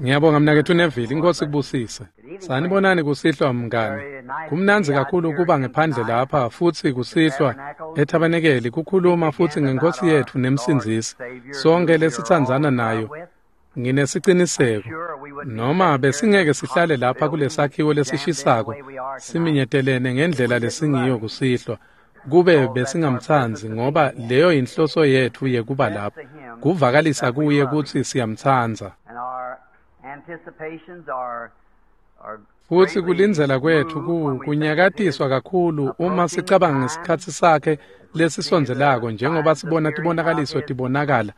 Ngiyabonga mnaketfu Neville, inkosi kubusise. Sanibonani kusihlwa mngani. Kumnandzi kakhulu kuba ngephandle lapha futsi kusihlwa ethabanekeli kukhuluma futsi ngenkosi yetfu nemsindzisi. Sonke lesitsandzana nayo. Nginesiciniseko noma besingeke sihlale lapha kulesakhiwo lesishisako siminyetelene ngendlela lesingiyo kusihlwa kube besingamtsandzi ngoba leyo yinhloso yetfu yekuba lapha kuvakalisa kuye kutsi siyamtsandza. Futsi kulindzela kwetfu kunyakatiswa kakhulu uma sicabanga ngesikhatsi sakhe lesisondzelako njengoba sibona tibonakaliso tibonakala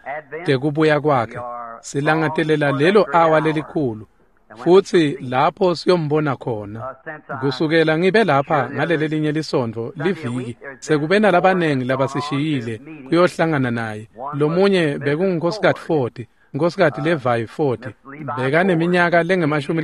tekubuya kwakhe. Silangatelela lelo awa lelikhulu futsi lapho siyombona khona. Kusukela ngibe lapha ngaleli linye lisontfo liviki sekube nalabanengi labasishiyile kuyohlangana naye. Lomunye bekunguNkosikazi Ford, Nkosikazi Levi Ford, bekaneminyaka lengemashumi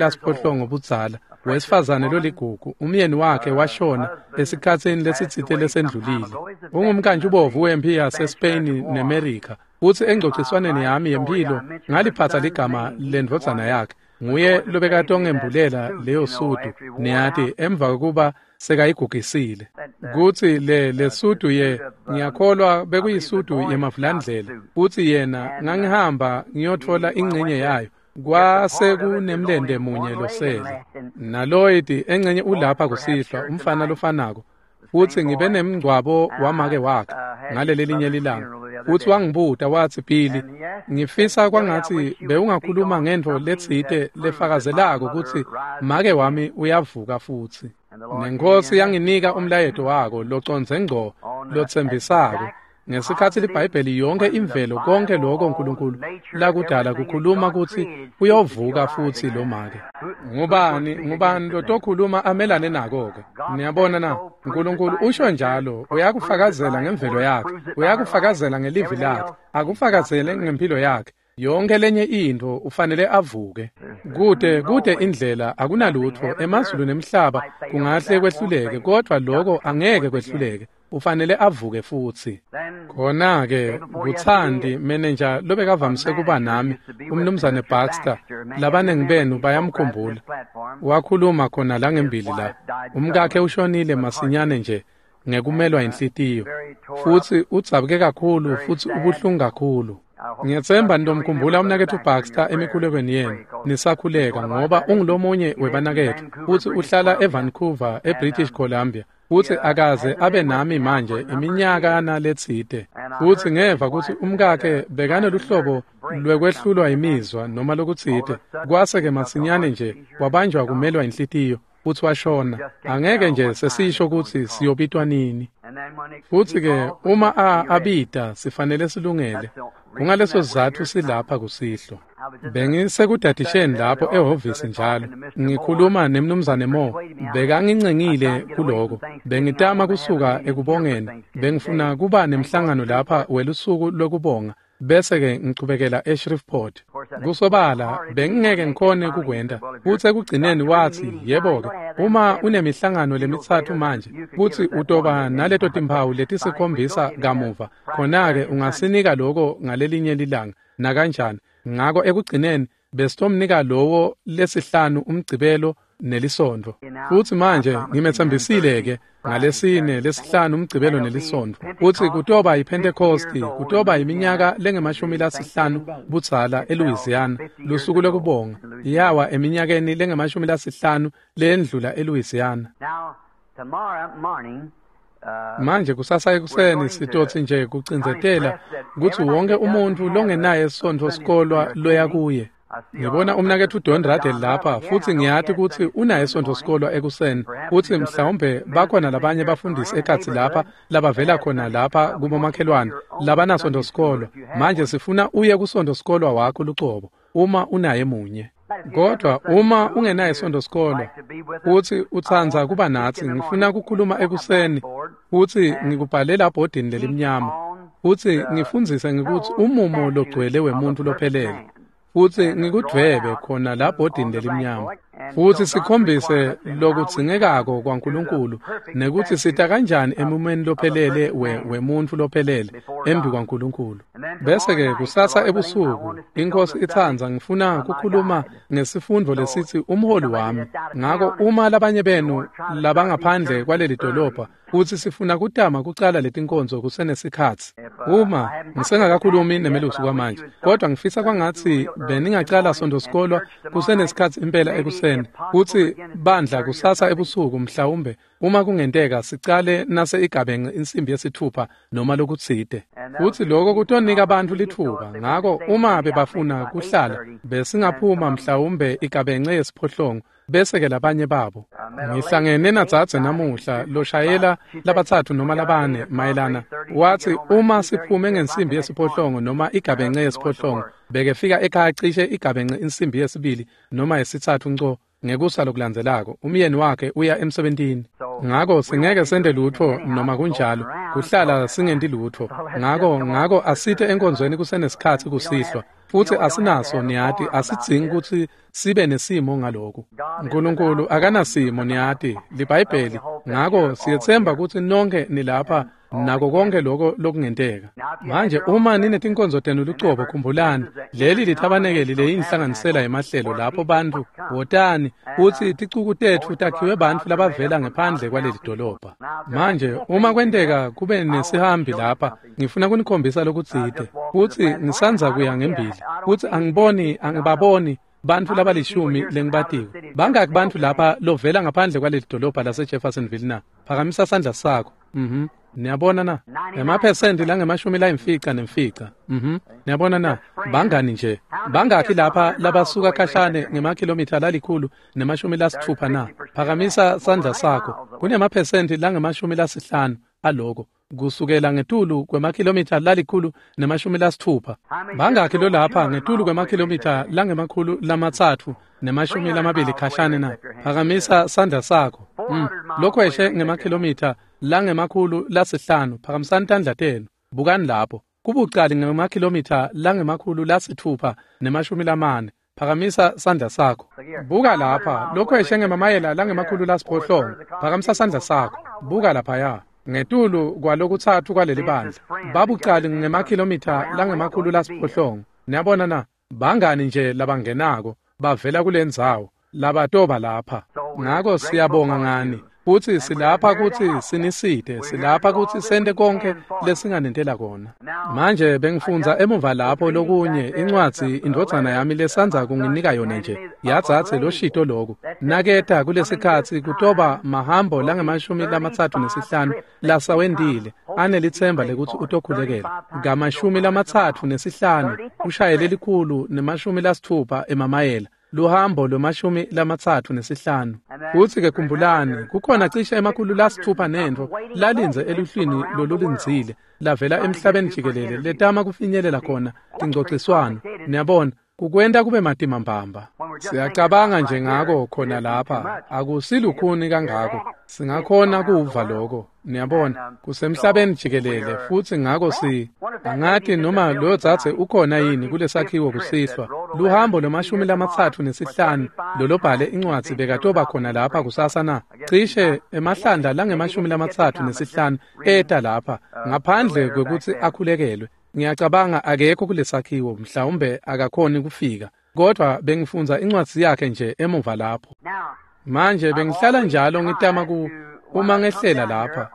budzala, wesifazane loligugu. Umyeni wakhe washona esikhatsini lesitsite lesendlulile. Ungumkantshubomvu wemphi yaseSpain neMerica. Futsi engcociswaneni yami yemphilo ngaliphatsa ligama lendvodzana yakhe. Nguye lobekatongembulela leyo sudu, niyati, emva kokuba sekayigugisile. Kutsi le sudu ye ngiyakholwa bekuyisudu yemavulandlela. Futsi yena ngangihamba ngiyotfola ingcenye yayo. Kwase kunemlente munye losele. NaLloyd engcenye ulapha kusihlwa, umfana lofanako. Futsi ngibe nemngcwabo wamake wakhe ngaleli linye lilanga. Futsi wangibuta watsi, Billy, ngifisa kwangatsi bewungakhuluma ngentfo letsite lefakazelako kutsi make wami uyavuka futsi. Nenkosi yanginika umlayeto wako locondze ngco lotsembisako. Ngesikhatsi liBhayibheli yonke imvelo konke lokho uNkulunkulu lakudala kukhuluma kutsi uyovuka futsi lo make. Ngubani lotokhuluma amelane nako-ke? Niyabona na? uNkulunkulu usho njalo, uyakufakazela ngemvelo yakhe, uyakufakazela ngelivi lakhe, akufakazele ngempilo yakhe. Yonke lenye intfo ufanele avuke. Kude indlela akunalutfo emazulu nemhlaba kungahle kwehluleke, kodvwa lokho angeke kwehluleke. Ufanele avuke futsi. Khona-ke kutsandi menenja lobekavamise kuba nami, umnumzane Baxter, labanengi benu bayamkhumbula. Wakhuluma khona la ngembili la. Umkakhe ushonile masinyane nje ngekumelwa inhlitiyo. Futsi udzabuke kakhulu futsi ubuhlungu kakhulu. Ngiyetsemba nitomkhumbula umnaketfu Baxter emikhulekweni yenu nisakhuleka ngoba ungulomunye webanaketfu futsi uhlala eVancouver eBritish Columbia. Futsi akaze abe nami manje iminyakana letsite. Futsi ngeva kutsi umkakhe bekaneluhlobo lwekwehlulwa imizwa noma lokutsite. Kwase-ke masinyane nje wabanjwa kumelwa inhlitiyo futsi washona. Angeke nje sesisho kutsi siyobitwa nini. Futsi-ke uma abita sifanele silungele. Kungaleso sizatfu silapha kusihlwa. Bengisekudadisheni lapho ehhovisi njalo ngikhuluma nemnumzane Mo. Bekangincengile kuloko. Bengitama kusuka ekubongeni. Bengifuna kuba nemhlangano lapha welusuku lokubonga bese-ke ngichubekela eShreveport. Kusobala bengingeke ngikhone kukwenta. Futsi ekugcineni watsi, yebo-ke, uma unemihlangano lemitsatfu manje, kutsi utoba naleto timphawu letisikhombisa kamuva, khona-ke ungasinika loko ngalelinye lilanga, nakanjani. Ngako ekugcineni besitomnika lowo lesihlanu umgcibelo nelisondvo. Futsi manje ngimetsembisile-ke ngalesine lesihlanu umgcibelo nelisondvo. Futsi kutoba yiPhentekhosti, kutoba iminyaka lengemashumi-5 budzala eLouisiana, lusuku lokubonga. Yawa eminyakeni lengemashumi-5 leyendlula eLouisiana. Manje kusasa ekuseni sitotsi nje kucindzetela kutsi wonke umuntfu longenaye sontfo sikolwa loya kuye. Ngibona umnaketfu Don Radel lapha futsi ngiyati kutsi unaye sontfo sikolwa ekuseni. Futsi mhlawumbe bakhona labanye bafundisi ekhatsi lapha labavela khona lapha kubomakhelwane labanasontfo sikolwa. Manje sifuna uye kusontfo sikolwa wakho lucobo uma unaye munye. Kodwa uma ungenaye sontfo sikolwa futsi utsandza kuba natsi, ngifuna kukhuluma ekuseni futsi ngikubhalela ebhodini lelimnyama futsi ngifundzise ngekutsi umumo logcwele wemuntfu lophelele. Futsi ngikudvwebe khona la bhodini lelimnyama. Futhi sikhombise lokudzingekako kwaNkulunkulu nekuthi sita kanjani emumeni lophelele wemuntfu lophelele embi kwaNkulunkulu. Bese-ke kusasa ebusuku iNkosi itsandza ngifuna kukhuluma ngesifundvo lesithi umholi wami. Ngako uma labanye benu labangaphandle kwaleli dolobha kutsi sifuna kutama kucala letinkonzo kusenesikhatsi. Uma ngisengakakhulumi nemelusi kwamanje, kodwa ngifisa kwangatsi beningacala Sonto sikolwa kusenesikhatsi impela ekuseni, kutsi bandla kusasa ebusuku mhlawumbe uma kungenteka sicale nase igabence insimbi yesithupha noma lokutsite. Futsi lokho kutonika abantu litfuba. Ngako uma bebafuna kuhlala besingaphuma mhlawumbe igabence yesiphohlongo bese-ke labanye babo. Ngihlangene nadzadze namuhla loshayela labatsatfu noma labane mayelana watsi uma siphume ngensimbi yesiphohlongo noma igabence yesiphohlongo bekefika ekhaya cishe igabence insimbi yesibili noma yesitsatfu nco ngekusa lokulandzelako umyeni wakhe uya emsebentini. Ngako singeke sente lutfo noma kunjalo kuhlala singenti lutfo. Ngako asite enkonzweni kusenesikhatsi kusihlwa. Futsi asinaso niyati asidzingi kutsi sibe nesimo ngaloku. Nkulunkulu akanasimo niyati liBhayibheli. Ngako siyetsemba kutsi nonke nilapha nako konke lokho lokungenteka. Manje uma ninetinkonzo tenu lucobo khumbulani leli lithabanekeli leyinhlanganisela yemahlelo lapho bantu wotani kutsi ticuku tetfu takhiwe bantfu labavela ngephandle kwaleli dolobha. Manje uma kwenteka kube nesihambi lapha ngifuna kunikhombisa lokutsite kutsi ngisandza kuya ngembili kutsi angibaboni bantfu labalishumi lengibatiko. Bangaki bantfu lapha lovela ngaphandle kwaleli dolobha lase Jeffersonville na? Phakamisa sandla sakho. Niyabona na? Emaphesenti langemashumi layimfica nemfica. Niyabona na? Bangani nje. Bangaki lapha labasuka khashane ngemakhilomitha 160 na? Phakamisa sandla sakho. Kunemaphesenti langemashumi lasihlanu aloko kusukela ngetulu kwemakhilomitha 160. Bangaki lo lapha ngetulu kwemakhilomitha 320 khashane na? Phakamisa sandla sakho. Lokhweshe ngemakhilomitha 500 phakamisani tandla tenu. Bukani lapho kubucali ngemakhilomitha 640. Phakamisa sandla sakho. Buka lapha lokhweshe ngemamayela 800. Phakamisa sandla sakho. Buka laphaya ngetulu kwalokutsatfu kwaleli bandla babucali ngemakhilomitha 800. Niyabona na? Bangani nje labangenako bavela kulendzawo labatoba lapha. Ngako siyabonga ngani kutsi silapha kutsi sinisite, silapha kutsi sente konke lesinganentela kona. Manje bengifundza emuva lapho lokunye incwadzi indvodzana yami lesandza kunginika yona nje yadzadze loshito loku naketa kulesikhatsi kutoba mahambo langemashumi 35 lasawendile anelitsemba lekutsi utokhulekela ngamashumi 35 ushayele 160 emamayela luhambo lwemashumi 35. Futsi-ke khumbulani kukhona cishe 600 nentfo lalindze eluhlwini lolulindzile lavela emhlabeni jikelele letama kufinyelela khona tingcociswano. Niyabona kukwenta kube matima mbamba. Siyacabanga nje ngako khona lapha akusilukhuni kangako singakhona kuva lokho. Niyabona kusemhlabeni jikelele futsi ngako angati noma loyo dzadze ukhona yini kulesakhiwo kusihlwa. Luhambo lwemashumi 35 lolobhale incwadzi bekatoba khona lapha kusasa na? Cishe emahlandla langemashumi 35 eta lapha ngaphandle kwekutsi akhulekelwe. Ngiyacabanga akekho kulesakhiwo mhlawumbe akakhoni kufika, kodwa bengifundza incwadzi yakhe nje emuva lapho. Manje bengihlala njalo ngitama uma ngehlela lapha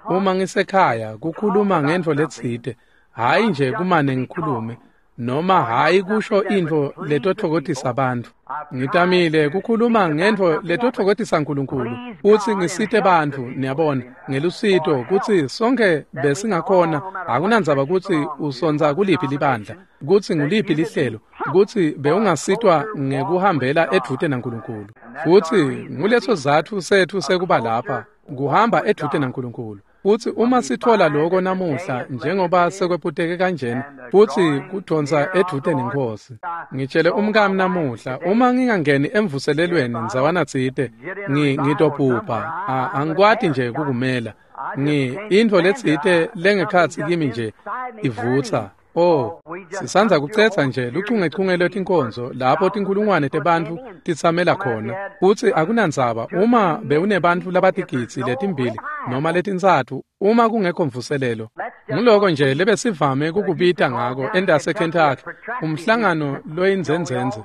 uma ngisekhaya kukhuluma ngentfo letsite, hhayi nje kumane ngikhulume noma hhayi kusho intfo letotfokotisa bantfu. Ngitamile kukhuluma ngentfo letotfokotisa Nkulunkulu kutsi ngisite bantfu, niyabona, ngelusito kutsi sonke besingakhona. Akunandzaba kutsi usondza kuliphi libandla, kutsi nguliphi lihlelo, kutsi bewungasitwa ngekuhambela edvute naNkulunkulu. Futsi nguleso sizatfu setfu sekuba lapha, kuhamba edvute naNkulunkulu. Futsi uma sithola lokho namuhla njengoba sekwephuteke kanjena futsi kudonsa edvute nenkosi. Ngitshele umkami namuhla uma ngingangeni emvuselelweni ndzawana tsite ngitophupha angikwati nje kukumela. Intfo letsite lengekhatsi kimi nje ivutsa. Oh, sisandza kucetha nje luchungechunge lwetinkonzo lapho tinkulungwane tebantfu titsamela khona. Futsi akunandzaba uma bewunebantfu labatigidzi letimbili noma letintsatfu uma kungekho mvuselelo. Nguloko nje lebesivame kukubita ngako endase Kentucky, umhlangano loyindzendzendze.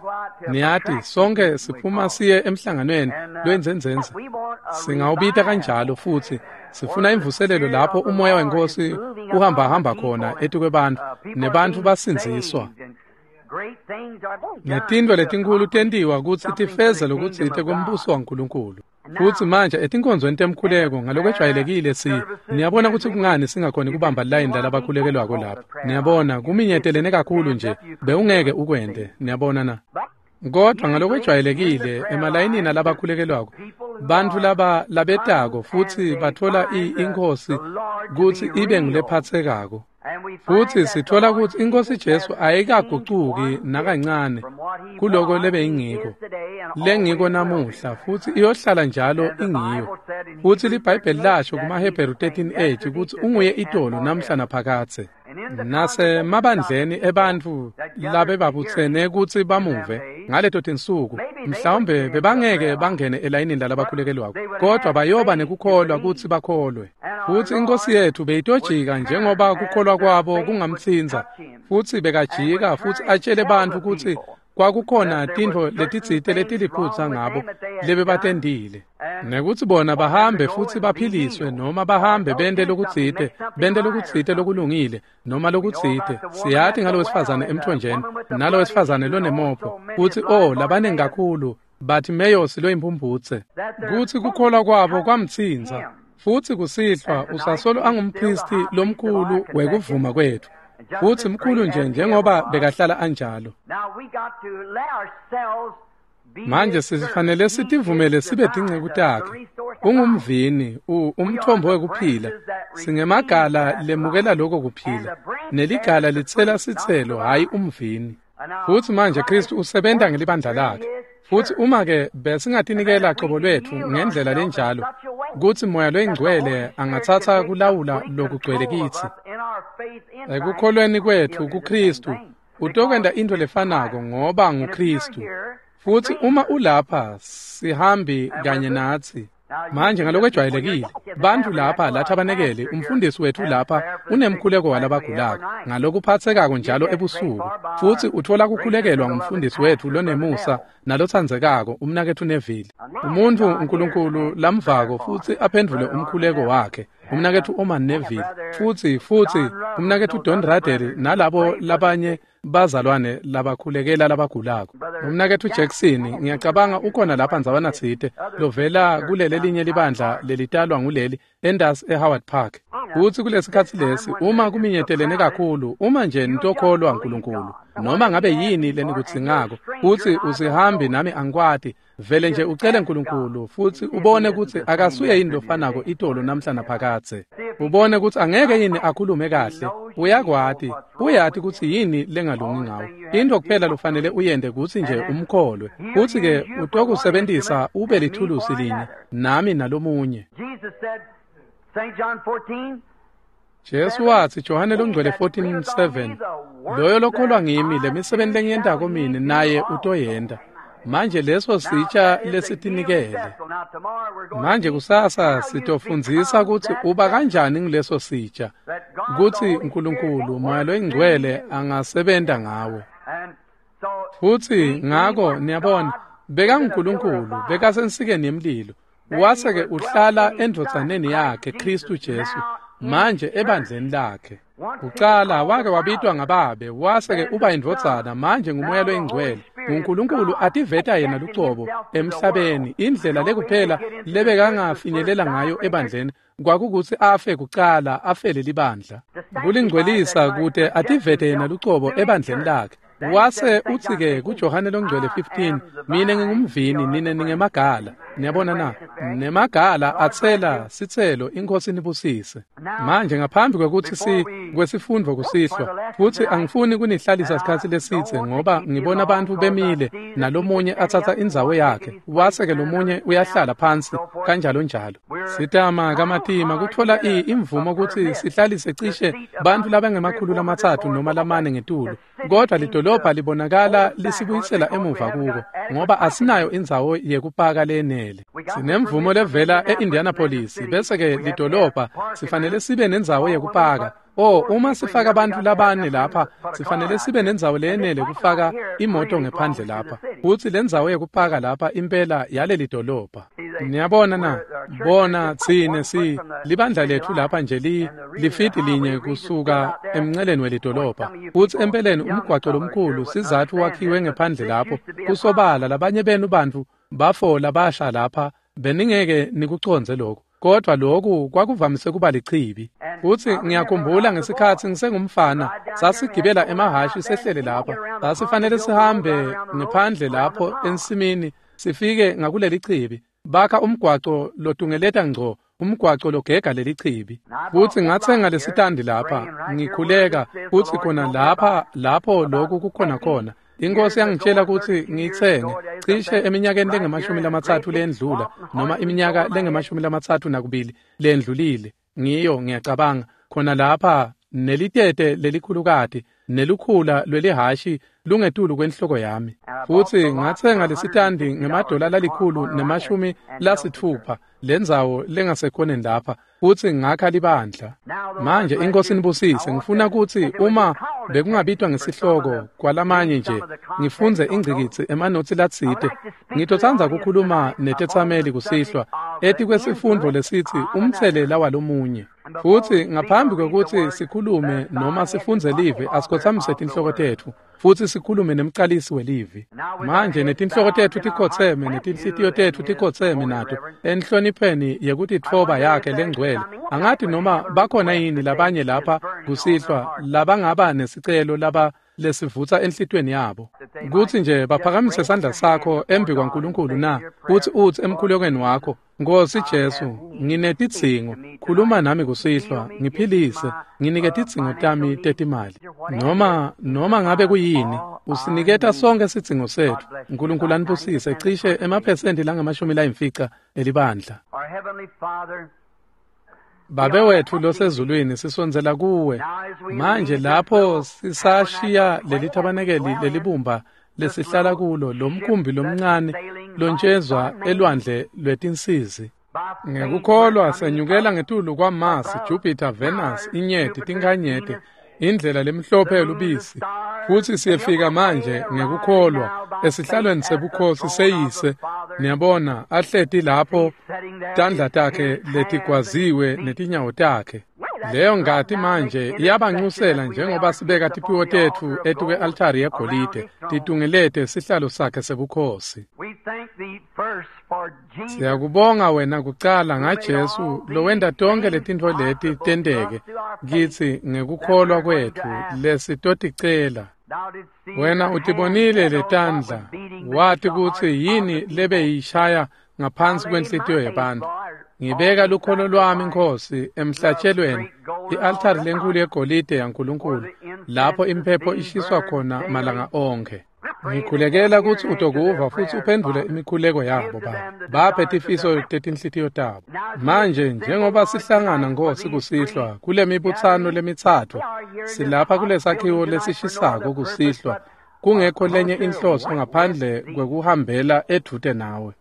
Niyati, sonke siphuma siye emhlanganweni loyindzendzendze. Singawubita kanjalo futsi sifuna imvuselelo lapho umoya wenkosi uhamba-hamba khona etikwebantfu nebantfu basindziswa. Netintfo letinkhulu tentiwa kutsi tifeze lokutsite kwembuso waNkulunkulu. Futsi manje etinkonzweni temkhuleko ngalokwejwayelekile niyabona kutsi kungani singakhoni kubamba layini lalabakhulekelwako lapha. Niyabona kuminyetelene kakhulu nje bewungeke ukwente, niyabona na? Kodwa ngalokwejwayelekile emalayinini alabakhulekelwako bantfu laba labetako futsi batfola iNkhosi kutsi ibe ngulephatsekako. Futsi sitfola kutsi iNkhosi Jesu ayikagucuki nakancane kuloko lebeyingiko lengiko namuhla futsi iyohlala njalo ingiyo. Futsi liBhayibheli lasho kumaHebheru 13:8 kutsi unguye itolo namhla naphakadze. Nasemabandleni ebantfu labebabutsene kutsi bamuve ngaleto tinsuku, mhlawumbe bebangeke bangene elayinini lalabakhulekelwako, kodwa bayoba nekukholwa kutsi bakholwe. Futsi iNkhosi yethu beyitojika njengoba kukholwa kwabo kungamtsintsa, futsi bekajika futsi atjele bantfu kutsi kwakukhona tintfo letitsite letiliphutsa ngabo lebebatentile, nekutsi bona bahambe futsi baphiliswe noma bahambe bente lokutsite lokulungile noma lokutsite. Siyati ngalo wesifazane emthonjeni nalo wesifazane lonemopho kutsi labanengi kakhulu Bartimeyosi loyimpumphutse, kutsi kukholwa kwabo kwamtsintsa. Futsi kusihlwa usasolo angumphristi lomkhulu wekuvuma kwetfu, futsi mkhulu nje njengoba bekahlala anjalo. Manje sifanele sitivumele sibe tinceku takhe. Ungumvini, umthombo wekuphila. Singemagala lemukela lokho kuphila, neligala litsela sitselo, hhayi umvini. Futsi manje Kristu usebenta ngelibandla lakhe. Futsi uma-ke besingatinikela cobo lwetfu ngendlela lenjalo kutsi Moya loyiNgcwele angatsatsa kulawula lokugcwele kitsi ekukholweni kwetfu kuKristu, utokwenta intfo lefanako ngoba nguKristu. Futsi uma ulapha sihambi kanye natsi. Manje ngalokwejwayelekile bantfu lapha lathabanekele, umfundisi wetfu lapha unemkhuleko walabagulako ngalokuphatsekako njalo ebusuku, futsi utfola kukhulekelwa ngumfundisi wetfu lonemusa nalotsandzekako umnaketfu Neville, umuntfu uNkulunkulu lamvako futsi aphendvule umkhuleko wakhe, umnaketfu Oman Neville, futsi umnaketfu Don Radel nalabo labanye bazalwane labakhulekela labagulako. Umnaketfu Jackson ngiyacabanga ukhona lapha ndzawana tsite lovela kuleli linye libandla lelitalwa nguleli endasi eHoward Park. Futsi kulesikhatsi lesi uma kuminyetelene kakhulu, uma nje nitokholwa uNkulunkulu noma ngabe yini lenikudzingako, futsi usihambi nami angikwati, vele nje ucele uNkulunkulu futsi ubone kutsi akasuye yini lofanako itolo namhla naphakadze. Ubone kutsi angeke yini akhulume kahle. Uyakwati, uyati kutsi yini lengalungi ngawe. Into kuphela lofanele uyente kutsi nje umkholwe. Futsi-ke utokusebentisa ube lithulusi linye nami nalomunye. Jesu watsi Johane longcwele 14:7, loyo lokholwa ngimi lemisebenti lengiyentako mine naye utoyenta. Manje leso sitsha lesitinikele. Manje kusasa sitofundzisa kutsi uba kanjani nguleso sitsha, kutsi uNkulunkulu Moya loyiNgcwele angasebenta ngawe. Futsi ngako niyabona, bekanguNkulunkulu, bekasensikeni yemlilo, wase-ke uhlala endvodzaneni yakhe Kristu Jesu, manje ebandleni lakhe. Kucala wake wabitwa ngababe, wase-ke uba indvodzana, manje nguMoya loyiNgcwele. NguNkulunkulu ativeta yena lucobo emhlabeni. Indlela lekuphela lebekangafinyelela ngayo ebandleni kwakukutsi afe kucala, afele libandla, kulingcwelisa kute ativete yena lucobo ebandleni lakhe. Wase utsi-ke kuJohane longcwele 15, mine ngingumvini, nine ningemagala. Niyabona na? Nemagala atsela sitselo, iNkhosi nibusise. Manje ngaphambi kwekutsi kwesifundvo kusihlwa, futsi angifuni kunihlalisa sikhatsi lesitse ngoba ngibona bantfu bemile nalomunye atsatsa indzawo yakhe, wase-ke lomunye uyahlala phansi kanjalo njalo. Sitama kamatima kutfola imvumo kutsi sihlalise cishe bantfu labangema-300 noma 4 ngetulu, kodwa lidolobha libonakala lisibuyisela emuva kuko ngoba asinayo indzawo yekupaka lenele. Sinemvumo levela e-Indianapolis, bese-ke lidolobha sifanele sibe nendzawo yekupaka. Uma sifaka bantfu labane lapha, sifanele sibe nendzawo leyenele kufaka imoto ngephandle lapha. Futsi lendzawo yekupaka lapha impela yaleli dolobha. Niyabona na? Bona tsine si libandla letfu lapha nje lifidi linye kusuka emnceleni welidolobha. Futsi empeleni umgwaco lomkhulu sizatfu wakhiwe ngephandle lapho. Kusobala labanye benu bantfu bafola basha lapha beningeke nikucondze lokho. Kodwa lokhu kwakuvamise kuba lichibi. Futsi ngiyakhumbula ngesikhatsi ngisengumfana, sasigibela emahhashi sehlele lapha. Sasifanele sihambe ngephandle lapho ensimini sifike ngakuleli chibi. Bakha umgwaco lotungeleta ngco, umgwaco logega leli chibi. Futsi ngatsenga lesitandi lapha, ngikhuleka futsi khona lapha lapho lokhu kukhona khona. Inkosi yangitshela kutsi ngiyitsenge cishe eminyakeni lengama-30 lendlula noma iminyaka lengama-32 lendlulile. Ngiyo ngiyacabanga khona lapha nelitete lelikhulukati nelukhula lwelihashi lungetulu kwenhloko yami. Futsi ngatsenga lesitandi ngemadola $160 lendzawo lengasekhoneni lapha, futsi ngakha libandla. Manje iNkhosi nibusise. Ngifuna kutsi uma bekungabitwa ngesihloko kwalamanye nje ngifundze ingcikitsi emanotsi latsite. Ngitotsandza kukhuluma netetsameli kusihlwa etikwesifundvo lesitsi umtselela walomunye. Futsi ngaphambi kwekutsi sikhulume noma sifundze livi, asikhotsamise tinhloko tetfu futsi sikhulume nemcalisi welivi. Manje netinhloko tetfu tikhotseme netinhlitiyo tetfu tikhotseme nato enhlonipheni yekutitfoba yakhe lengcwele. Angati noma bakhona yini labanye lapha kusihlwa labangaba nesicelo laba lesivutsa enhlitiyweni yabo, kutsi nje baphakamise sandla sakho embi kwaNkulunkulu na, kutsi utsi emkhulekweni wakho, Nkosi Jesu, nginetidzingo, khuluma nami kusihlwa, ngiphilise, nginike tidzingo tami tetimali. Noma ngabe kuyini, usiniketa sonke sidzingo setfu. Nkulunkulu anibusise cishe emaphesenti langama-50 elibandla. Babe wetfu losezulwini, sisondzela kuwe manje lapho sisashiya leli thabanekeli lelibumba lesihlala kulo, lomkhumbi lomncane lontjezwa elwandle lwetinsizi. Ngekukholwa senyukela ngetulu kwaMars, Jupiter, Venus, inyeti, tinkanyeti, indlela lemhlophe yelubisi, futsi siyefika manje ngekukholwa esihlalweni sebukhosi seyise. Niyabona ahleti lapho, tandla takhe letigwaziwe netinyawo takhe. Leyo ngati manje iyabancusela njengoba sibeka tiphiwo tetfu etukwe-altari yegolide titungelete sihlalo sakhe sebukhosi. Siyakubonga wena kucala ngaJesu lowenta tonke letintfo leti tenteke kitsi ngekukholwa kwetfu lesitoticela. Wena utibonile letandla, wati kutsi yini lebeyishaya ngaphansi kwenhlitiyo yebantfu. Ngibeka lukholo lwami Nkosi emhlatshelweni, i-altari lenkulu yegolide yaNkulunkulu, lapho imphepho ishiswa khona malanga onkhe. Ngikhulekela kutsi utokuva futsi uphendvule imikhuleko yabo Baba. Baphe tifiso tetinhlitiyo tabo. Manje njengoba sihlangana Nkosi kusihlwa kule mibutsano lemitsatfu, silapha kulesakhiwo lesishisako kusihlwa, kungekho lenye inhloso ngaphandle kwekuhambela edvute nawe.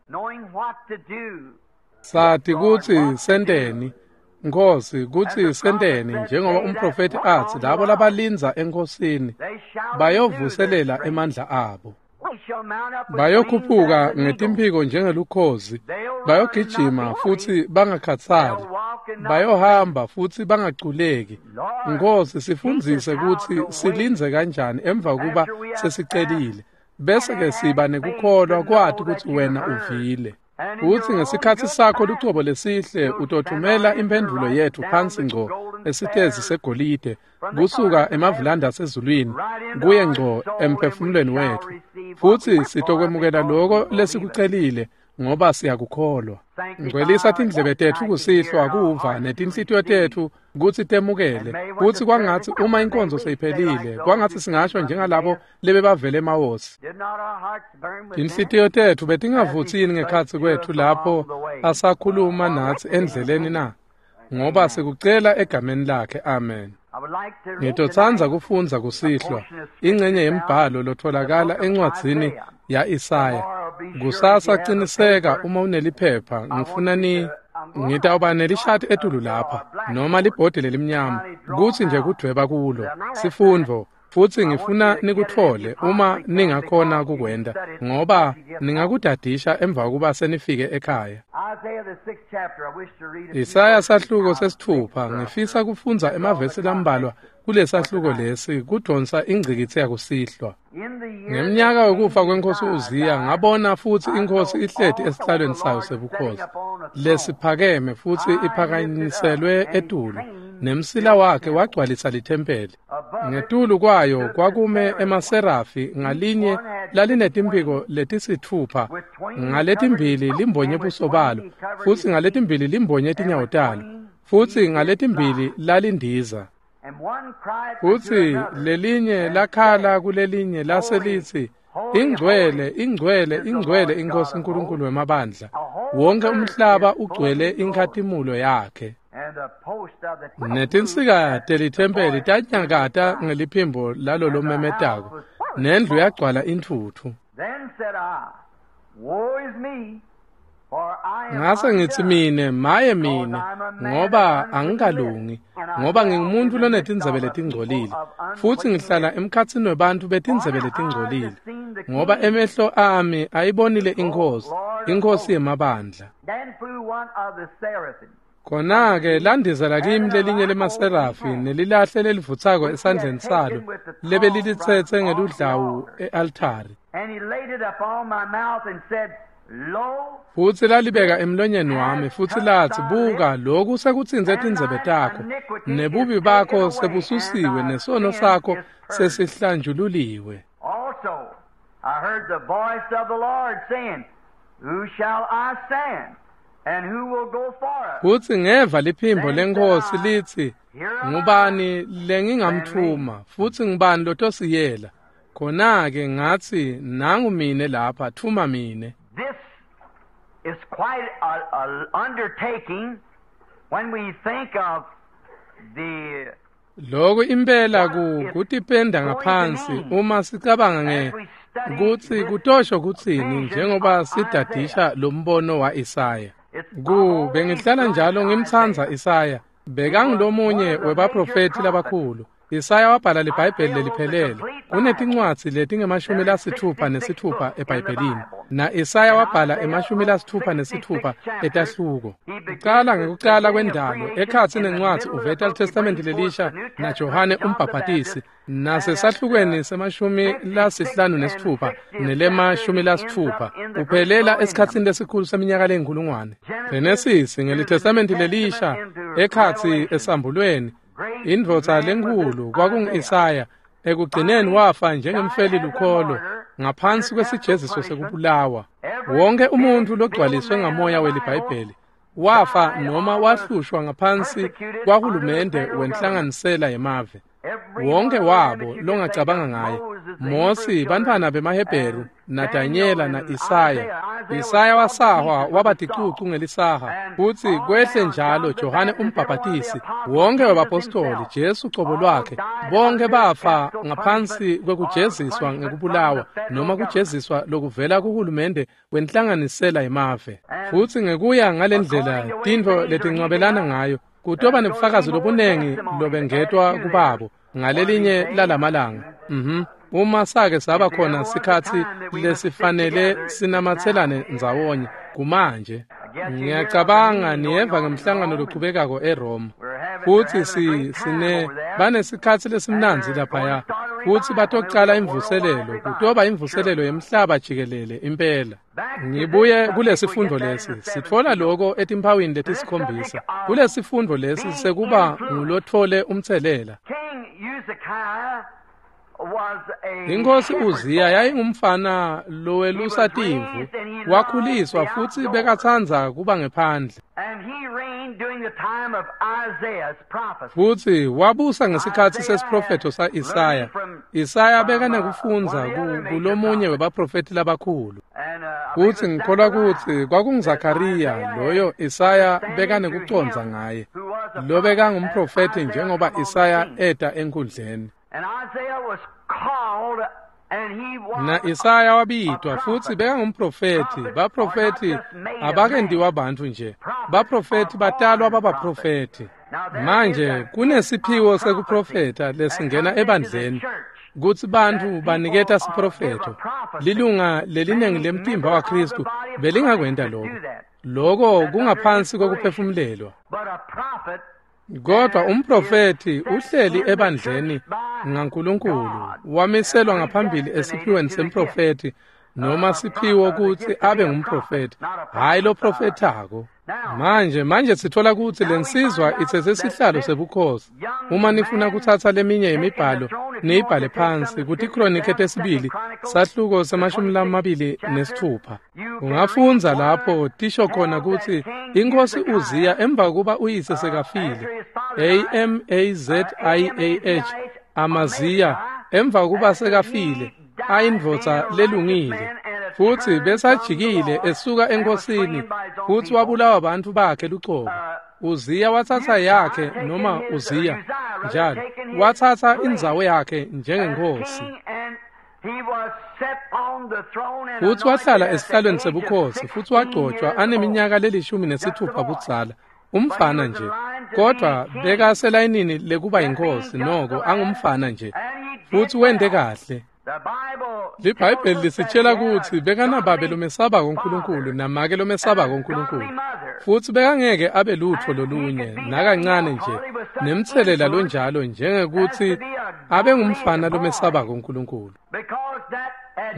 Sati kutsi senteni, Nkosi, kutsi senteni njengoba umprofeti atsi labo labalindza enkosini bayovuselela emandla abo. Bayokhuphuka ngetimphiko njengelukhozi, bayogijima futsi bangakhatsali, bayohamba futsi bangaculeki. Nkosi, sifundzise kutsi silindze kanjani emva kuba sesicelile, bese-ke siba nekukholwa kwati kutsi wena uvile. Utsi ngesikhatsi sakho lucobo lesihle utothumela imphendvulo yetfu phansi ngco esitezi segolide kusuka emavulanda asezulwini kuye ngco emphefumulweni wetfu, futsi sitokwemukela loko lesikucelile ngoba siyakukholwa. Ngcwelisa tindlebe tetfu kusihlwa kuva netinhlitiyo tetfu kutsi temukele, kutsi kwangatsi uma inkonzo seyiphelile, kwangatsi singasho njengalabo lebebavele emawosi. Tinhlitiyo tetfu betingavutsi yini ngekhatsi kwetfu lapho asakhuluma natsi endleleni na? Ngoba sikucela egameni lakhe, amen. Ngitotsandza kufundza kusihlwa ingcenye yembhalo lotholakala encwadzini ya-Isaya. Kusasa ciniseka uma uneliphepha, ngifuna ngitawuba nelishati etulu lapha noma libhodi lelimnyama kutsi nje kudvweba kulo sifundvo, futsi ngifuna nikutfole uma ningakhona kukwenta, ngoba ningakudadisha emva kokuba senifike ekhaya. Isaya sahluko 6, ngifisa kufundza emavesi lambalwa kulesahluko lesi kudonsa ingcikitsi yakusihlwa. Ngemnyaka wekufa kwenkosi Uziya ngabona futsi inkosi ihleti esihlalweni sayo sebukhosi lesiphakeme futsi iphakanyiselwe etulu, nemsila wakhe wagcwalisa lithempeli. Ngetulu kwayo kwakume emaserafi, ngalinye lalinetimphiko letisitfupha, ngaletimbili limbonye buso balo, futsi ngaletimbili limbonye tinyawo talo, futsi ngaletimbili lalindiza. Futsi lelinye lakhala kulelinye laselitsi, ingcwele, ingcwele, ingcwele inkosi uNkulunkulu wemabandla, wonke umhlaba ugcwele inkhatimulo yakhe. Netinsika telithempeli tanyakata ngeliphimbo lalo lomemetako, nendlu yagcwala intfutfu. Ngase ngitsi mine, maye mine, ngoba angikalungi, ngoba ngingumuntu lonetindzebe letingcolile, futsi ngihlala emkhatsini webantfu betindzebe letingcolile, ngoba emehlo ami ayibonile iNkhosi, iNkhosi yemabandla. Khona-ke landizela kimi lelinye lemaserafi nelilahle lelivutsako esandleni salo lebelilitsetse ngeludlawu e-altari. Futsi lalibeka emlonyeni wami, futsi latsi, buka, loku sekutsintse tindzebe takho, nebubi bakho sebususiwe, nesono sakho sesihlanjululiwe. Also, I heard the voice of the Lord saying, Who shall I send? And who will go for us? Futsi ngeva liphimbo leNkhosi litsi, ngubani lengingamtfuma, futsi ngubani lotosiyela? Khona-ke ngatsi, nangu mine lapha, tfuma mine. This is quite an undertaking when we think of the Lokhu impela kutipenda ngaphansi uma sicabanga nge kutsi kutosho kutsini njengoba sidadisha lombono wa-Isaya. Bengihlala njalo ngimtsandza Isaya, bekangulomunye webaprofethi labakhulu. Isaya wabhala liBhayibheli leliphelele. Kunetincwadzi letingama-66 eBhayibhelini, na Isaya wabhala ema-66 etahluko. Ucala ngekucala kwendalo, ekhatsi nencwadzi uveta liTestamenti lelisha na Johane umbhaphatisi, nasesahlukweni se-56 nelema-60 uphelela esikhatsini lesikhulu seminyaka leyinkulungwane. Genesis ngeliTestamenti lelisha ekhatsi esambulweni, indvodza lenkhulu kwakungu-Isaya, ekugcineni wafa njengemfeli lukholo ngaphansi kwesijeziso sekubulawa. Wonke umuntu logcwaliswe ngamoya weliBhayibheli wafa noma wahlushwa ngaphansi kwahulumende wenhlanganisela yemave. Wonke wabo longacabanga ngaye, Mosi, bantfwana bemaHebheru, naDanyela na-Isaya. Isaya wasahwa waba ticucu ngelisaha, futsi kwehle njalo Johane umbhaphatisi, wonke webapostoli, Jesu cobo lwakhe, bonke bafa ngaphansi kwekujeziswa ngekubulawa noma kujeziswa lokuvela kuhulumende wenhlanganisela yemave. Futsi ngekuya ngalendlela tintfo letincwabelana ngayo, kutoba nebufakazi lobunengi lobengetwa kubabo ngalelinye lalamalanga. Uma sake saba khona sikhatsi lesifanele sinamatselane ndzawonye kumanje. Ngiyacabanga niyeva ngemhlangano lochubekako eRoma. Futsi banesikhatsi lesimnandzi laphaya, futsi batocala imvuselelo, kutoba imvuselelo yemhlaba jikelele impela. Ngibuye kulesifundo lesi, sitfola lokho etimphawini letisikhombisa. Kulesifundo lesi sekuba ngulotfole umtselela. Inkosi Uziya yayingumfana lowelusa timvu. Wakhuliswa futsi bekatsandza kuba ngephandle. Futsi wabusa ngesikhatsi sesiprofetho sa-Isaya. Isaya bekanekufundza kulomunye webaprofethi labakhulu. Futsi ngikholwa kutsi kwakunguZakhariya loyo Isaya bekanekucondza ngaye, lobekangumprofethi njengoba Isaya eta enkhundleni. Na Isaya wabitwa futsi bekangumprofethi. Baprofethi abakentiwa bantfu nje, baprofethi batalwa babaprofethi. Manje kunesiphiwo sekuprofetha lesingena ebandleni kutsi bantfu baniketa siprofetho. Lilunga lelinengi lemtimba waKhristu belingakwenta lokho. Lokho kungaphansi kokuphefumulelwa. Kodwa umprofethi uhleli ebandleni ngaNkulunkulu, wamiselwa ngaphambili esiphiweni semprofethi noma siphiwo kutsi abe ngumprofethi, hhayi loprofethako. Manje sithola kutsi lensizwa itsetse sihlalo sebukhosi. Uma nifuna kutsatsa leminye yemibhalo niyibhale phansi kutiKronike tesibili sahluko se-26. Ungafundza lapho tisho khona kutsi inkosi Uziya emva kuba uyise sekafile, Amaziah, Amaziya emva kuba sekafile, ayindvodza lelungile, futsi besajikile esuka enkosini futsi wabulawa bantfu bakhe lucobo. Uziya watsatsa yakhe, noma Uziya njalo watsatsa indzawo yakhe njengenkosi, futsi wahlala esihlalweni sebukhosi futsi wagcotshwa aneminyaka le-16 budzala, umfana nje, kodwa bekaselayinini lekuba yinkosi noko angumfana nje, futsi wente kahle. LiBhayibheli lisitshela kutsi bekanababe lomesabako uNkulunkulu namake lomesabako uNkulunkulu, futsi bekangeke abe lutfo lolunye nakancane nje nemtselela lonjalo njengekuthi abe ngumfana lomesabako uNkulunkulu,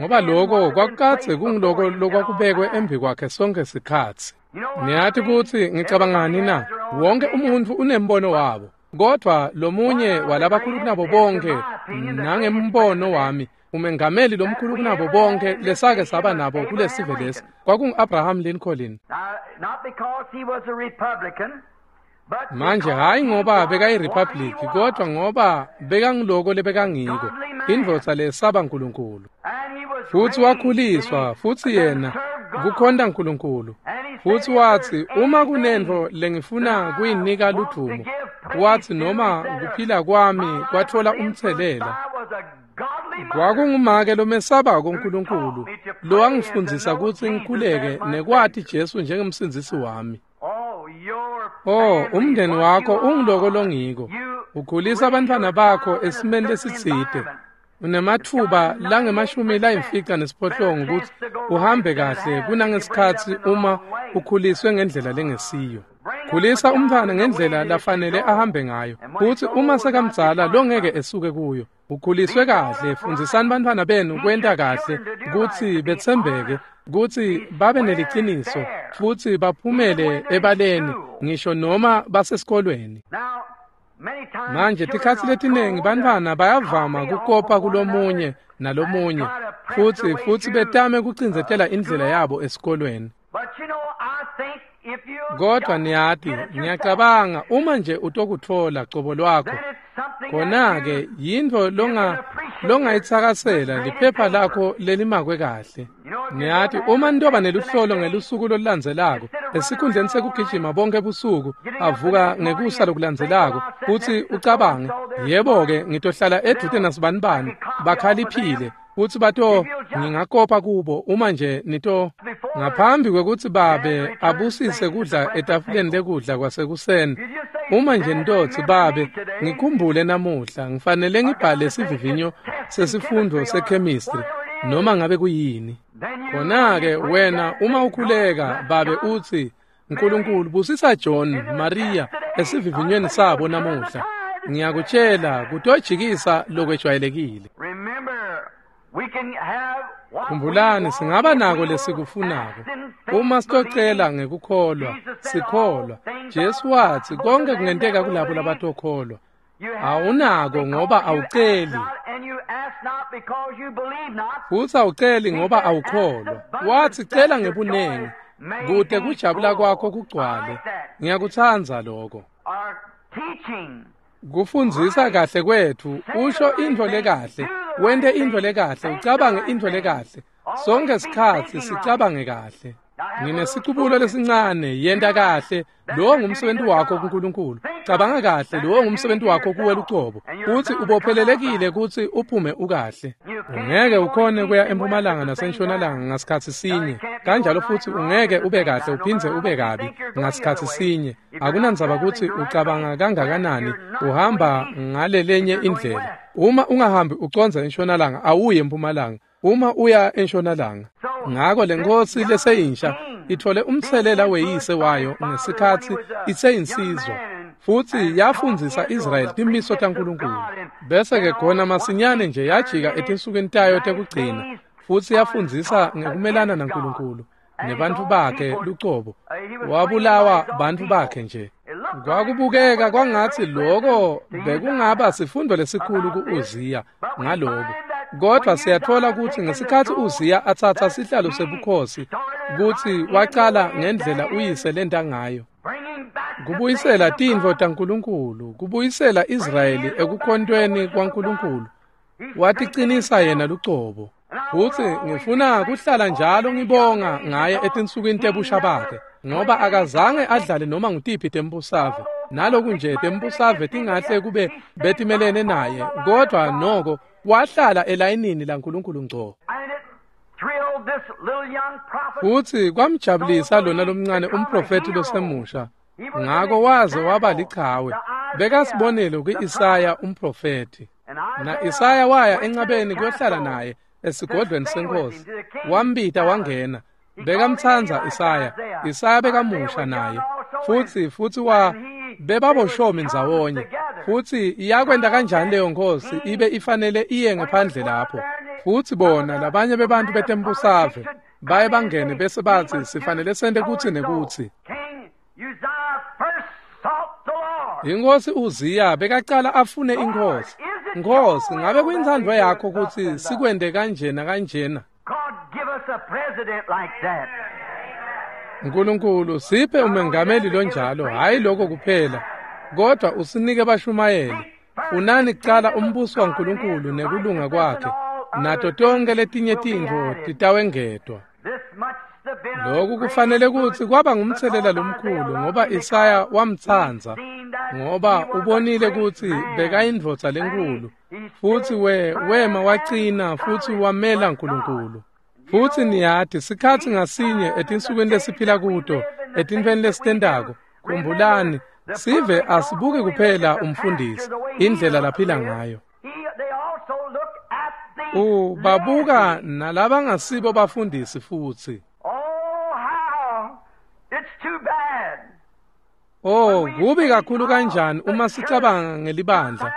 ngoba lokho kwakukadze kunguloko lokwakubekwe embi kwakhe sonke sikhatsi. Niyati kutsi ngicabangani na? Wonke umuntfu unembono wabo, kodvwa lomunye walabakhulu kunabo bonke, nangembono wami, umengameli lomkhulu kunabo bonke lesake saba nabo kulesive lesi kwakungu-Abraham Lincoln. Manje hhayi ngoba bekayi-Republic, kodwa ngoba bekangiloko lebekangiko, indvodza lesaba Nkulunkulu. Futsi wakhuliswa futsi yena kukhonta Nkulunkulu. Futsi watsi uma kunentfo lengifuna kuyinika ludvumo, watsi noma kuphila kwami kwatfola umtselela. Kwakungumake lomesabako uNkulunkulu lowangifundzisa kutsi ngikhuleke nekwati Jesu njengemsindzisi wami. Oh, umndeni wakho ungiloko longiko. Ukhulisa abantwana bakho esimeni lesitsite. Unematfuba langama-58 kutsi uhambe kahle kunangesikhatsi uma ukhuliswe ngendlela lengesiyo. Khulisa umntfwana ngendlela lafanele ahambe ngayo, futsi uma sekamdzala longeke esuke kuyo. Ukhuliswe kahle, fundzisani bantfwana benu kwenta kahle, kutsi betsembeke, kutsi babe neliciniso, futsi baphumele ebaleni ngisho noma basesikolweni. Manje tikhatsi letiningi bantfwana bayavama kukopa kulomunye nalomunye futsi betame kucindzetela indlela yabo esikolweni. Kodwa niyati, ngiyacabanga uma nje utokutfola cobo lwakho, khona-ke yintfo longayitsakasela liphepha lakho lelimakwe kahle. Niyati, uma nitoba neluhlolo ngelusuku lolulandzelako, esikhundleni sekugijima bonke busuku, avuka ngekusa lokulandzelako, futsi ucabange, yebo-ke ngitohlala edvute nasibanibani, bakhaliphile, futsi bato ngingakopa kubo uma nje nito ngaphambi kwekutsi babe abusise kudla etafuleni lekudla kwasekuseni. Uma nje nitotsi babe ngikhumbule namuhla ngifanele ngibhale sivivinyo sesifundo sechemistry noma ngabe kuyini, khona-ke wena uma ukhuleka babe utsi Nkulunkulu busisa John Maria esivivinyweni sabo namuhla, ngiyakutshela kutojikisa lokwejwayelekile. Khumbulani, singaba nako lesikufunako uma sitocela ngekukholwa, sikholwa. Jesu watsi konke kungenteka kulabo labatokholwa. Awunako ngoba awuceli, futsi awuceli ngoba awukholwa. Watsi cela ngebunengi kute kujabula kwakho kugcwale. Ngiyakutsandza lokho. Kufundzisa kahle kwetfu, usho intfo lekahle, wente intfo lekahle, ucabange intfo lekahle. Sonke sikhatsi sicabange kahle. Nginesicubulo lesincane, yenta kahle, lowo ngumsebenzi wakho kuNkulunkulu. Cabanga kahle, lowo ngumsebenzi wakho kuwe lucobo. Utsi ubophelelekile kutsi uphume ukahle. Ungeke ukhone kuya empumalanga nasentshonalanga ngasikhatsi sinye. Kanjalo futsi ungeke ube kahle uphindze ube kabi ngasikhatsi sinye. Akunandzaba kutsi ucabanga kangakanani, uhamba ngalelenye indlela. Uma ungahambi ucondza entshonalanga, awuye empumalanga. Uma uya entshonalanga. Ngako lenkosi leseyinsha ithole umtselela weyise wayo ngesikhatsi iseyinsizwa, futsi yafundzisa Israyeli timiso taNkulunkulu. Bese-ke khona masinyane nje yajika etinsukwini tayo tekugcina, futsi yafundzisa ngekumelana naNkulunkulu nebantfu bakhe lucobo. Wabulawa bantfu bakhe nje. Kwakubukeka kwangatsi loko bekungaba sifundo lesikhulu ku-Uziya ngaloko. Kodwa siyatfola kutsi ngesikhatsi Uziya atsatsa sihlalo sebukhosi, kutsi wacala ngendlela uyise lenta ngayo. Kubuyisela tintfo taNkulunkulu, kubuyisela Israyeli ekukhontweni kwaNkulunkulu. Waticinisa yena lucobo. Futsi ngifuna kuhlala njalo ngibonga ngaye etinsukwini tebusha bakhe, ngoba akazange adlale noma ngutiphi tembusave. Naloku nje tembusave tingahle kube betimelene naye, kodwa noko wahlala elayinini laNkulunkulu ngco. Futsi kwamjabulisa lona lomncane umprofethi losemusha. Ngako waze waba lichawe. Bekasibonelo ku-Isaya umprofethi. Na Isaya waya encabeni kuyohlala naye esigodlweni senkosi. Wambita wangena. Bekamtsandza Isaya. Isaya bekamusha naye. Futsi wa bebaboshomi ndzawonye. Futsi iyakwenta kanjani leyo nkosi ibe ifanele iye ngephandle lapho. Futsi bona labanye bebantu betembusave baye bangene bese batsi sifanele sente kutsi nekutsi. Inkosi Uziya bekacala afune inkosi. Nkosi, ngabe kuyintsandvo yakho kutsi sikwente kanjena kanjena? Nkulunkulu siphe umengameli lonjalo, hayi lokho kuphela, kodwa usinike bashumayeli. Funani kucala umbuso waNkulunkulu nekulunga kwakhe, nato tonke letinye tintfo titawengedwa. Lokhu kufanele kutsi kwaba ngumtselela lomkhulu, ngoba Isaya wamtsandza, ngoba ubonile kutsi bekayindvodza lenkulu, futsi wema wacina futsi wamela Nkulunkulu. Futsi niyati sikhatsi ngasinye etinsukwini lesiphila kuto, etintfweni lesitentako, khumbulani, sive asibuki kuphela umfundisi, indlela laphila ngayo. Babuka nalabangasibo bafundisi futsi. Oh, kubi kakhulu kanjani uma sicabanga ngelibandla.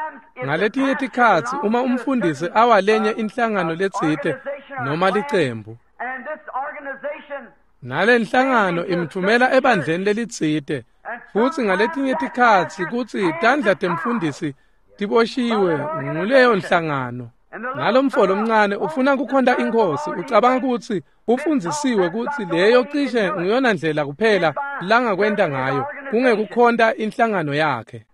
Ngaletinye tikhatsi uma umfundisi awalenye inhlangano letsite noma licembu, nalenhlangano imthumela ebandleni lelitsite, futsi ngaletinye tikhatsi kutsi tandla temfundisi tiboshiwe nguleyo nhlangano. Nalomfo lomncane ufuna kukhonta inkosi, ucabanga kutsi ufundzisiwe kutsi leyo cishe nguyona ndlela kuphela langakwenta ngayo, kungekukhonta inhlangano yakhe.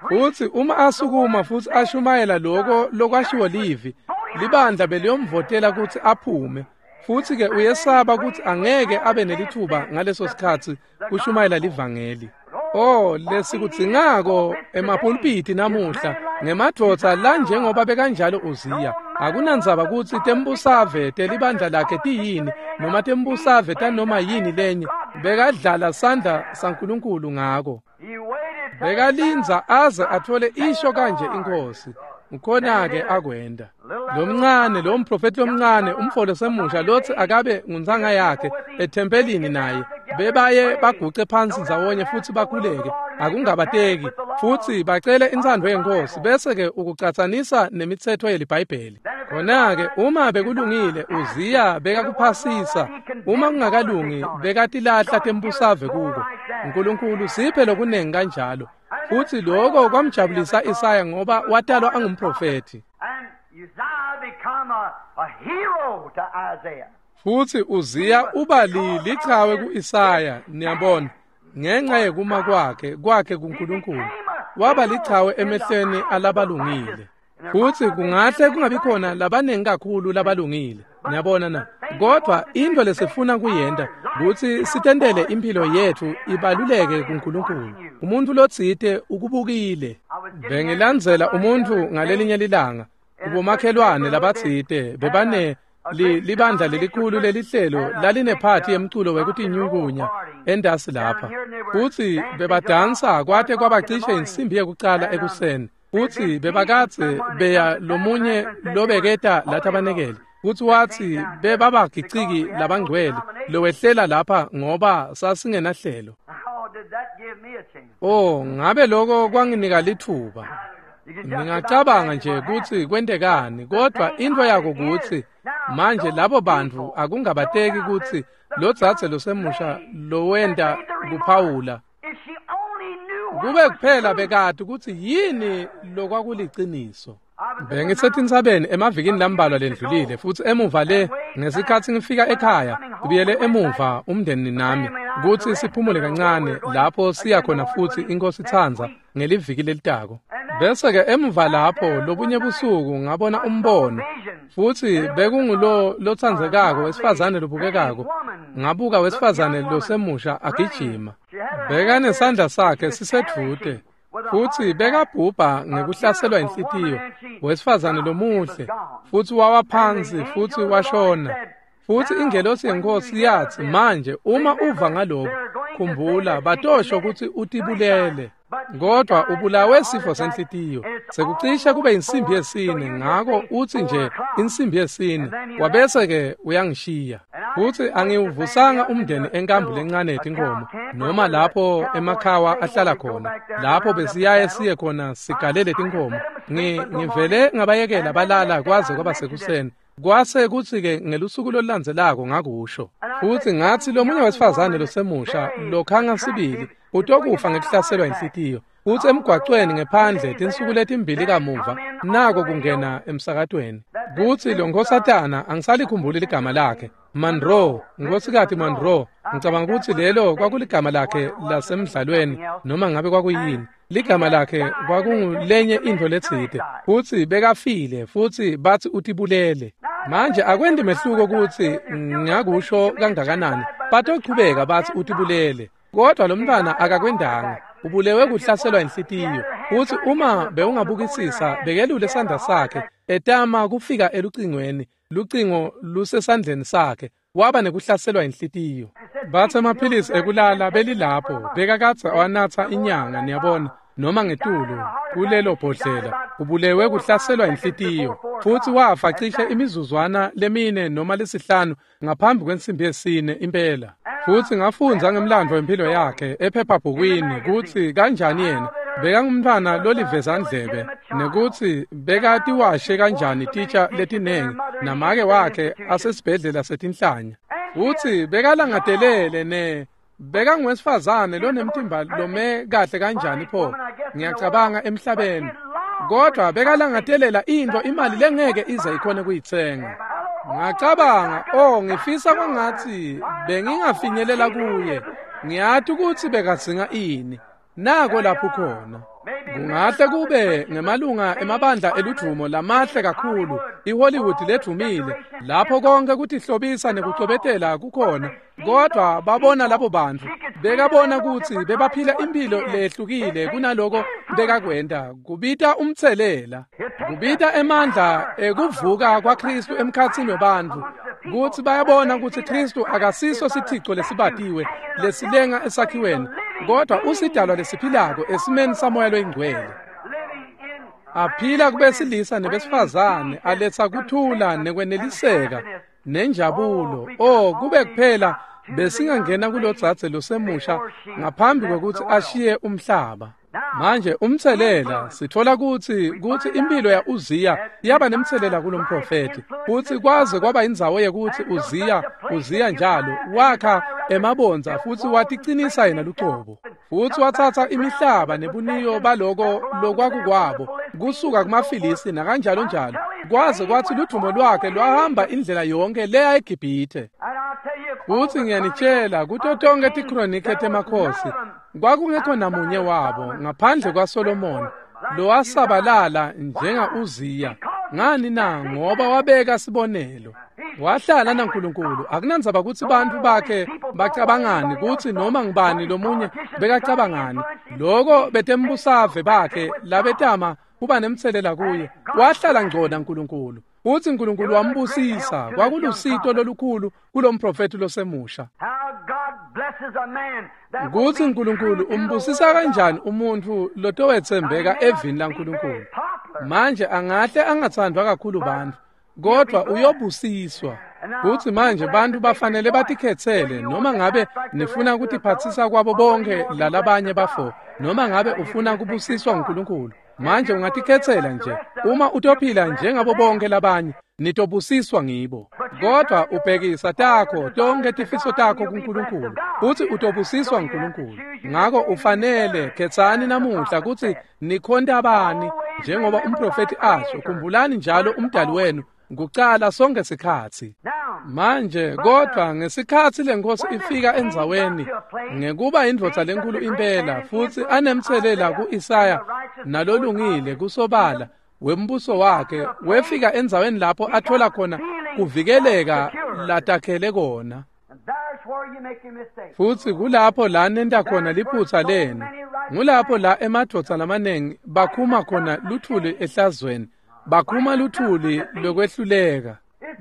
Futsi uma asukuma futsi ashumayela loko lokwashiwo livi, libandla beliyomvotela kutsi aphume. Futsi-ke uyesaba kutsi angeke abe nelithuba ngaleso sikhatsi kushumayela livangeli. Oh, lesikudzingako emapulpiti namuhla ngemadvodza la njengoba bekanjalo Uziya. Akunandzaba kutsi tembusave telibandla lakhe tiyini noma tembusave tanoma yini lenye, bekadlala sandla saNkulunkulu ngako. Bekalindza aze athole isho kanje inkosi. Ukhona-ke akwenda. Lomncane, lo mprofethi lomncane, umfolo semusha lotsi akabe nguntsanga yakhe ethempelini naye, bebaye baguce phansi ndzawonye futsi bakhuleke, akungabateki, futsi bacele intsandvo yenkosi, bese-ke ukucatsanisa nemitsetfo yeliBhayibheli. Khona-ke uma bekulungile, Uziya bekakuphasisa, uma kungakalungi, bekatilahla tembusave kuko. Nkulunkulu siphe lokunengi kanjalo. Futsi lokho kwamjabulisa Isaya ngoba watalwa angumprofethi. Futsi Uziya uba lichawe ku-Isaya, niyabona, ngenxa yekuma kwakhe kuNkulunkulu. Waba lichawe emehlweni alabalungile. Futsi kungahle kungabi khona labanengi kakhulu labalungile, niyabona na. Kodwa into lesifuna kuyenta kutsi sitentele impilo yetfu ibaluleke kuNkulunkulu. Umuntu lotsite ukubukile. Bengilandzela umuntu ngalelinye lilanga kubomakhelwane labatsite bebane libandla lelikhulu lelihlelo lalinephathi yemculo wekutinyukunya endasi lapha. Futsi bebadansa kwate kwabacishe insimbi yekucala ekuseni. Futsi bebakadze beya lomunye lobeketa lathabanekele. Futsi watsi bebabagiciki labangcwele lowehlela lapha ngoba sasingenahlelo. Oh, ngabe lokho kwanginika lithuba. Ngingacabanga nje kutsi kwentekani, kodwa into yako kutsi manje labo bantfu akungabateki kutsi lodzadze losemusha lowenta kuphawula kube kuphela bekati kutsi yini lokwakuliciniso. Bengisetintsabeni emavikini lambalwa lendlulile, futsi emuva le ngesikhatsi ngifika ekhaya kubuyele emuva umndeni nami kutsi siphumule kancane lapho siya khona futsi iNkosi itsandza ngeliviki lelitako. Bese-ke emuva lapho lobunye busuku ngabona umbono, futsi bekungulo lotsandzekako wesifazane lobukekako. Ngabuka wesifazane losemusha agijima. Bekanesandla sakhe sisedvute, futsi bekabhubha ngekuhlaselwa inhlitiyo, wesifazane lomuhle, futsi wawa phansi futsi washona. Futsi ingelosi yeNkosi yatsi, manje uma uva ngalokho, khumbula batosho kutsi utibulele, kodwa ubulawe sifo senhlitiyo. Sekucishe kube insimbi yesine, ngako utsi nje insimbi yesine, wabese-ke uyangishiya. Futsi angiwuvusanga umndeni enkambu lencane yetinkomo, noma lapho emakhawa ahlala khona, lapho besiyaye siye khona sigalele tinkomo. Ngivele ngabayekela balala kwaze kwaba sekuseni. Kwase kutsi-ke ngelusuku lolulandzelako ngakusho. Futsi ngatsi lomunye wesifazane losemusha lokhanga sibili utokufa ngekuhlaselwa inhlitiyo. Futsi emgwacweni ngephandle tinsuku letimbili kamuva nako kungena emsakatweni. Kutsi lo nkosatana angisalikhumbuli ligama lakhe, Monroe, Nkosikati Monroe, ngicabanga kutsi lelo kwakuligama lakhe lasemdlalweni noma ngabe kwakuyini. Ligama lakhe kwakungulenye intfo letsite. Futsi bekafile futsi batsi utibulele. Manje akwendi mehluko kutsi ngakusho kangakanani, batochubeka batsi utibulele. Kodwa lo mntwana akakwendanga, ubulewe kuhlaselwa inhlitiyo. Futsi uma bewungabukisisa bekelule sandla sakhe etama kufika elucingweni, lucingo lusesandleni sakhe, waba nekuhlaselwa inhlitiyo. Batsi emaphilisi ekulala belilapho, bekakadze awanatsa inyanga, niyabona, noma ngetulu kulelo bhodlela, ubulewe kuhlaselwa inhlitiyo. Futsi wafa cishe imizuzwana lemine noma lesihlanu ngaphambi kwensimbi yesine impela. Futsi ngafundza ngemlandvo wempilo yakhe ephephabhukwini kutsi kanjani yena bekangumntfwana lolivezandlebe, nekutsi bekatiwashe kanjani titsha letinengi namake wakhe asesibhedlela setinhlanya. Futsi bekalangatelele ne bekanguwesifazane lonemtimba lome kahle kanjani pho, ngiyacabanga emhlabeni. Kodwa bekalangatelela intfo imali lengeke ize ikhone kuyitsenga. Ngacabanga, oh, ngifisa kwangatsi bengingafinyelela kuye. Ngiyati kutsi bekadzinga ini. Nako lapho khona. Kungahle kube ngemalunga emabandla eludvumo lamahle kakhulu, iHollywood ledvumile, lapho konke kutihlobisa nekucwebetela kukhona, kodwa babona labo bantfu, bekabona kutsi bebaphila impilo lehlukile kunaloko bekakwenta. Kubita umtselela, kubita emandla ekuvuka kwaKhristu emkhatsini webantfu, kutsi bayabona kutsi Khristu akasiso sithico lesibatiwe lesilenga esakhiweni, kodwa usidalwa lesiphilako esimeni saMoya loyiNgcwele. Aphila kubesilisa nebesifazane, aletsa kuthula nekweneliseka nenjabulo. Oh, kube kuphela besingangena kulodzadze losemusha ngaphambi kwekutsi ashiye umhlaba. Manje umtselela sitfola kutsi impilo ya Uziya yaba nemtselela kulomprofeti, futsi kwaze kwaba indzawo yekutsi Uziya njalo wakha emabondza futsi waticinisa yena lucobo, futsi watsatsa imihlaba nebuniyo baloko lokwakukwabo kusuka kumaFilisti nakanjalo njalo, Kwaze kwathi ludvumo lwakhe lwahamba indlela yonke leya eGibhithe. Futsi ngiyanitshela kuto tonke tikhronike temakhosi kwakungekho namunye wabo ngaphandle kwaSolomon lowasabalala njenga-Uziya. Ngani na? Ngoba wabeka sibonelo. Wahlala naNkulunkulu. Akunandzaba kutsi bantfu bakhe bacabangani, kutsi noma ngubani lomunye bekacabangani. Loko betembusave bakhe labetama kuba nemtselela kuye. Wahlala ngco naNkulunkulu. Futsi Nkulunkulu wambusisa. Kwakulusito lolukhulu kulomprofethi losemusha. Kutsi Nkulunkulu umbusisa kanjani umuntfu lotowetsembeka evini laNkulunkulu. Manje angahle angatsandvwa kakhulu bantfu, kodvwa uyobusiswa. Futsi manje bantfu bafanele batikhetsele, noma ngabe nifuna kutiphatsisa kwabo bonke lalabanye bafo, noma ngabe ufuna kubusiswa nguNkulunkulu. Manje ungatikhetsela nje. Uma utophila njengabo bonke labanye, nitobusiswa ngibo. Kodwa ubhekisa takho tonke tifiso takho kuNkulunkulu, futsi utobusiswa nguNkulunkulu. Ngako ufanele khetsani namuhla kutsi nikhonta bani, njengoba umprofethi asho. Khumbulani njalo umdali wenu kucala sonke sikhatsi. Manje kodwa ngesikhatsi lenkosi ifika endzaweni ngekuba indvodza lenkulu impela futsi anemtselela ku-Isaya nalolungile kusobala wembuso wakhe, wefika endzaweni lapho athola khona kuvikeleka latakhele kona. Futsi kulapho la nenta khona liphutsa lenu. Ngulapho la emadvodza lamanengi bakhuma khona luthuli ehlazweni, bakhuma luthuli lokwehluleka.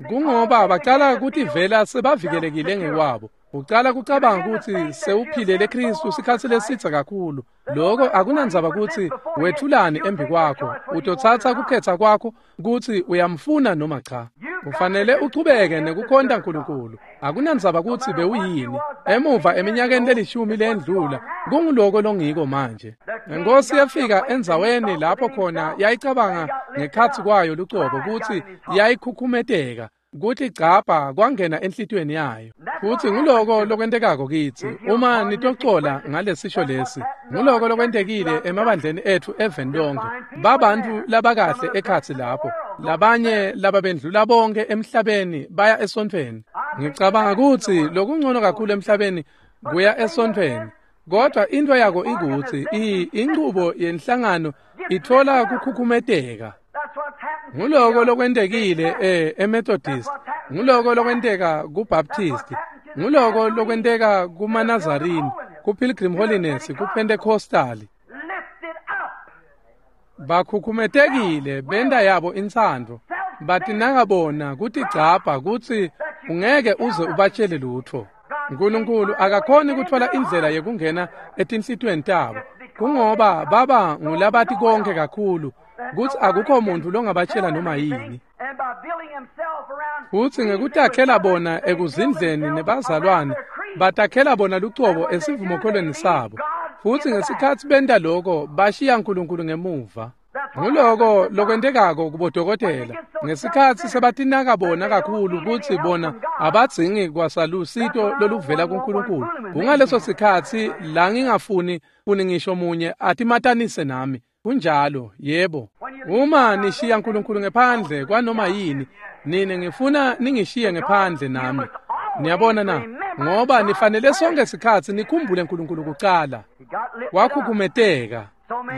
Kungoba bacala kutivela sebavikelekile ngekwabo. Ucala kucabanga kutsi sewuphilele Kristu sikhatsi lesitsa kakhulu. Loko akunandzaba kutsi wethulani embi kwakho. Utotsatsa kukhetsa kwakho kutsi uyamfuna noma cha. Ufanele uchubeke nekukhonta Nkulunkulu. Akunandzaba kutsi bewuyini. Emuva eminyakeni lelishumi lendlula, kunguloko longiko manje. Inkosi yafika endzaweni lapho khona yayicabanga ngekhatsi kwayo lucobo kutsi yayikhukhumeteka, kuthi gcabha kwangena enhlitiyweni yayo. Futsi nguloko lokwentekako kitsi uma nitocola ngalesisho lesi. Nguloko lokwentekile emabandleni etfu eveni lonke. Babantu labakahle ekhatsi lapho, labanye lababendlula bonke emhlabeni baya esontfweni. Ngicabanga kutsi lokungcono kakhulu emhlabeni kuya esontfweni. Kodwa into yako ikutsi inchubo yenhlangano ithola kukhukhumeteka. Nguloko lokwentekile eMethodist, nguloko lokwenteka kuBaptist, nguloko lokwenteka kumaNazarene, kuPilgrim Holiness, kuPentecostal. Bakhukhumetekile benta yabo intsandvo, batinaka bona kutigcabha kutsi ungeke uze ubatshele lutfo. Nkulunkulu akakhoni kutfola indlela yekungena etinhlitiyweni tabo, kungoba baba ngulabati konke kakhulu kutsi akukho muntfu longabatshela noma yini. Futsi ngekutakhela bona ekuzindleni nebazalwane, batakhela bona lucobo esivumokholweni sabo. Futsi ngesikhatsi benta loko, bashiya Nkulunkulu ngemuva. Nguloko lokwentekako kubodokotela. Ngesikhatsi sebatinaka bona kakhulu kutsi bona abadzingi kwasalusito loluvela kuNkulunkulu. Kungaleso sikhatsi la ngingafuni funi ngisho munye atimatanise nami. Kunjalo, yebo. Uma nishiya Nkulunkulu ngephandle kwanoma yini, nine ngifuna ningishiye ngephandle nami. Niyabona na? Ngoba nifanele sonke sikhatsi nikhumbule Nkulunkulu kucala. Wakhukhumeteka.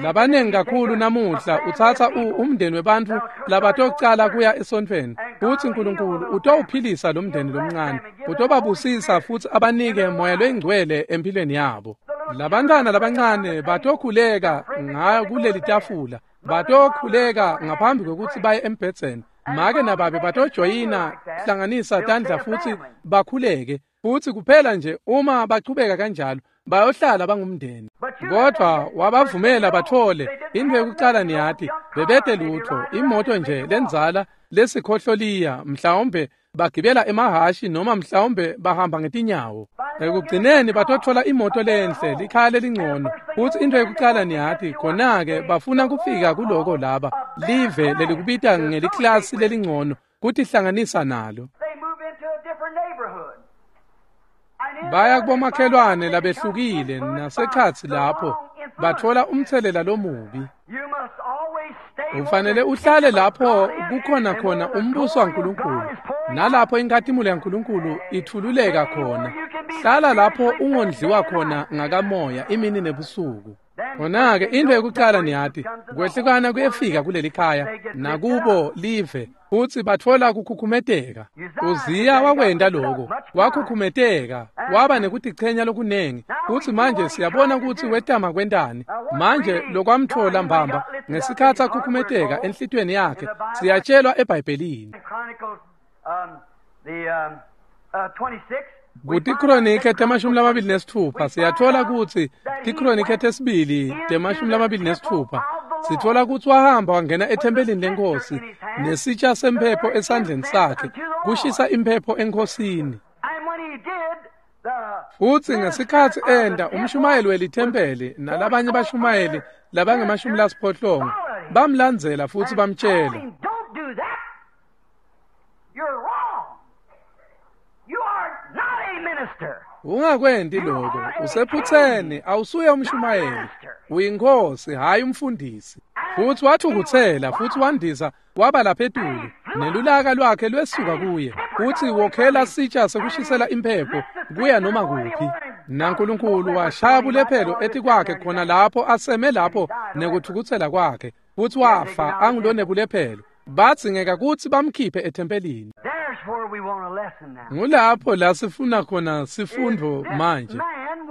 Labanengi kakhulu namuhla utsatsa umndeni webantfu labatocala kuya esontfweni. Futsi Nkulunkulu utowuphilisa lo mndeni lomncane. Utobabusisa futsi abanike moya loyingcwele empilweni yabo. Labantwana labancane batokhuleka ngayo kuleli tafula. Batokhuleka ngaphambi kwekutsi baye embhedzeni. Make nababe batojoyina hlanganisa tandla futsi bakhuleke. Futsi kuphela nje uma bachubeka kanjalo bayohlala bangumndeni. Kodwa wabavumela bathole into yokucala niyati bebete lutho, imoto nje lendzala lesikhohloliya, mhlawumbe bagibela emahashi noma mhlawumbe bahamba ngetinyawo. Ekugcineni batothola imoto lenhle, likhaya lelingcono. Futsi into yokucala niyati khona-ke bafuna kufika kuloko laba live lelikubita ngeliklasi lelingcono kutihlanganisa nalo. Baya kubomakhelwane labehlukile nasekhatsi lapho batfola umtselela lomubi. Ufanele uhlale lapho kukhona khona umbuso waNkulunkulu, nalapho inkhatimulo yaNkulunkulu ithululeka khona. Hlala lapho ungondliwa khona ngakamoya imini nebusuku. Khona-ke into yekucala niyati, kwehlukana kuyefika kuleli khaya nakubo live, futsi batfola kukhukhumeteka. Uziya wakwenta loko, wakhukhumeteka, waba nekutichenya lokunengi, futsi manje siyabona kutsi wetama kwentani. Manje lokwamtfola mbamba ngesikhatsi akhukhumeteka enhlitiyweni yakhe, siyatshelwa eBhayibhelini. KutiKronike 26 siyatfola kutsi tiKronike tesibili 26 sitfola kutsi wahamba wangena ethempelini leNkhosi nesitsha semphepho esandleni sakhe kushisa imphepho eNkhosini. Futsi ngesikhatsi enda umshumayeli welithempeli nalabanye bashumayeli labangama-80 bamlandzela futsi bamtshela, ungakwenti lokho, usephutseni, awusuye umshumayeli, uyinkhosi, hhayi umfundisi. Futsi wathukutsela futsi wandisa waba lapha etulu, nelulaka lwakhe lwesuka kuye, futsi wokhela sitsha sekushisela imphepho kuya noma kuphi. NaNkulunkulu washaya bulephelo etikwakhe khona lapho aseme lapho nekuthukutsela kwakhe, futsi wafa angulonebulephelo. Badzingeka kutsi bamkhiphe ethempelini. Ngulapho la sifuna khona sifundvo manje.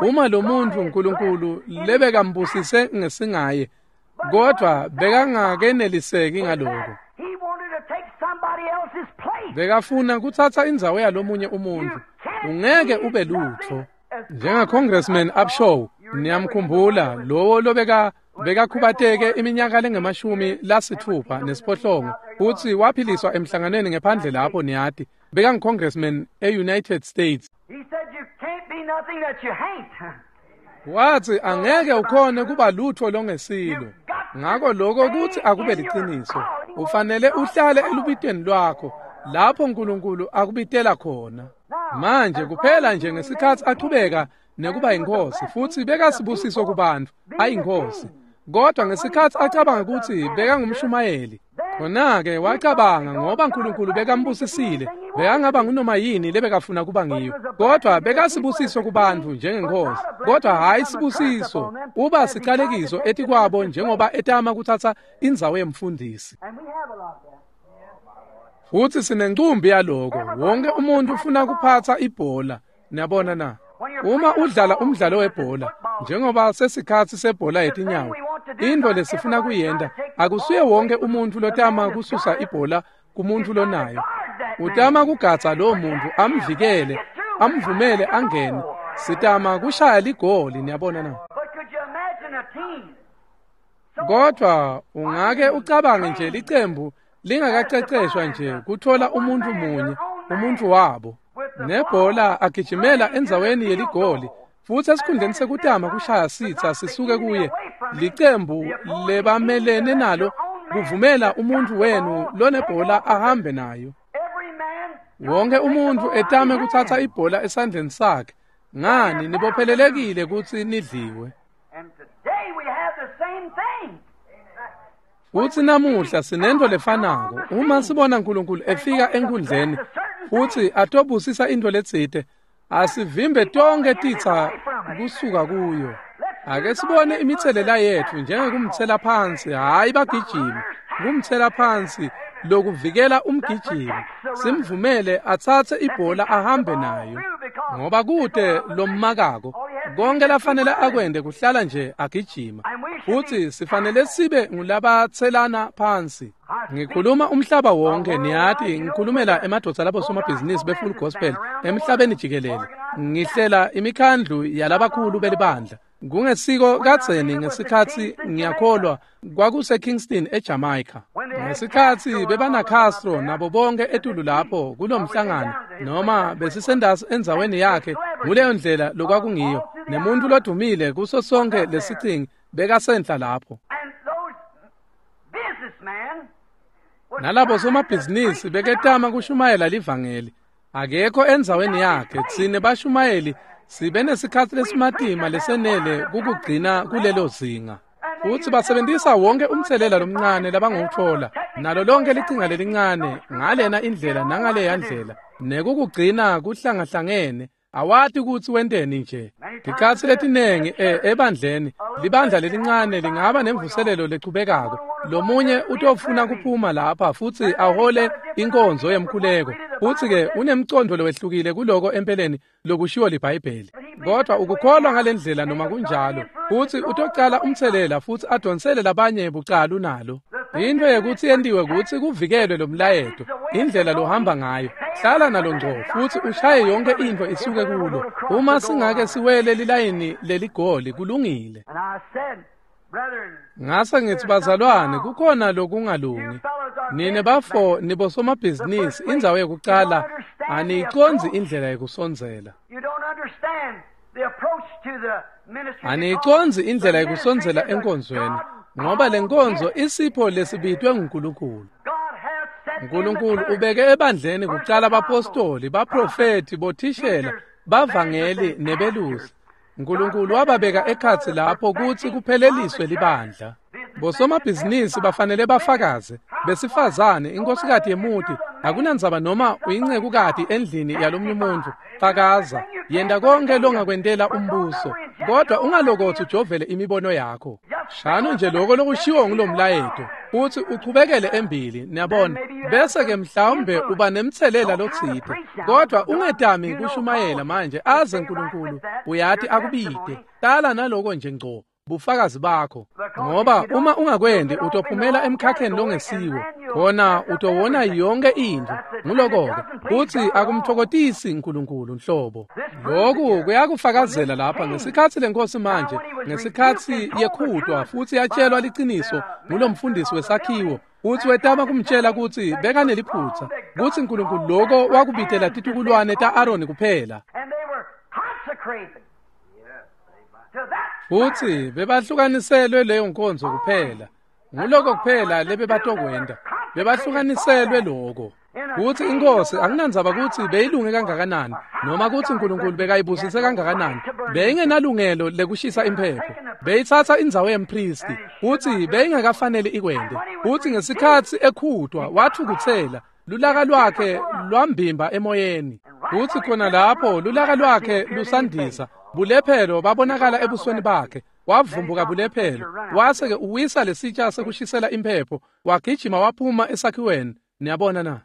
Uma lo muntu uNkulunkulu lebekambusise ngesingaye, kodwa bekangakeneliseki ngaloko. Bekafuna kutsatsa indzawo yalomunye umuntu. Ungeke ube lutfo. Njenga Congressman Upshaw, niyamkhumbula lowo lobeka bekakhubateke iminyaka lengama-68 futsi waphiliswa emhlanganweni ngephandle lapho niyati. Bekangu-congressman e-United States. Wathi angeke ukhone kuba lutho longesilo. Ngako lokho kuthi akube liciniso. Ufanele uhlale elubitweni lwakho lapho uNkulunkulu akubitela khona. Manje kuphela nje ngesikhatsi achubeka nekuba yinkhosi futsi bekasibusiso kubantu ayinkhosi. Kodwa ngesikhatsi acabanga kutsi bekangumshumayeli, khona-ke wacabanga ngoba uNkulunkulu bekambusisile, bekangaba ngunoma yini lebekafuna kuba ngiyo. Kodwa bekasibusiso kubantu njengenkhosi, kodwa hhayi sibusiso, uba sicalekiso etikwabo njengoba etama kutsatsa indzawo yemfundisi. Futsi sinencumbi yaloko, wonke umuntu ufuna kuphatsa ibhola, niyabona na? Uma udlala umdlalo webhola, njengoba sesikhatsi sebhola yetinyawo, into lesifuna kuyenta akusuye wonke umuntu lotama kususa ibhola kumuntu lonayo. Utama kugatsa lowo muntu amvikele, amvumele angene. Sitama kushaya ligoli, niyabona na? Kodwa ungake ucabange nje licembu lingakaceceshwa nje kuthola umuntu munye, umuntu wabo. Nebhola agijimela endzaweni yeligoli, futsi esikhundleni sekutama kushaya sitsa sisuke kuye, licembu lebamelene nalo kuvumela umuntu wenu lonebhola ahambe nayo. Wonke umuntu etame kutsatsa ibhola esandleni sakhe. Ngani nibophelelekile kutsi nidliwe. Futsi namuhla sinento lefanako. Uma sibona uNkulunkulu efika enkundleni futsi atobusisa into letsite, asivimbe tonke titsa kusuka kuyo. Ake sibone imitselela yetfu njengekumtsela phansi, hhayi bagijimi, kumtsela phansi lokuvikela umgijimi, simvumele atsatse ibhola ahambe nayo, ngoba kute lommakako. Konke lafanele akwente kuhlala nje agijima. Futsi sifanele sibe ngulabatselana phansi. Ngikhuluma umhlaba wonke, niyati, ngikhulumela emadvodza labo somabhizinisi be-Full Gospel emhlabeni jikelele. Ngihlela imikhandlu yalabakhulu belibandla. Kungesiko kadzeni ngesikhatsi ngiyakholwa kwakuse Kingston eJamaica. Ngesikhatsi bebana Castro nabo bonke etulu lapho kulomhlangano, noma besisendasi endzaweni yakhe, nguleyo ndlela lokwakungiyo. Nemuntu lodumile kuso sonke lesicingi bekasenhla lapho. Nalabo somabhizinisi beketama kushumayela livangeli. Akekho endzaweni yakhe, tsine bashumayeli sibe nesikhatsi lesimatima lesenele kukugcina kulelo zinga. Futsi basebentisa wonke umtselela lomncane labangawutfola, nalo lonke licinga lelincane ngalena indlela nangaleya ndlela, nekukugcina kuhlangahlangene. Awati kutsi wenteni nje. Tikhatsi letinengi ebandleni, libandla lelincane lingaba nemvuselelo lechubekako. Lomunye utofuna kuphuma lapha futsi ahole inkonzo yemkhuleko. Futsi-ke unemcondvo lowehlukile kuloko empeleni lokushiwo liBhayibheli. Kodwa ukukholwa ngalendlela noma kunjalo, futsi utocala umtselela futsi adonsele labanye bucalu nalo. Into yekutsi yentiwe kutsi kuvikelwe lo mlayeto, indlela lohamba ngayo. Hlala nalo ngco futsi ushaye yonke intfo isuke kulo. Uma singake siwele lilayini leligoli kulungile. Ngase ngithi bazalwane kukhona lokungalungi. Nine bafo nibosomabhizinisi indzawo yekucala aniyicondzi indlela yekusondzela. Aniyicondzi indlela yekusondzela enkonzweni, ngoba lenkonzo isipho lesibitwe nguNkulunkulu. uNkulunkulu ubeke ebandleni kucala abapostoli, baprofeti, bothishela, bavangeli nebelusi. uNkulunkulu wababeka ekhatsi lapho kutsi kupheleliswe libandla. Bosomabhizinisi bafanele bafakaze, besifazane, inkosikazi yemuti, akunandzaba noma uyincekukati endlini yalomunye umuntfu, fakaza, yenta konke longakwentela umbuso, kodwa ungalokotsi ujovele imibono yakho. Shano nje lokho lokushiwo ngulomlayeto, futsi uchubekele embili, niyabona, bese-ke mhlawumbe uba nemtselela lotsite, kodwa ungetami kushumayela manje aze uNkulunkulu uyati akubite. Tala naloko nje ngco, bufakazi bakho, ngoba uma ungakwendi utophumela emkhakheni longesiwo, khona utowona yonke intfo. Nguloko-ke futsi akumtfokotisi uNkulunkulu nhlobo. Lokhu kuyakufakazela lapha ngesikhatsi lenkosi manje, ngesikhatsi yekhutwa futsi yatshelwa liciniso ngulomfundisi wesakhiwo, futsi wetama kumtshela kutsi bekaneliphutsa, kutsi uNkulunkulu loko wakubitela titukulwane ta-Aroni kuphela. Futsi bebahlukaniselwe leyo nkonzo kuphela. Nguloko kuphela lebebatokwenta. Bebahlukaniselwe loko. Kutsi inkosi akunandzaba kutsi beyilunge kangakanani noma kutsi uNkulunkulu bekayibusise kangakanani, beyingenalungelo lekushisa imphepho. Beyitsatsa indzawo yempristi, futsi beyingakafanele ikwente. Futsi ngesikhatsi ekhutwa wathukutsela, lulaka lwakhe lwambimba emoyeni. Futsi khona lapho lulaka lwakhe lusandisa, bulephelo babonakala ebusweni bakhe. Wavumbuka bulephelo, wase-ke uwisa lesitsha sekushisela imphepho, wagijima waphuma esakhiweni. Niyabona na?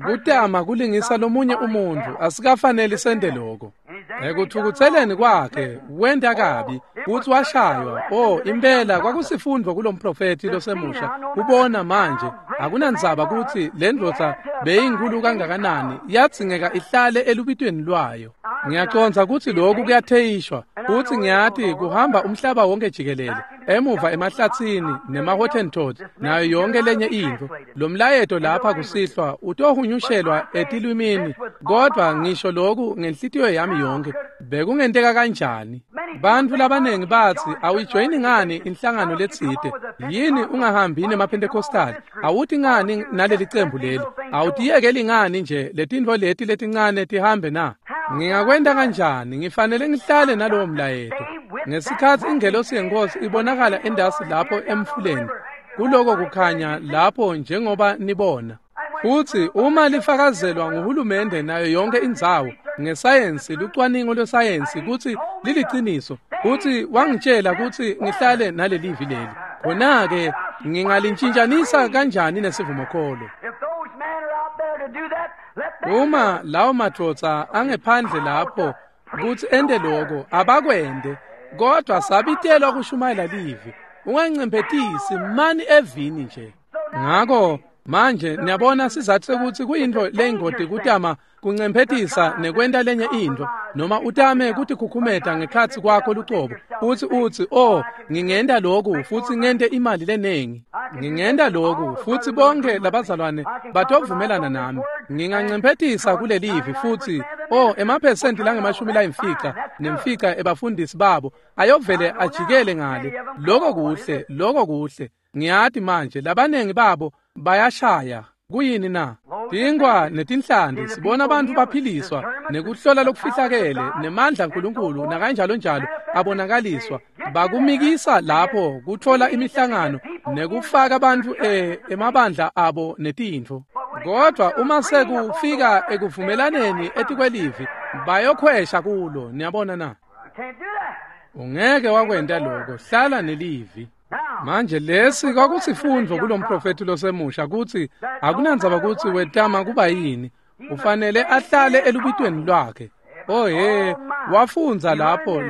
Kutama kulingisa lomunye umuntfu asikafaneli sente loko. Ekuthukutseleni kwakhe wenta kabi, futsi washaywa. Oh, impela kwakusifundvo kulomprofethi losemusha kubona manje akunandzaba kutsi lendvodza beyinkulu kangakanani, yadzingeka ihlale elubitweni lwayo. Ngiyacondza kutsi lokhu kuyatheyishwa, futsi ngiyati kuhamba umhlaba wonke jikelele, emuva emahlatsini nema-Hottentot nayo yonke lenye intfo. Lo mlayeto lapha kusihlwa utohunyushelwa etilwimini, kodvwa ngisho loku ngenhlitiyo yami yonke. Bekungenteka kanjani? Bantfu labanengi batsi awuyijoyini ngani inhlangano letsite? Yini ungahambi nemaPentecostal? Awuti ngani naleli cembu leli? Awutiyekeli ngani nje letintfo leti letincane tihambe na? Ngingakwenta kanjani? Ngifanele ngihlale nalowo mlayeto. Ngesikhatsi ingelosi yenkosi ibonakala endasi lapho emfuleni, kuloko kukhanya lapho njengoba nibona. Futsi uma lifakazelwa nguhulumende nayo yonke indzawo ngesayensi, lucwaningo lwesayensi kutsi liliciniso, futsi wangitshela kutsi ngihlale nalelivi leli, khona-ke ngingalintshintshanisa kanjani nesivumokholo? Uma lawo madvodza angephandle lapho kutsi ente loko, abakwente, kodwa sabitelwa kushumayela livi. Ungancemphetisi mani evini nje. Ngako manje niyabona sizathu sekuthi kuyintfo leyingoti kutama kuncemphetisa nekwenta lenye intfo, noma utame kutikhukhumeta ngekhatsi kwakho lucobo, futsi utsi, oh, ngingenta loku futsi ngente imali lenengi, ngingenta loku futsi bonke labazalwane batovumelana nami, ngingancemphetisa kulelivi futsi, oh, emaphesenti langama-50 nemfica ebafundisi babo ayovele ajikele ngale. Loko kuhle, loko kuhle. Ngiyati manje labanengi babo bayashaya. Kuyini na? Tinkwa netinhlanti, sibona abantu baphiliswa nekuhlola lokufihlakele nemandla aNkulunkulu nakanjalo njalo abonakaliswa. Bakumikisa lapho kutfola imihlangano nekufaka bantfu emabandla abo netintfo. Kodwa uma sekufika ekuvumelaneni etikwelivi bayokhwesha kulo. Niyabona na? Ungeke wakwenta lokho, hlala nelivi. Manje lesi kwakusifundvo kulomprofethi losemusha kutsi akunandzaba kutsi wetama kuba yini, ufanele ahlale elubitweni lwakhe. Oh he, wafundza lapho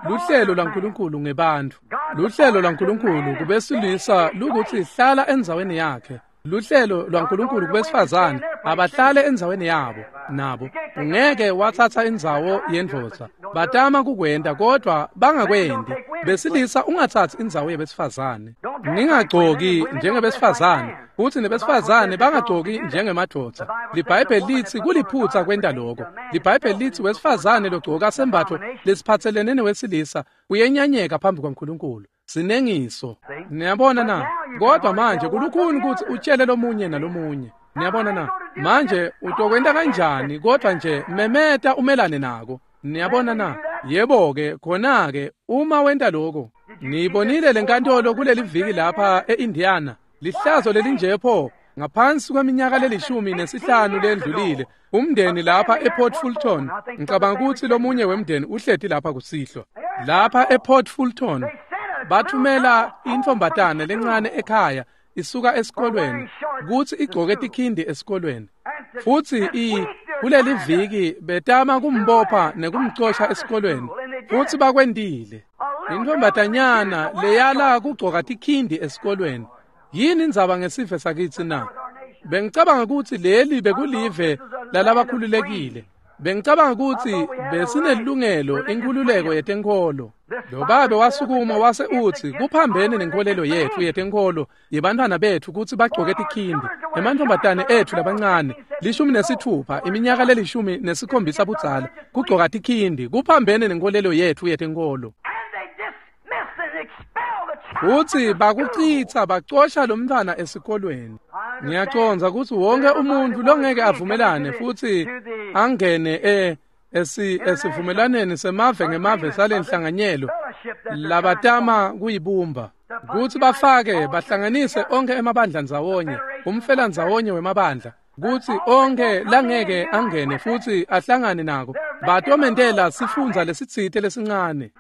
luhlelo lwaNkulunkulu ngebantfu. Luhlelo lwaNkulunkulu kubesilisa lukuthi hlala endzaweni yakhe. Luhlelo lwaNkulunkulu kubesifazane abahlale endzaweni yabo nabo. Ungeke watsatsa indzawo yendvodza. Batama kukwenta kodwa bangakwendi. Besilisa ungatsatsi indzawo yebesifazane. Ningagcoki njengebesifazane futsi nebesifazane bangagcoki njengemadvodza. LiBhayibheli litsi kuliphutsa kwenta lokho. LiBhayibheli litsi wesifazane logcoka sembatfo lesiphatselene newesilisa uyenyanyeka phambi kwaNkulunkulu. Sinengiso. Niyabona na? Kodwa manje kulukhuni kutsi utshele lomunye nalomunye. Niyabona na? Manje utokwenta kanjani kodwa nje memeta umelane nako. Niyabona na? Yebo-ke khona-ke uma wenta lokho. Niyibonile lenkantolo kuleli viki lapha e-Indiana. Lihlazo lelinje pho ngaphansi kweminyaka le-15 lendlulile umndeni lapha ePort Fulton. Ngicabanga kutsi lomunye wemndeni uhleti lapha kusihlwa. Lapha ePort Fulton bathumela intfombatane lencane ekhaya isuka esikolweni kutsi igcoke tikhindi esikolweni. Futsi kuleli viki betama kumbopha nekumcosha esikolweni futsi bakwentile. Intfombatanyana leyala kugcoka tikhindi esikolweni. Yini indzaba ngesive sakitsi na? Bengicabanga kutsi leli bekulive lalabakhululekile. Bengicabanga kutsi besinelungelo inkhululeko yetenkholo. Lo babe wasukuma wase utsi kuphambene nenkolelo yetfu yetenkholo yebantfwana betfu kutsi bagcoke tikhindi. Emantfombatane etfu labancane 16 iminyaka le-17 budzala kugcoka tikhindi kuphambene nenkolelo yetfu yetenkholo. Futsi bakucitsa bacosha lomntfwana esikolweni. Ngiyacondza kutsi wonke umuntfu longeke avumelane futsi angene esivumelaneni semave ngemave salenhlanganyelo labatama kuyibumba kutsi bafake bahlanganise onke emabandla ndzawonye, umfela ndzawonye wemabandla, kutsi onke langeke angene futsi ahlangane nako batomentela sifundza lesitsite lesincane.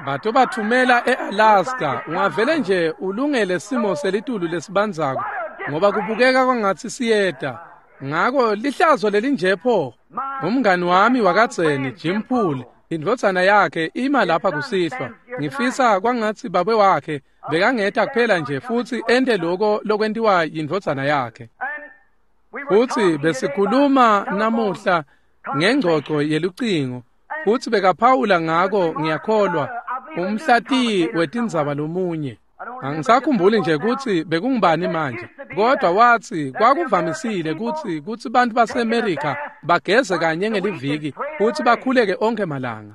Batobathumela e-Alaska. Ungavele nje ulungele simo selitulu lesibandzako ngoba kubukeka kwangatsi siyeta. Ngako lihlazo lelinje pho. Umngani wami wakadzeni Jim Poole, indvodzana yakhe ima lapha kusihlwa. Ngifisa kwangatsi babe wakhe bekangeta kuphela nje futsi ente loko lokwentiwa yindvodzana yakhe. Futsi besikhuluma namuhla ngengcoco yelucingo futsi bekaphawula ngako ngiyakholwa umhlatiyi wetindzaba lomunye. Angisakhumbuli nje kutsi bekungubani manje, kodwa watsi kwakuvamisile kutsi bantfu baseMerika bageze kanye ngeliviki futsi bakhuleke onkhe malanga.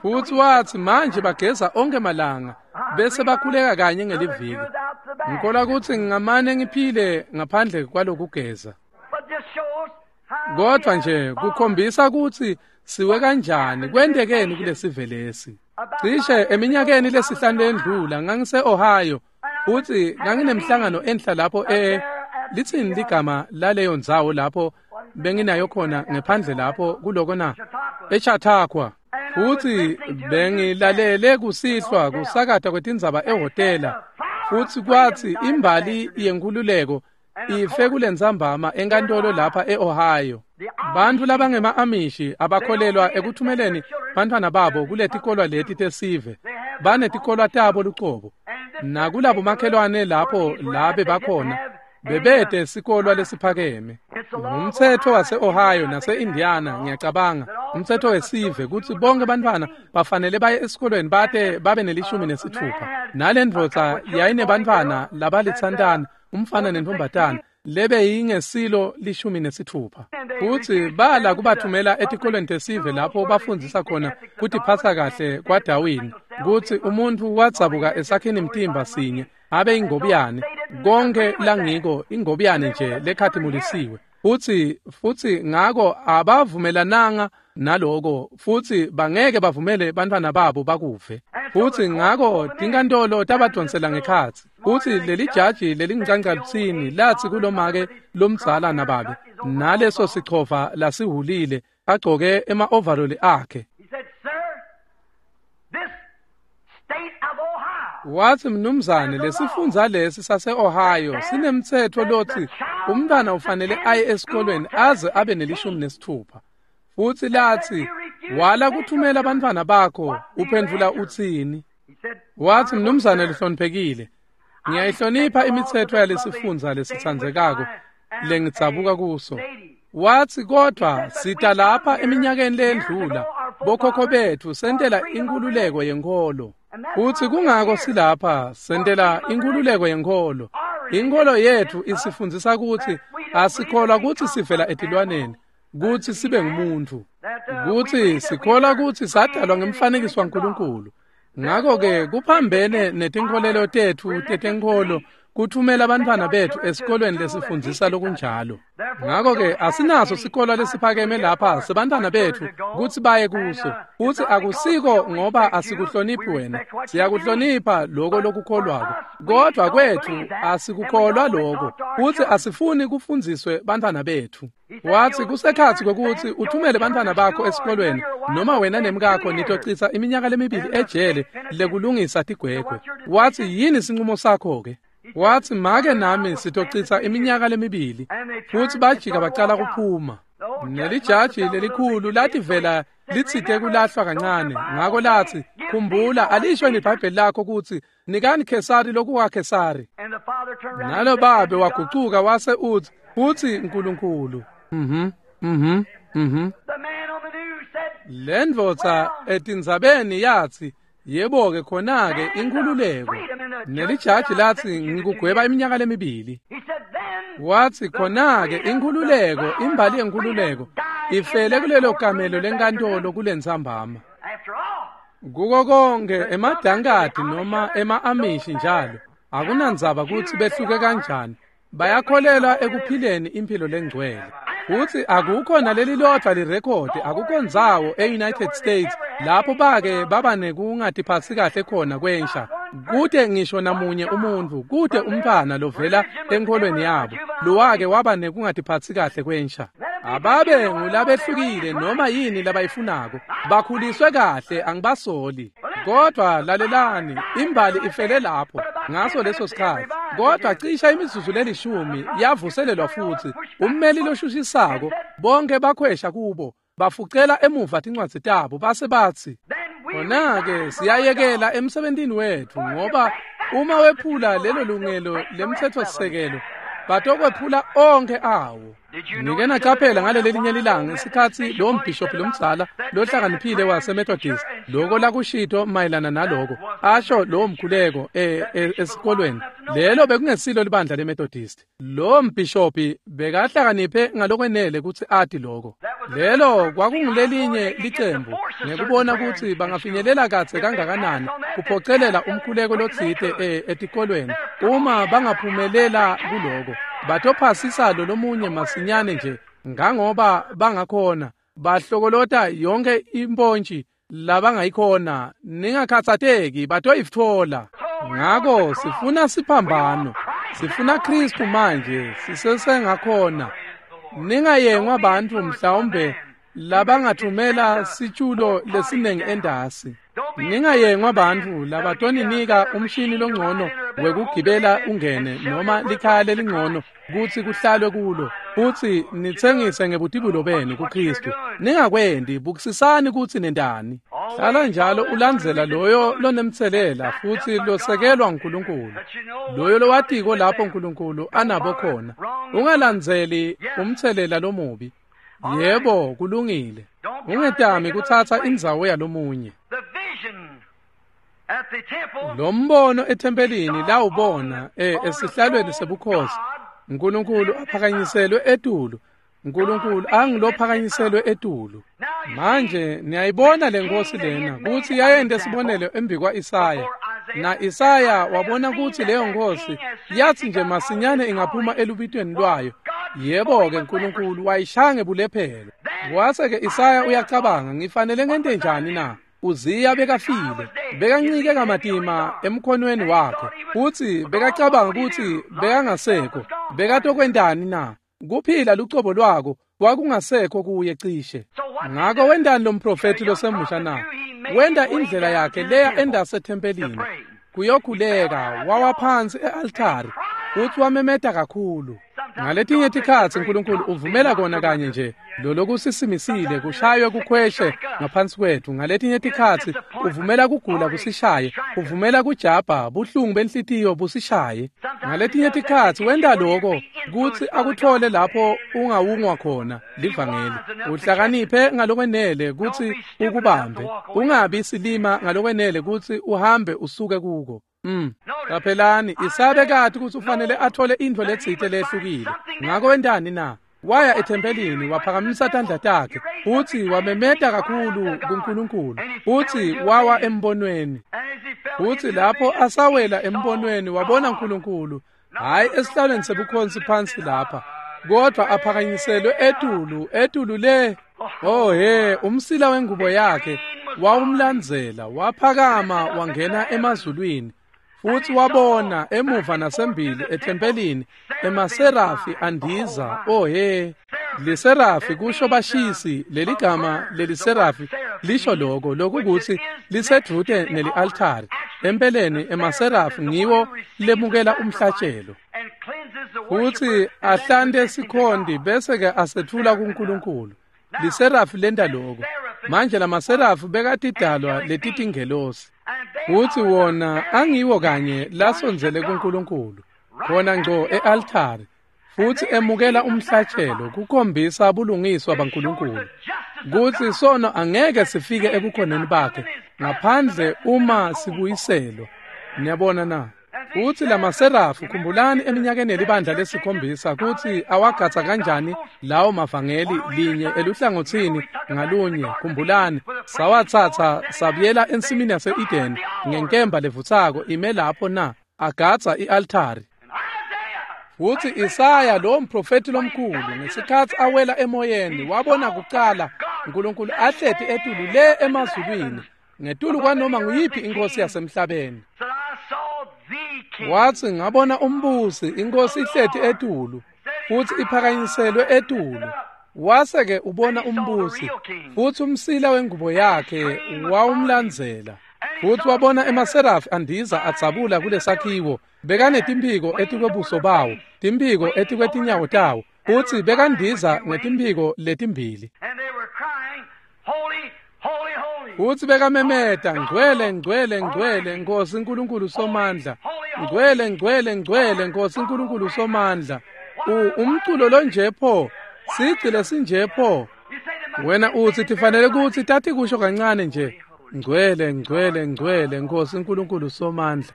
Futsi watsi manje bageza onkhe malanga bese bakhuleka kanye ngeliviki. Ngikholwa kutsi ngingamane ngiphile ngaphandle kwalokugeza. Kodwa nje kukhombisa kutsi siwe kanjani kwentekeni kulesive lesi. Cishe eminyakeni lesihlanu lendlula ngangise-Ohio futsi nganginemhlangano enhla lapho litsini ligama laleyo ndzawo lapho benginayo khona ngephandle lapho kuloko na eChautauqua. Futsi bengilalele kusihlwa kusakata kwetindzaba ehhotela futsi kwatsi imbali yenkhululeko ife kulentsambama enkantolo lapha e-Ohio. Bantfu labangema-Amishi abakholelwa ekuthumeleni bantfwana babo kuletikolwa leti tesive. Banetikolwa tabo lucobo. Nakulabo makhelwane lapho labe bakhona bebete sikolwa lesiphakeme. Ngumtsetfo wase-Ohio nase-Indiana ngiyacabanga, umtsetfo wesive kutsi bonke bantfwana bafanele baye esikolweni bate babe ne-16. Nalendvodza yayinebantfwana labalitsantana, umfana nentfombatana lebe yingesilo 16. Futsi bala kubathumela etikolweni tesive lapho bafundzisa khona kutiphatsa kahle kwaDarwin, kutsi umuntfu wadzabuka esakhini mtimba sinye abe ingobiyane, konke langiko ingobiyane nje lekhatimulisiwe. Futsi ngako abavumelananga naloko, futsi bangeke bavumele bantfwana babo bakuve. Futsi ngako tinkantolo tabadvonsela ngekhatsi. Futsi leli jaji lelingicancalutini latsi kulomake lomdzala nababe naleso sichova lasihulile agcoke ema-overall akhe. Watsi, mnumzane, lesifundza lesi sase-Ohio sinemtsetfo lotsi umntwana ufanele aye esikolweni aze abe ne-16. Futsi latsi, wala kuthumela bantfwana bakho, uphendvula utsini? Watsi, mnumzane lihloniphekile, ngiyayihlonipha imitsetfo yalesifundza lesitsandzekako lengidzabuka kuso. Watsi, kodvwa sita lapha eminyakeni leyendlula, bokhokho betfu sentela inkhululeko yenkholo. Futsi kungako silapha sentela inkhululeko yenkholo. Inkholo yetfu isifundzisa kutsi asikholwa kutsi sivela etilwaneni, kutsi sibe ngumuntu, kutsi sikholwa kutsi sadalwa ngemfanekiso waNkulunkulu. Ngako-ke kuphambene netinkholelo tetfu tetenkholo kuthumela bantfwana betfu esikolweni lesifundzisa lokunjalo. Ngako-ke asinaso sikolo lesiphakeme lapha sebantfwana betfu kutsi baye kuso. Futsi akusiko ngoba asikuhloniphi wena, siyakuhlonipha loko lokukholwako, kodvwa kwetfu asikukholwa loko, futsi asifuni kufundziswe bantfwana betfu. Watsi, kusekhatsi kwekutsi uthumele bantfwana bakho esikolweni noma wena nemkakho nitocitsa iminyaka lemibili ejele lekulungisa tigwegwe. Watsi, yini sinqumo sakho-ke? Watsi, make nami sitocitsa iminyaka lemibili. Futsi bajika bacala kuphuma. Nelijaji lelikhulu lativela litsite kulahlwa kancane. Ngako latsi, khumbula, alisho libhayibheli lakho kutsi nikani Khesari lokukaKhesari. Nalo babe wagucuka wase utsi, futsi Nkulunkulu. Lendvodza etindzabeni yatsi, yebo-ke khona-ke inkhululeko. Nelijaji latsi, ngikugweba iminyaka lemibili. Watsi, khona-ke inkhululeko, imbali yenkhululeko ifele kulelo kamelo lenkantolo kulentsambama. Kuko konke emadankadi noma ema-Amishi njalo, akunandzaba kutsi behluke kanjani, bayakholelwa ekuphileni imphilo lengcwele. Futsi akukho naleli lodvwa lirekhodi, akukho ndzawo e-United States lapho bake baba nekungatiphatsi kahle khona kwensha. Kute ngisho namunye umuntfu, kute umntfwana lovela enkholweni yabo lowake waba nekungatiphatsi kahle kwensha. Ababe ngulabehlukile noma yini labayifunako, bakhuliswe kahle, angibasoli. Kodvwa lalelani, imbali ifele lapho ngaso leso sikhatsi. Kodvwa cisha imizuzu lelishumi yavuselelwa futsi. Ummeli loshushisako, bonke bakhwesha kubo, bafucela emuva tincwadzi tabo base batsi, khona-ke siyayekela emsebentini wetfu, ngoba uma wephula lelo lungelo lemtsetfosisekelo batokwephula onkhe awo. Nike nacaphela ngalelelinye lilanga isikhatsi lowo mbhishophi lomdzala lohlakaniphile waseMethodist loko lakushito mayelana naloko asho lowo mkhuleko esikolweni. Lelo bekungesilo libandla leMethodist. Lowo mbhishophi bekahlakaniphe ngalokwenele kutsi ati loko. Lelo kwakungulelinye licembu ngekubona kutsi bangafinyelela kadze kangakanani kuphocelela umkhuleko lotsite etikolweni. Uma bangaphumelela kuloko, batophasisa lolomunye masinyane nje ngangoba bangakhona, bahlokolota yonke impontshi labangayikhona. Ningakhatsateki, batoyitfola. Ngako sifuna siphambano, sifuna Kristu manje, sisesengakhona. Ningayengwa bantfu mhlawumbe labangathumela sitshulo lesinengi endasi. Ningayengwa bantfu labatoninika umshini longcono wekugibela ungene noma likhaya lelingcono kutsi kuhlalwe kulo, futsi nitsengise ngebutibulo benu kuKristu. Ningakwendi, bukisisani kutsi nentani. Hlala njalo ulandzela loyo lonemtselela futsi losekelwa nguNkulunkulu, loyo lowatiko lapho uNkulunkulu anabo khona. Ungalandzeli umtselela lomubi. Yebo, kulungile. Ungetami kutsatsa indzawo yalomunye. Lo mbono ethempelini lawubona esihlalweni sebukhosi, uNkulunkulu aphakanyiselwe etulu, uNkulunkulu angilophakanyiselwe etulu. Manje niyayibona lenkosi lena kutsi yayente sibonelo embikwa Isaya. Na Isaya wabona kutsi leyo nkosi yathi nje masinyane ingaphuma elubitweni lwayo, Yebo-ke, uNkulunkulu wayishaya ngebulephelo. Wase-ke Isaya uyacabanga, ngifanele ngente njani na? Uziya bekafile, bekancike kamatima emkhonweni wakhe, futsi bekacabanga kutsi bekangasekho. Bekatokwentani na? Kuphila lucobo lwako kwakungasekho kuye cishe. Ngako wentani lo mprofethi losemusha na? Wenta indlela yakhe leya endasethempelini kuyokhuleka, wawa phansi e-altari futsi wamemeta kakhulu. Ngaletinye tikhatsi uNkulunkulu uvumela kona kanye nje lolokusisimisile kushaywe kukhweshe ngaphansi kwethu. Ngaletinye tikhatsi uvumela kugula kusishaye, uvumela kujabha, buhlungu benhlitiyo busishaye. Ngaletinye tikhatsi wenta loko kutsi akuthole lapho ungawungwa khona livangeli. Uhlakaniphe ngalokwenele kutsi ukubambe, ungabi silima ngalokwenele kutsi uhambe usuke kuko. Qaphelani, Isaya bekati kutsi ufanele athole intfo letsite lehlukile. Ngako wentani na? Waya ethempelini, waphakamisa tandla takhe, futsi wamemeta kakhulu kuNkulunkulu, futsi wawa embonweni. Futsi lapho asawela embonweni wabona uNkulunkulu, hhayi esihlalweni sebukhosi phansi lapha, kodwa aphakanyiselwe etulu, etulu le. Oh he, umsila wengubo yakhe wawumlandzela, waphakama wangena emazulwini. Futsi wabona emuva nasembili ethempelini emaserafi andiza. Oh he, liserafi kusho bashisi. Leligama leliserafi lisho loko lokukuthi lisedvute neli-altari. Empeleni emaserafi ngiwo lemukela umhlatshelo futsi ahlante sikhonti bese-ke asetfula kuNkulunkulu. Liserafi lenta loko. Manje lamaserafi bekatidalwa letitingelosi, futsi wona angiwo kanye lasondzele kuNkulunkulu khona ngco e-altari, futsi emukela umhlatshelo kukhombisa bulungiswa baNkulunkulu kutsi sono angeke sifike ebukhoneni bakhe ngaphandle uma sibuyiselwa. Niyabona na? Futsi lamaserafi, khumbulani eminyakeni yelibandla lesikhombisa kutsi awagatsa kanjani lawo mavangeli linye eluhlangotsini ngalunye. Khumbulani, sawatsatsa sabuyela ensimini yase-Eden ngenkemba levutsako ime lapho na, agatsa i-altari. Futsi Isaya lo mprofethi lomkhulu ngesikhatsi awela emoyeni wabona kucala uNkulunkulu ahleti etulu le emazulwini ngetulu kwanoma nguyiphi inkosi yasemhlabeni. Watsi ngabona umbusi, inkosi ihleti etulu futsi iphakanyiselwe etulu. Wase-ke ubona umbusi futsi umsila wengubo yakhe wawumlandzela. Futsi wabona emaserafi andiza adzabula kulesakhiwo, bekanetimphiko etikwebuso bawo, timphiko etikwetinyawo tawo, futsi bekandiza ngetimphiko letimbili. Futsi bekamemeta, ngcwele, ngcwele, ngcwele, Nkosi Nkulunkulu Somandla. Ngcwele, ngcwele, ngcwele, Nkosi Nkulunkulu Somandla. Umculo lonje pho, sigci lesinje pho. Wena utsi tifanele kutsi tatikusho kancane nje, ngcwele, ngcwele, ngcwele, Nkosi Nkulunkulu Somandla.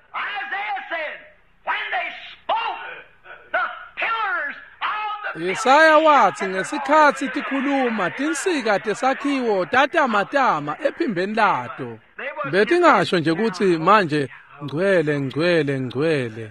Isaya watsi ngesikhatsi tikhuluma tinsika tesakhiwo tatamatama ephimbeni lato. Betingasho nje kutsi manje ngcwele, ngcwele, ngcwele.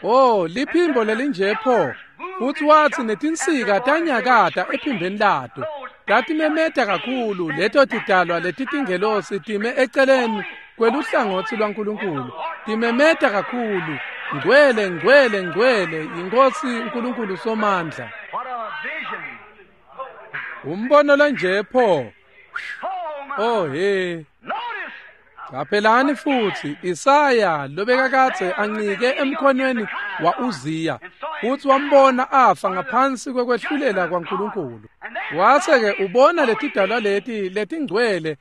Oh, liphimbo lelinje pho. Futsi watsi netinsika tanyakata ephimbeni lato. Tatimemeta kakhulu leto tidalwa letitingelosi time eceleni kweluhlangotsi lwaNkulunkulu. Timemeta kakhulu, ngcwele, ngcwele, ngcwele, iNkosi uNkulunkulu Somandla. Umbono lonje pho. Oh he. Qaphelani futhi Isaya lobekakadze ancike emkhonweni wa-Uziya futsi wambona afa ngaphansi kwekwehlulela kwaNkulunkulu. Wase-ke ubona letidalwa leti letingcwele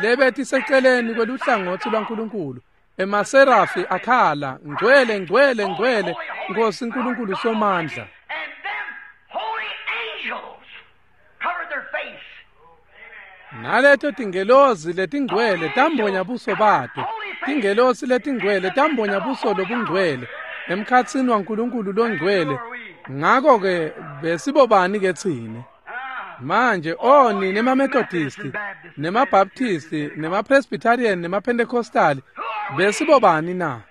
lebetiseceleni kweluhlangotsi lwaNkulunkulu. Emaserafi akhala, ngcwele, ngcwele, ngcwele, Nkosi Nkulunkulu Somandla. Naleto tingelosi letingcwele tambonya buso bato. Tingelosi letingcwele tambonya buso lobungcwele emkhatsini waNkulunkulu longcwele. Ngako-ke besibobani ke tsine? Manje oni nemaMethodisti, nemaBaptisti, nemaPresbyterian, nemaPentecostali, besibobani na?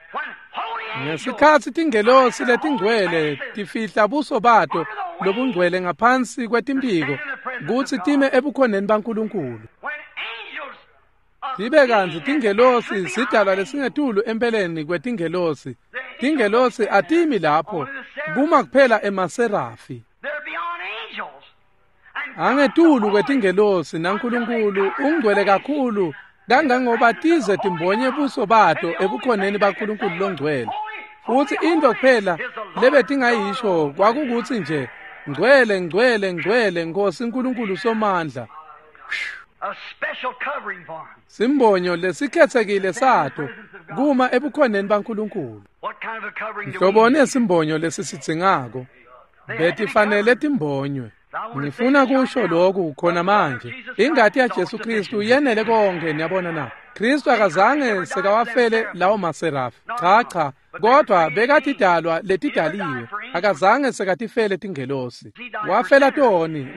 Ngesikhatsi tingelosi letingcwele tifihla buso bato lobungcwele ngaphansi kwetimphiko kutsi time ebukhoneni baNkulunkulu. Tibe kantsi tingelosi sidalwa lesingetulu empeleni kwetingelosi. Tingelosi atimi lapho, kuma kuphela emaserafi. Angetulu kwetingelosi naNkulunkulu ungcwele kakhulu kangangoba tize timbonye buso bato ebukhoneni baNkulunkulu longcwele. Futsi intfo kuphela lebetingayisho kwakukutsi nje ngcwele ngcwele ngcwele Nkosi Nkulunkulu Somandla. Simbonyo lesikhetsekile sato kuma ebukhoneni baNkulunkulu. Nhloboni yesimbonyo lesisidzingako betifanele timbonywe. Ngifuna kusho lokhu khona manje. Ingati yaJesu Kristu yenele konke, niyabona na? Kristu akazange sekawafele lawo maserafi. Cha cha, kodwa bekatidalwa letidaliwe. Akazange sekatifele tingelosi. Wafela toni.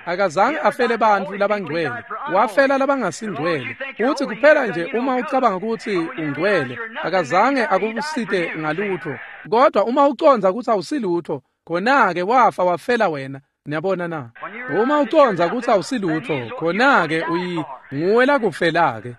Akazange afele bantfu labangcwele. Wafela labangasingcwele. Utsi kuphela nje uma ucabanga kutsi ungcwele, akazange akusite ngalutho. Kodwa uma ucondza kutsi awusilutho, khona-ke wafa wafela wena. Niyabona na? Uma ucondza kutsi awusilutho, khona-ke nguwe lakufela-ke.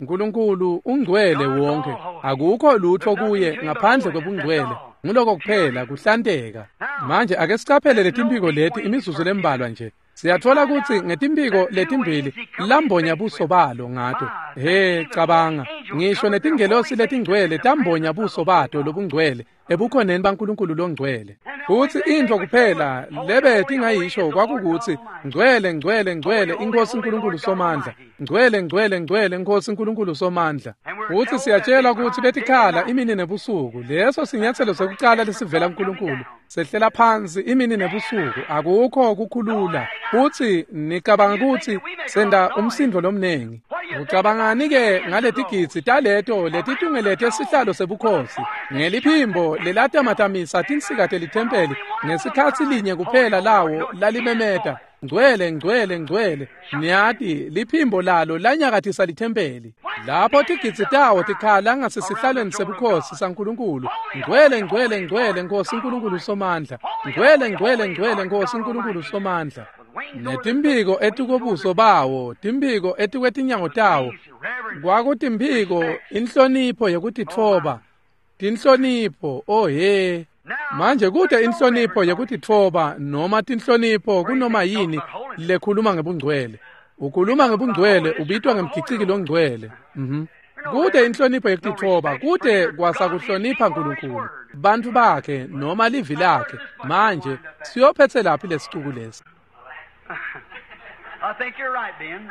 Nkulunkulu ungcwele wonke. Akukho lutho kuye ngaphandle kwebungcwele. Nguloko kuphela kuhlanteka. Manje ake sicaphele letimphiko leti imizuzu lembalwa nje. Siyatfola kutsi ngetimphiko letimbili lambonya buso balo ngato. He, cabanga, ngisho netingelosi letingcwele tambonya buso bato lobungcwele ebukhoneni baNkulunkulu longcwele. Futsi intfo kuphela lebe tingayisho kwakukutsi ngcwele ngcwele ngcwele iNkosi Nkulunkulu Somandla. Ngcwele ngcwele ngcwele Nkosi Nkulunkulu Somandla. Futsi siyatshela kutsi betikhala imini nebusuku. Leso sinyatselo sekucala lesivela kuNkulunkulu. Sehlela phansi imini nebusuku, akukho kukhulula. Futsi nicabanga kutsi senda umsindo lomnengi. Ucabangani-ke ngaletigidzi taleto letitungelete sihlalo sebukhosi ngeliphimbo lelatamatamisa tinsika telithempeli ngesikhatsi linye kuphela lawo lalimemeta ngcwele ngcwele ngcwele. Niyati liphimbo lalo lanyakatisa lithempeli. Lapho tigidzi tawo tikhala ngasesihlalweni sebukhosi saNkulunkulu. Ngcwele ngcwele ngcwele Nkosi Nkulunkulu Somandla. Ngcwele ngcwele ngcwele Nkosi Nkulunkulu Somandla. Netimphiko etikobuso bawo, timphiko etikwetinyawo tawo, kwakutimphiko inhlonipho yekutitfoba. Tinhlonipho, oh he. Manje kute inhlonipho yekutitfoba noma tinhlonipho kunoma yini lekhuluma ngebungcwele. Ukhuluma ngebungcwele ubitwa ngemgiciki longcwele. Kute inhlonipho yekutitfoba, kute kwasakuhlonipha Nkulunkulu, bantfu bakhe noma livi lakhe. Manje siyophetse laphi lesicuku lesi? I think you're right, Ben.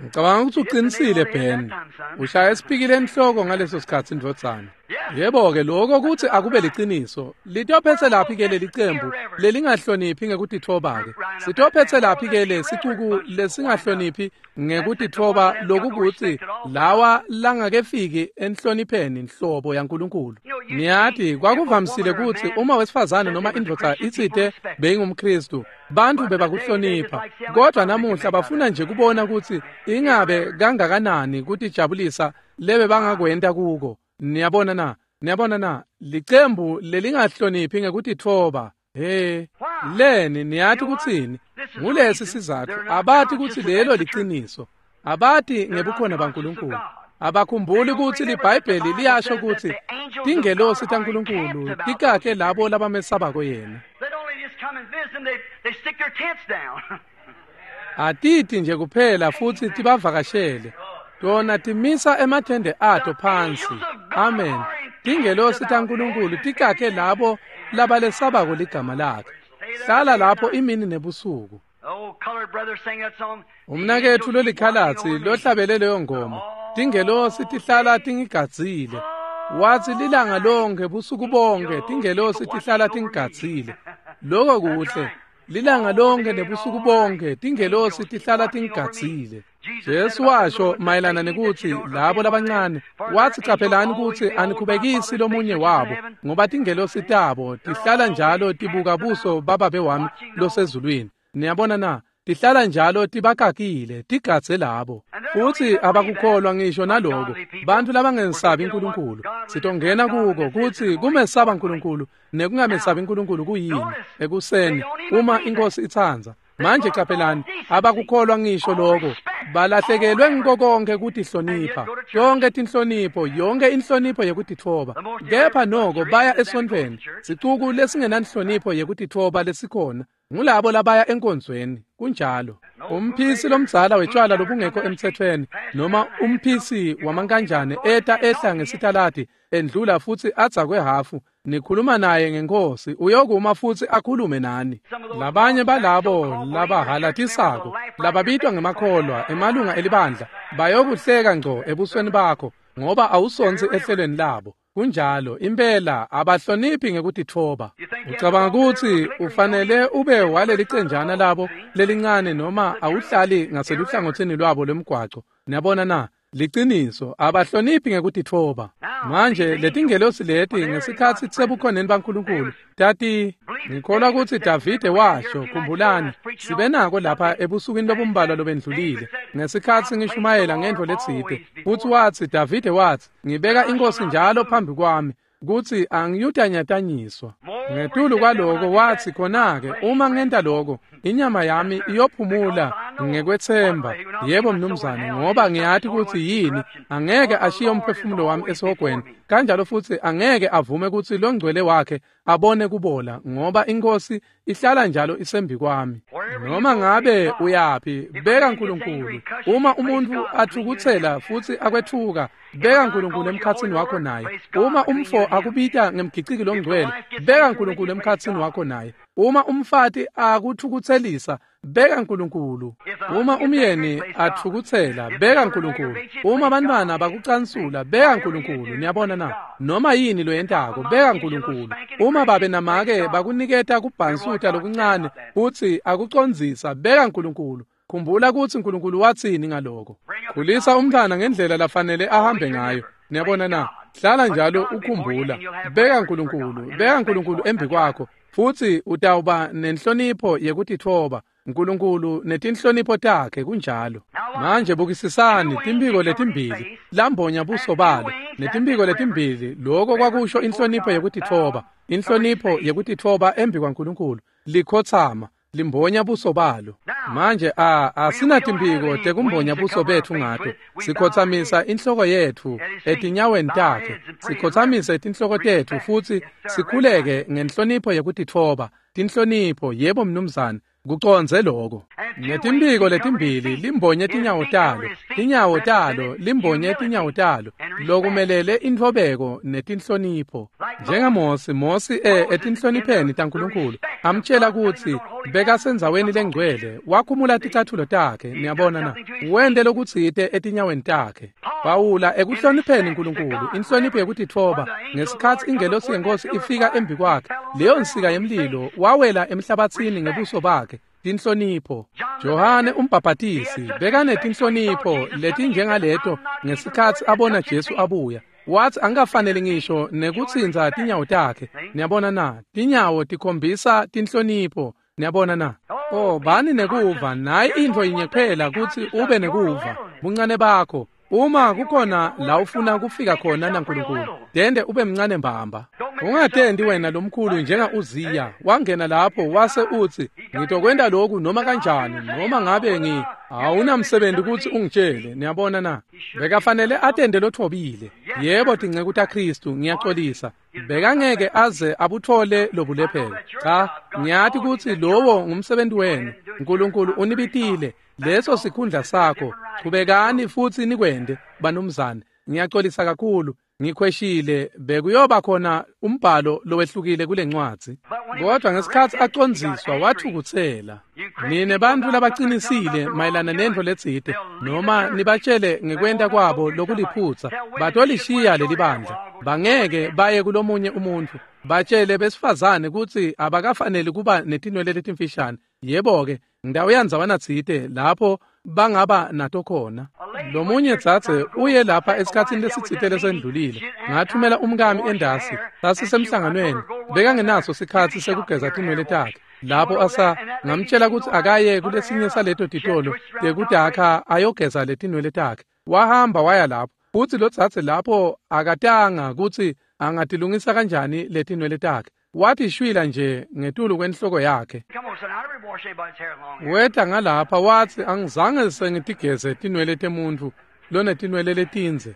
Ngicabanga ukuthi uqinisile Ben. Ushaya esipikile enhloko ngaleso sikhatsi ndvodzana. Yebo-ke lokho kuthi akube liciniso. Litophetse laphi ke leli cembu lelingahloniphi ngekutitfoba-ke? Sitophetse laphi ke lesicuku lesingahloniphi ngekutitfoba lokukuthi lawa langakefiki enhlonipheni nhlobo yaNkulunkulu? Niyati kwakuvamisile kutsi uma wesifazane noma indvodza itsite beyingumKhristu, bantfu bebakuhlonipha. Kodwa namuhla bafuna nje kubona kutsi ingabe kangakanani kutijabulisa lebe bangakwenta kuko. Niyabona na? Niyabona na? Licembu lelingahloniphi ngekutitfoba. He, leni niyati kutsini? Ngulesi sizatfu abati kutsi lelo liciniso. Abati ngebukhona baNkulunkulu. Abakhumbuli kutsi liBhayibheli liyasho kutsi tingelosi taNkulunkulu tikakhe labo labamesabako yena. Atiti nje kuphela futsi tibavakashele. Tona timisa emathende ato phansi. Amen. Tingelosi taNkulunkulu tikakhe labo labalesabako ligama lakhe. Hlala lapho imini nebusuku. Umnaketfu lolikhalatsi lohlabele leyo ngoma. Tingelosi tihlala tingigadzile. Watsi lilanga lonke busuku bonke tingelosi tihlala tingigadzile. Lokho kuhle. Lilanga lonke nebusuku bonke tingelosi tihlala tingigadzile. Jesu washo mayelana nekutsi labo labancane, watsi caphelani kutsi anikhubekisi lomunye wabo, ngoba tingelosi tabo tihlala njalo tibuka buso bababe wami losezulwini. Niyabona na? Tihlala njalo tibakakile, tigadze labo. Futsi abakukholwa ngisho naloko. Bantfu labangesabi uNkulunkulu. Sitongena kuko kutsi kumesaba uNkulunkulu nekungamesabi uNkulunkulu kuyini ekuseni uma inkosi itsandza. Manje caphelani, abakukholwa ngisho lokho. Balahlekelwe ngiko konke kutihlonipha. Yonke tinhlonipho, yonke inhlonipho yekutitfoba. Kepha noko baya esontfweni. Sicuku lesingenanhlonipho yekutitfoba lesikhona. Ngulabo labaya enkonzweni, kunjalo. Umphisi lomdzala wetshwala lobungekho emthethweni noma umphisi wamankanjane eta ehla ngesitaladi endlula futsi adza kwehafu, nikhuluma naye ngenkosi, uyokuma futsi akhulume nani. Labanye balabo labahalatisako, lababitwa ngemakholwa, emalunga elibandla, bayokuhleka ngco ebusweni bakho ngoba awusontsi ehlelweni labo. Kunjalo, impela abahloniphi ngekutitfoba. Ucabanga kutsi ufanele ube waleli cenjana labo lelincane noma awuhlali ngaseluhlangothini lwabo lwemgwaco. Niyabona na? Liciniso, abahloniphi ngekutitfoba. Manje letingelosi leti ngesikhatsi sebukhoneni baNkulunkulu tati, ngikholwa kutsi Davide washo, khumbulani, sibe nako lapha ebusukwini lobumbalwa lobendlulile ngesikhatsi ngishumayela ngentfo letsite, futsi watsi Davide watsi, ngibeka inkosi njalo phambi kwami kutsi angiyutanyatanyiswa. Ngetulu kwaloko watsi khona-ke uma ngenta loko inyama yami iyophumula ngekwethemba. Yebo mnumzane, ngoba ngiyati kutsi yini, angeke ashiye umphefumulo wami esihogweni, kanjalo futsi angeke avume kutsi longcwele wakhe abone kubola, ngoba inkosi ihlala njalo isembi kwami. Noma ngabe uyaphi, beka uNkulunkulu. Uma umuntu athukutsela futsi akwethuka, beka uNkulunkulu emkhatsini wakho naye. Uma umfo akubita ngemgiciki longcwele, beka uNkulunkulu emkhatsini wakho naye. Uma umfati akuthukutselisa, beka uNkulunkulu. Uma umyeni athukutsela, beka uNkulunkulu. Uma abantwana bakucansula, beka uNkulunkulu. Niyabona na? Noma yini loyentako, beka uNkulunkulu. Uma babe namake bakuniketa kubhansuta lokuncane futsi akucondzisa, beka uNkulunkulu. Khumbula kutsi uNkulunkulu watsini ngaloko. Khulisa umntwana ngendlela lafanele ahambe ngayo. Niyabona na? Hlala njalo ukhumbula. Beka uNkulunkulu, beka uNkulunkulu embi kwakho, futsi utawuba nenhlonipho yekutitfoba. uNkulunkulu netinhlonipho takhe, kunjalo. Manje bukisisani timphiko letimbili lambonya buso balo, netimphiko letimbili, lokho kwakusho inhlonipho yekutitfoba, inhlonipho yekutitfoba embi kwaNkulunkulu, likhotsama limbonya buso balo. Manje asinatimphiko tekumbonya buso betfu ngato. Sikhotsamisa inhloko yetfu etinyaweni takhe, sikhotsamise tinhloko tetfu futsi sikhuleke ngenhlonipho yekutitfoba. Tinhlonipho, yebo mnumzane, kucondze lokho. Ngetimphiko letimbili limbonye tinyawo talo, tinyawo talo limbonye tinyawo talo, lokumelele intfobeko netinhlonipho. NjengaMosi, Mosi etinhlonipheni taNkulunkulu amtshela kutsi bekasendzaweni lengcwele, wakhumula ticatfulo takhe. Niyabona na? Wente lokutsite etinyaweni takhe. Pawula ekuhlonipheni uNkulunkulu, inhlonipho yekutitfoba, ngesikhatsi ingelosi yenkosi ifika embi kwakhe, leyo nsika yemlilo, wawela emhlabatsini ngebuso bakhe. Tinhlonipho. Johane umbhabhatisi bekanetinhlonipho letinjengaleto ngesikhatsi abona Jesu abuya. Wathi angikafanele ngisho nekutsintsa tinyawo takhe. Niyabona na? Tinyawo tikhombisa tinhlonipho. Niyabona na? Oh, bani nekuva, nayi intfo yinye kuphela kutsi ube nekuva, buncane bakho. Uma kukhona la ufuna kufika khona naNkulunkulu, dende ube mncane mbamba. Ungatendi wena lomkhulu njenga Uziya, wangena lapho wase utsi, ngitokwenta lokhu noma kanjani, noma ngabe awunamsebenzi kutsi ungitshele. Niyabona na? Bekafanele atende lothobile. Yebo, tinceku taKhristu, ngiyaxolisa, bekangeke aze abuthole lobulephelo. Cha, ngiyati kutsi lowo ngumsebenzi wenu. uNkulunkulu unibitile, leso sikhundla sakho. Chubekani futsi nikwende, banumzane. Ngiyaxolisa kakhulu, ngikhweshile, bekuyoba khona umbhalo lowehlukile kule ncwadzi. Kodwa ngesikhatsi acondziswa wathukutsela. Nine bantfu labacinisile mayelana nentfo letsite, noma nibatshele ngekwenta kwabo lokuliphutsa, batolishiya lelibandla. Bangeke baye kulomunye umuntfu. Batshele besifazane kutsi abakafaneli kuba netinwele letimfishane. Yebo-ke, ngidawuya ndzawana tsite lapho bangaba nato khona. Lomunye dzadze uye lapha esikhatsini lesitsite lesendlulile. Ngathumela umkami endasi, sasisemhlanganweni, bekangenaso sikhatsi sekugeza tinwele takhe. Lapho asa ngamtshela kutsi akaye kulesinye saleto titolo tekudakha ayogeza letinwele takhe. Wahamba waya lapho, futsi lotsatse lapho akatanga kutsi angatilungisa kanjani letinwele takhe. Wathi shwila nje ngetulu kwenhloko yakhe. Weta ngalapha watsi angizange sengitigeze tinwele temuntfu lonetinwele letindze.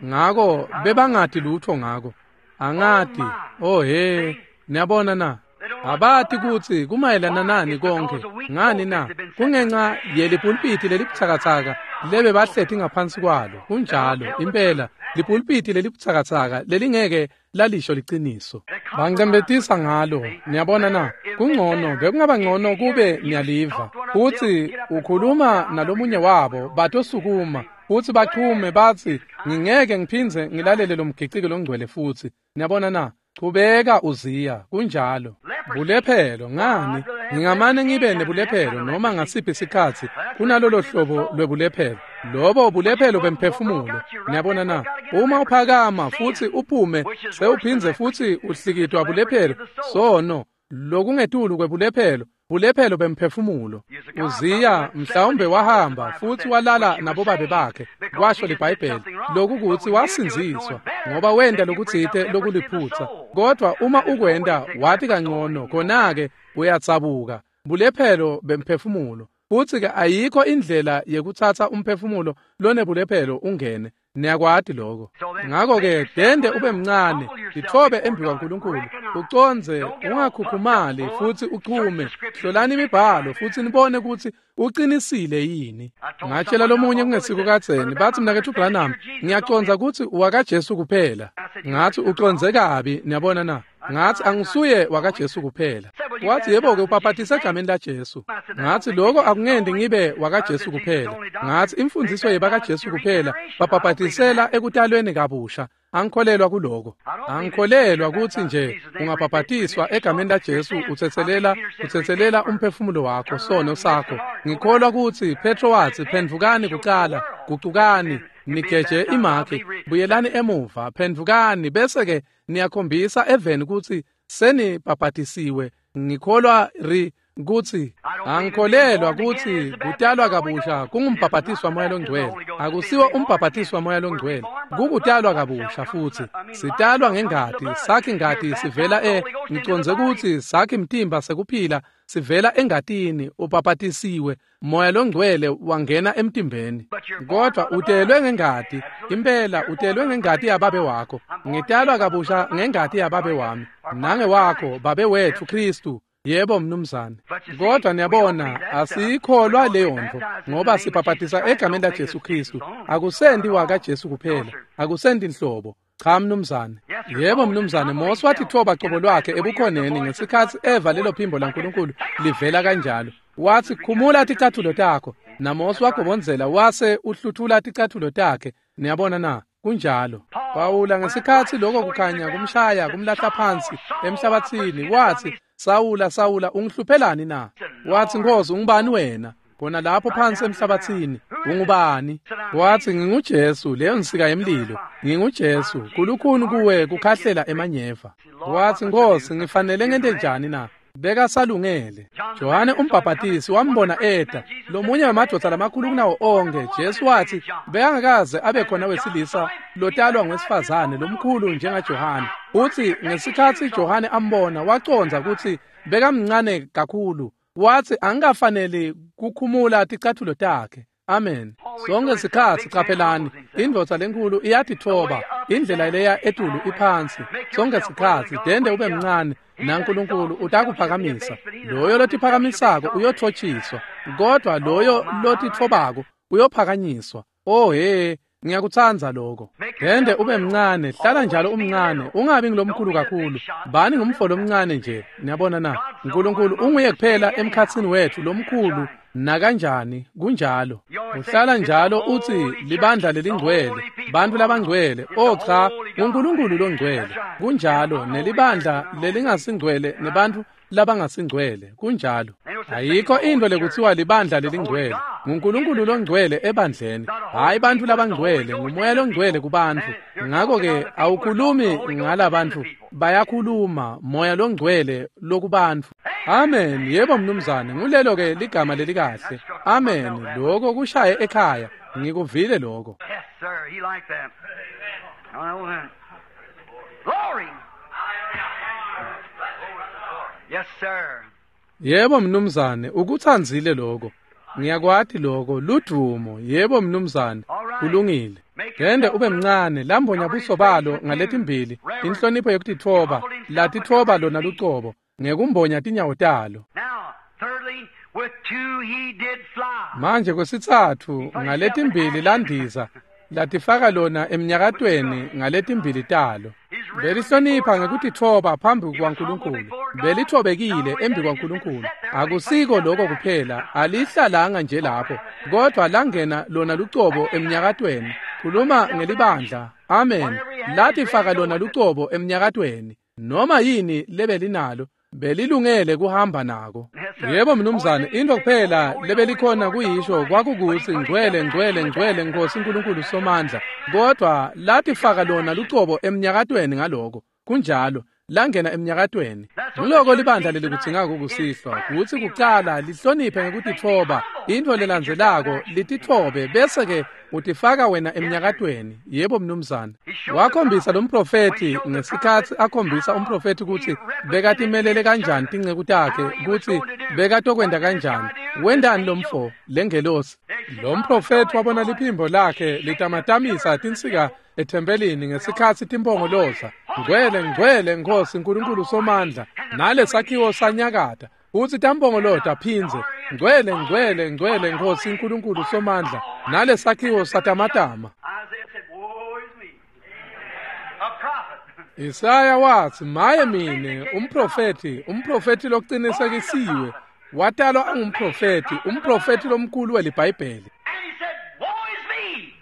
Ngako bebangati lutho ngako. Angati. Oh he, niyabona na? Abati kutsi kumayelana nani konke. Ngani na? Kungenxa yelipulpiti lelibutsakatsaka lebe bahleti ngaphansi kwalo. Kunjalo, impela lipulpiti lelibutsakatsaka lelingeke lalisho liciniso. Bangcembetisa ngalo, niyabona na? Kungcono, bekungaba ngcono kube niyaliva. Futsi ukhuluma nalomunye wabo, batosukuma futsi bachume batsi ngingeke ngiphindze ngilalele lo mgiciki longcwele futsi. Niyabona na? Chubeka uziya, kunjalo. Bulephelo ngani? Ngingamane ngibe nebulephelo noma ngasiphi isikhatsi kunalolo hlobo lwebulephelo. Lobo bulephelo bemphefumulo. Niyabona na? Uma uphakama futsi uphume sewuphindze futsi uhlikitwa bulephelo, sono lokungetulu kwebulephelo, bulephelo bemphefumulo. Uziya mhlawumbe wahamba futsi walala nabobabe bakhe, kwasho liBhayibheli, lokukutsi wasindziswa ngoba wenta lokutsite lokuliphutsa. Kodwa uma ukwenta wati kangcono, khona-ke uyatsabuka. Bulephelo bemphefumulo. Futsi-ke ayikho indlela yekutsatsa umphefumulo lonebulephelo ungene. Niyakwati lokho. Ngakho-ke dende ube mncane, titfobe embi kwaNkulunkulu, ucondze, ungakhukhumali futsi uchume. Hlolani imibhalo futsi nibone kutsi uqinisile yini. Ngatshela lomunye kungesiko kadzeni, batsi mnaketfu Branham, ngiyacondza kutsi wakaJesu kuphela. Ngathi ucondze kabi, niyabona na? Ngathi angisuye wakaJesu kuphela. Wathi yebo-ke ubhaphatise egameni laJesu. Ngathi lokho akungendi ngibe wakaJesu kuphela. Ngathi imfundiso yebakaJesu kuphela babhaphatisela ekutalweni kabusha. Angikholelwa kuloko. Angikholelwa kutsi nje ungabhaphatiswa egameni laJesu utsetselela umphefumulo wakho, sono sakho. Ngikholwa kutsi Petro watsi phendvukani kucala, gucukani, nigeje imakhe, buyelani emuva, phendvukani bese-ke niyakhombisa eveni kutsi senibhaphatisiwe. Ngikholwa kutsi angikholelwa kutsi kutalwa kabusha kungumbhaphatiswa moya longcwele. Akusiwo umbhaphatiswa moya longcwele, kukutalwa kabusha futsi. Sitalwa ngengati, sakhi ngati sivela ngicondze kutsi sakhi mtimba sekuphila sivela engatini. Ubhaphatisiwe, moya longcwele wangena emtimbeni. Kodwa utelwe ngengati, impela utelwe ngengati yababe wakho. Ngitalwa kabusha ngengati yababe wami nangewakho, babe wetfu Kristu. Yebo mnumzane. Kodwa niyabona asiyikholwa leyo nto ngoba sibhaphatisa egameni laJesu Kristu. Akusendi wakaJesu kuphela, akusendi nhlobo. Cha mnumzane. Yebo mnumzane. Mose wathitfoba cobo lwakhe ebukhoneni ngesikhatsi eva lelo phimbo laNkulunkulu livela kanjalo. Wathi khumula ticathulo takho. NaMose wagobondzela wase uhluthula ticathulo takhe. Niyabona na? Kunjalo. Pawula ngesikhatsi lokho kukhanya kumshaya kumlahla phansi emhlabathini, wathi Sawula, Sawula, ungihluphelani na? Wathi Nkosi, ungubani wena? Khona lapho phansi emhlabathini, ungubani? Wathi nginguJesu, leyo nsika yemlilo. NginguJesu, kulukhuni kuwe kukhahlela emanyeva. Wathi Nkosi, ngifanele ngente njani na? Bekasalungele. Johane umbhaphatisi wambona eta, lomunye wemadvodza lamakhulu kunawo onke. Jesu wathi bekangakaze abe khona wesilisa lotalwa ngwesifazane lomkhulu njengaJohane. Uthi ngesikhatsi Johane ambona wacondza kutsi bekamncane kakhulu. Wathi angikafaneli kukhumula ticathulo takhe. Amen. Sonke sikhatsi qaphelani, indvodza lenkulu iyatitfoba, indlela leya etulu iphansi. Sonke sikhatsi dende ube mncane naNkulunkulu utakuphakamisa. Loyo lotiphakamisako uyotfotshiswa, kodwa loyo lotitfobako uyophakanyiswa. Oh he, ngiyakutsandza lokho. Dende ube mncane, hlala njalo umncane, ungabi ngilomkhulu kakhulu. Bani ngumfo lomncane nje, niyabona na? uNkulunkulu unguye kuphela emkhatsini wethu lomkhulu nakanjani, kunjalo. Uhlala njalo uthi libandla lelingcwele, bantu labangcwele. Oh cha, uNkulunkulu longcwele. Kunjalo, nelibandla lelingasingcwele nebantu labangasingcwele, kunjalo. Ayikho into lekuthiwa libandla lelingcwele. NguNkulunkulu longcwele ebandleni, hayi bantu labangcwele, ngumoya longcwele kubantfu. Ngakho-ke awukhulumi ngalabantu Bayakhuluma, Moya loNgcwele lokubantfu. Amen. Yebo mnumzane, ngulelo ke ligama lelikahle. Amen. Lokho kushaye ekhaya. Ngikuvile lokho. Yes, sir. He liked that. I know that. Glory. Yes, sir. Yebo mnumzane, ukutsandzile lokho. Ngiyakwati lokho, ludumo. Yebo mnumzane, kulungile. Gende ube mncane, lambonya buso balo ngaletimbili, inhlonipho yekutitfoba, latitfoba lona lucobo, ngekumbonya tinyawo talo. Now, thirdly, with two he did fly. Manje kwesitsatfu ngaletimbili landiza, latifaka lona emnyakatweni ngaletimbili talo. Belihlonipha ngekutitfoba phambi kwaNkulunkulu. Belithobekile embi kwaNkulunkulu. Akusiko lokho kuphela, alihlalanga nje lapho, kodwa langena lona lucobo emnyakatweni. Khuluma ngelibandla. Amen. Latifaka lona lucobo emnyakatweni. Noma yini lebelinalo, belilungele kuhamba nako. Yebo mnumzane, into kuphela lebelikhona kuyisho kwakukutsi ngcwele ngcwele ngcwele Nkosi uNkulunkulu Somandla, kodwa latifaka lona lucobo emnyakatweni ngaloko. Kunjalo, langena emnyakatweni. Nguloko libandla lelikudzingako kusihlwa, kutsi kucala lihloniphe ngekutitfoba, intfo lelandzelako lititfobe, bese-ke utifaka wena emnyakatweni. Yebo mnumzane. Wakhombisa lo mprofethi ngesikhatsi akhombisa umprofethi kutsi bekatimelele kanjani tinceku takhe, kutsi bekatokwenta kanjani. Wentani lo mfo lengelosi? Lo mprofethi wabona liphimbo lakhe litamatamisa tinsika ethempelini ngesikhatsi timpongoloza, ngcwele ngcwele Nkosi uNkulunkulu Somandla, nalesakhiwo sanyakata. Utsi tampongolota phindze, ngcwele ngcwele ngcwele Nkosi uNkulunkulu Somandla, nalesakhiwo satamatama. Isaiah said, Woe is me. A prophet. Isaya watsi, maye mine, umprofethi, umprofethi loqinisekisiwe, watalwa angumprofethi, umprofethi lomkhulu weliBhayibheli. And he said, Woe is me.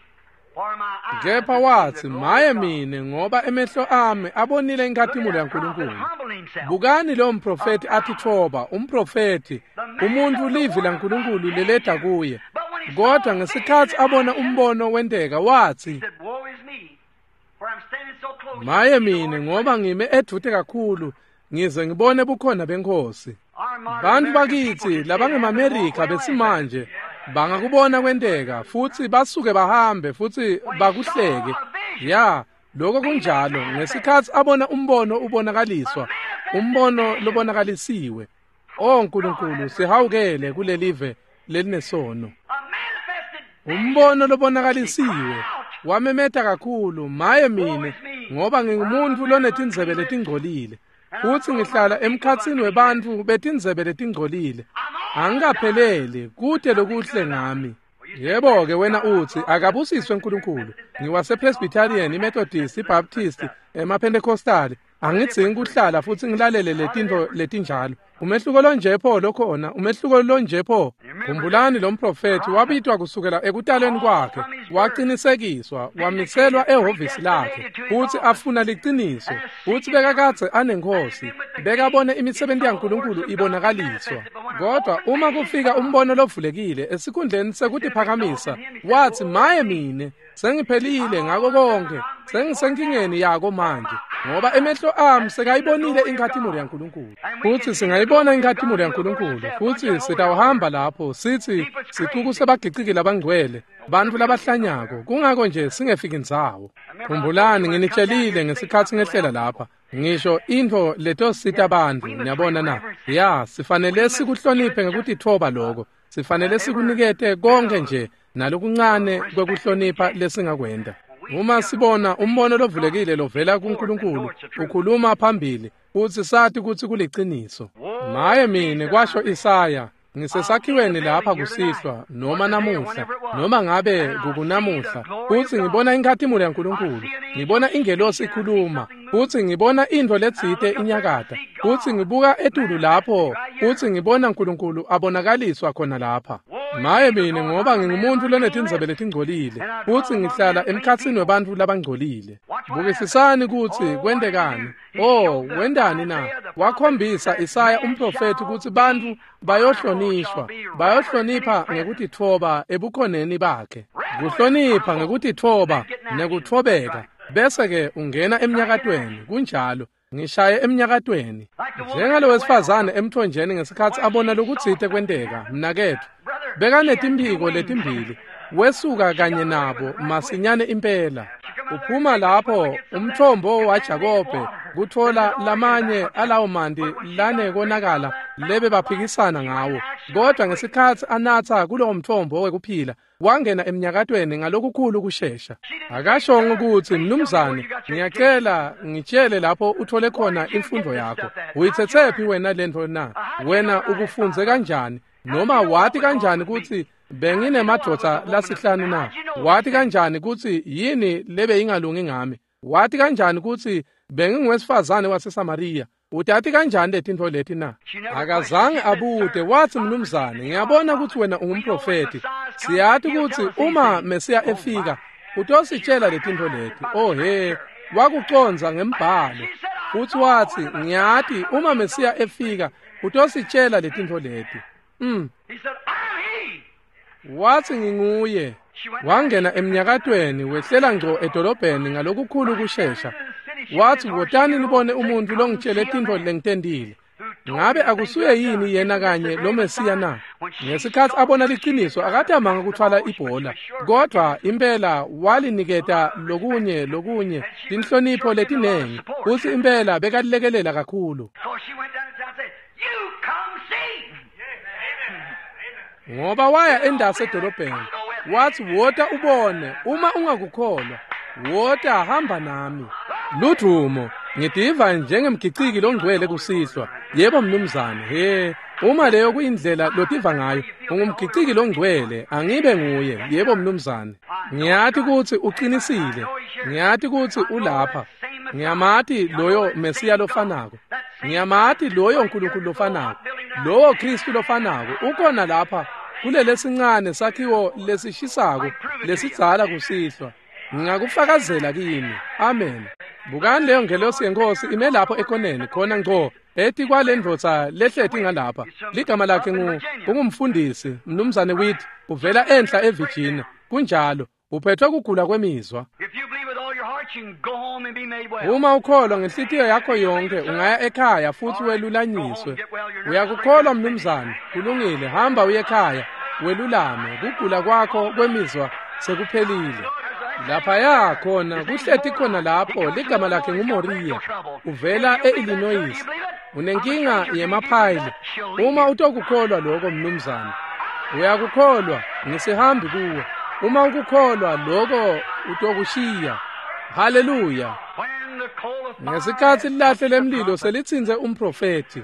For my eyes Kepha have seen watsi, the glory maye of God. mine, ngoba emehlo ami abonile inkhatimulo yaNkulunkulu. Humble himself. Bukani lo mprofethi atitfoba, umprofethi, umuntu livi laNkulunkulu leleda kuye. Kodwa ngesikhatsi abona umbono wenteka watsi, He said, Woe is me, for I'm standing so close. maye mine, ngoba ngime edvute kakhulu, ngize ngibone bukhona beNkhosi. Our modern Bantfu American bakitsi people can see labangemaMerika it happen. besimanje bangakubona kwenteka futsi basuke bahambe futsi bakuhleke. Ya, lokho kunjalo. Ngesikhatsi abona umbono ubonakaliswa, umbono lobonakalisiwe. O Nkulunkulu, sihawukele kulelive lelinesono. A manifested Umbono lobonakalisiwe wamemeta kakhulu, maye mine, ngoba ngingumuntu lonetindzebe letingcolile, futsi ngihlala emkhatsini webantfu betindzebe letingcolile. Angikapheleli, kute lokuhle ngami. Yebo-ke wena utsi, akabusiswe uNkulunkulu. NgiwasePresbyterian, iMethodist, iBaptist, emaPentecostal. Angidzingi kuhlala futsi ngilalele letintfo letinjalo. Umehluko lonje pho lokhona, umehluko lonje pho. Khumbulani lo mprofethi wabitwa kusukela ekutalweni kwakhe, waqinisekiswa, wamiselwa ehhovisi lakhe, futsi afuna liciniso, futsi bekakadze anenkhosi, bekabone imisebenti yaNkulunkulu ibonakaliswa. Kodwa uma kufika umbono lovulekile esikhundleni sekutiphakamisa, watsi, maye mine, sengiphelile ngako konke, sengisenkingeni yako manje, ngoba emehlo ami sekayibonile inkhatimulo yaNkulunkulu. Futsi singayibona inkhatimulo yaNkulunkulu, futsi sitawuhamba lapho sitsi sicuku sebagiciki labangcwele, bantfu labahlanyako, kungako nje singefiki ndzawo. Khumbulani nginitshelile ngesikhatsi ngehlela lapha, ngisho intfo letosita bantfu, niyabona na? Ya, sifanele sikuhloniphe ngekutitfoba lokho, sifanele sikunikete konke nje nalokuncane kwekuhlonipha lesingakwenta. Uma sibona umbono lovulekile lovela kuNkulunkulu ukhuluma phambili, futsi sati kutsi kuliciniso. Maye mine, kwasho Isaya, ngisesakhiweni lapha kusihlwa, noma namuhla, noma ngabe kukunamuhla, futsi ngibona inkhatimulo yaNkulunkulu, ngibona ingelosi ikhuluma, futsi ngibona intfo letsite inyakata, futsi ngibuka etulu lapho, futsi ngibona uNkulunkulu abonakaliswa khona lapha. Maye mine, ngoba ngingumuntu lonetindzebe letingcolile, futsi ngihlala emkhatsini webantfu labangcolile. Bukisisani kutsi kwentekani. Oh, wentani na? Wakhombisa Isaya umprofethi kutsi bantfu bayohlonishwa, bayohlonipha ngekutitfoba ebukhoneni bakhe. Kuhlonipha ngekutitfoba nekutfobeka, bese-ke ungena emnyakatweni. Kunjalo. Ngishaye emnyakatweni. Njengalo wesifazane emthonjeni ngesikhatsi abona lokutsite kwenteka, mnaketfu, bekanetimphiko letimbili, wesuka kanye nabo masinyane impela. Uphuma lapho umthombo waJakobe kutfola lamanye alawo manti lanekonakala lebe baphikisana ngawo, kodwa ngesikhatsi anatsa kulowo mthombo wekuphila wangena emnyakatweni ngalokukhulu kushesha. Akashongo kutsi, mnumzane, ngiyacela ngitshele lapho uthole khona imfundo yakho. Uyitsetsephi wena lentfo na? Wena ukufundze kanjani? Noma wati kanjani kutsi benginemadvodza lasihlanu na? Wati kanjani kutsi yini lebe ingalungi ngami? Wati kanjani kutsi benginguwesifazane waseSamariya? Utati kanjani letintfo leti na? Akazange abute. Watsi, mnumzane, ngiyabona kutsi wena ungumprofethi. Siyati kutsi uma Mesiya efika utositshela letintfo leti. Oh he, wakucondza ngembhalo. Futsi watsi, ngiyati uma Mesiya efika utositshela letintfo leti. Watsi, nginguye. Wangena emnyakatweni, wehlela ngco edolobheni ngalokukhulu kushesha. Watsi, wotani nibone umuntu longitshele tintfo lengitentile. Ngabe akusuye yini yena kanye lo Mesiya na? Ngesikhatsi abona liciniso akatamanga kutfwala ibhola, kodvwa impela waliniketa lokunye tinhlonipho letinengi, futsi impela bekalilekelela kakhulu. Ngoba waya endasi edolobheni, wathi, wota ubone, uma ungakukholwa, wota hamba nami. Ludvumo, ngitiva njengemgiciki longcwele kusihlwa. Yebo mnumzane, he, uma leyo kuyindlela lotiva ngayo, ungumgiciki longcwele, angibe nguye. Yebo mnumzane. Ngiyati kutsi uqinisile, ngiyati kutsi ulapha. Ngiyamati loyo Mesiya lofanako. Ngiyamati loyo Nkulunkulu lofanako. Lowo Kristu lofanako ukhona lapha kulelesincane sakhiwo lesishisako lesidzala kusihlwa. Ngingakufakazela kini. Amen. Bukani leyo ngelosi yenkosi ime lapho ekoneni khona ngco eti kwalendvodza lehleti ngalapha. Ligama lakhe ungumfundisi Mnumzane Witt, uvela enhla eVirginia. Kunjalo, uphethwe kugula kwemizwa. Uma ukholwa ngenhlitiyo yakho yonke ungaya ekhaya futhi welulanyiswe. Uyakukholwa mnumzane? Kulungile, hamba uye ekhaya welulame, kugula kwakho kwemizwa sekuphelile. Laphaya khona kuhleti khona lapho, ligama lakhe nguMoria, uvela e-Illinois. Unenkinga yemaphayili. Uma utokukholwa lokho mnumzane, uyakukholwa, ngisihambi kuwe. Uma ukukholwa lokho utokushiya. Haleluya. Ngesikhatsi lilahle lemlilo selitsintse umprofethi,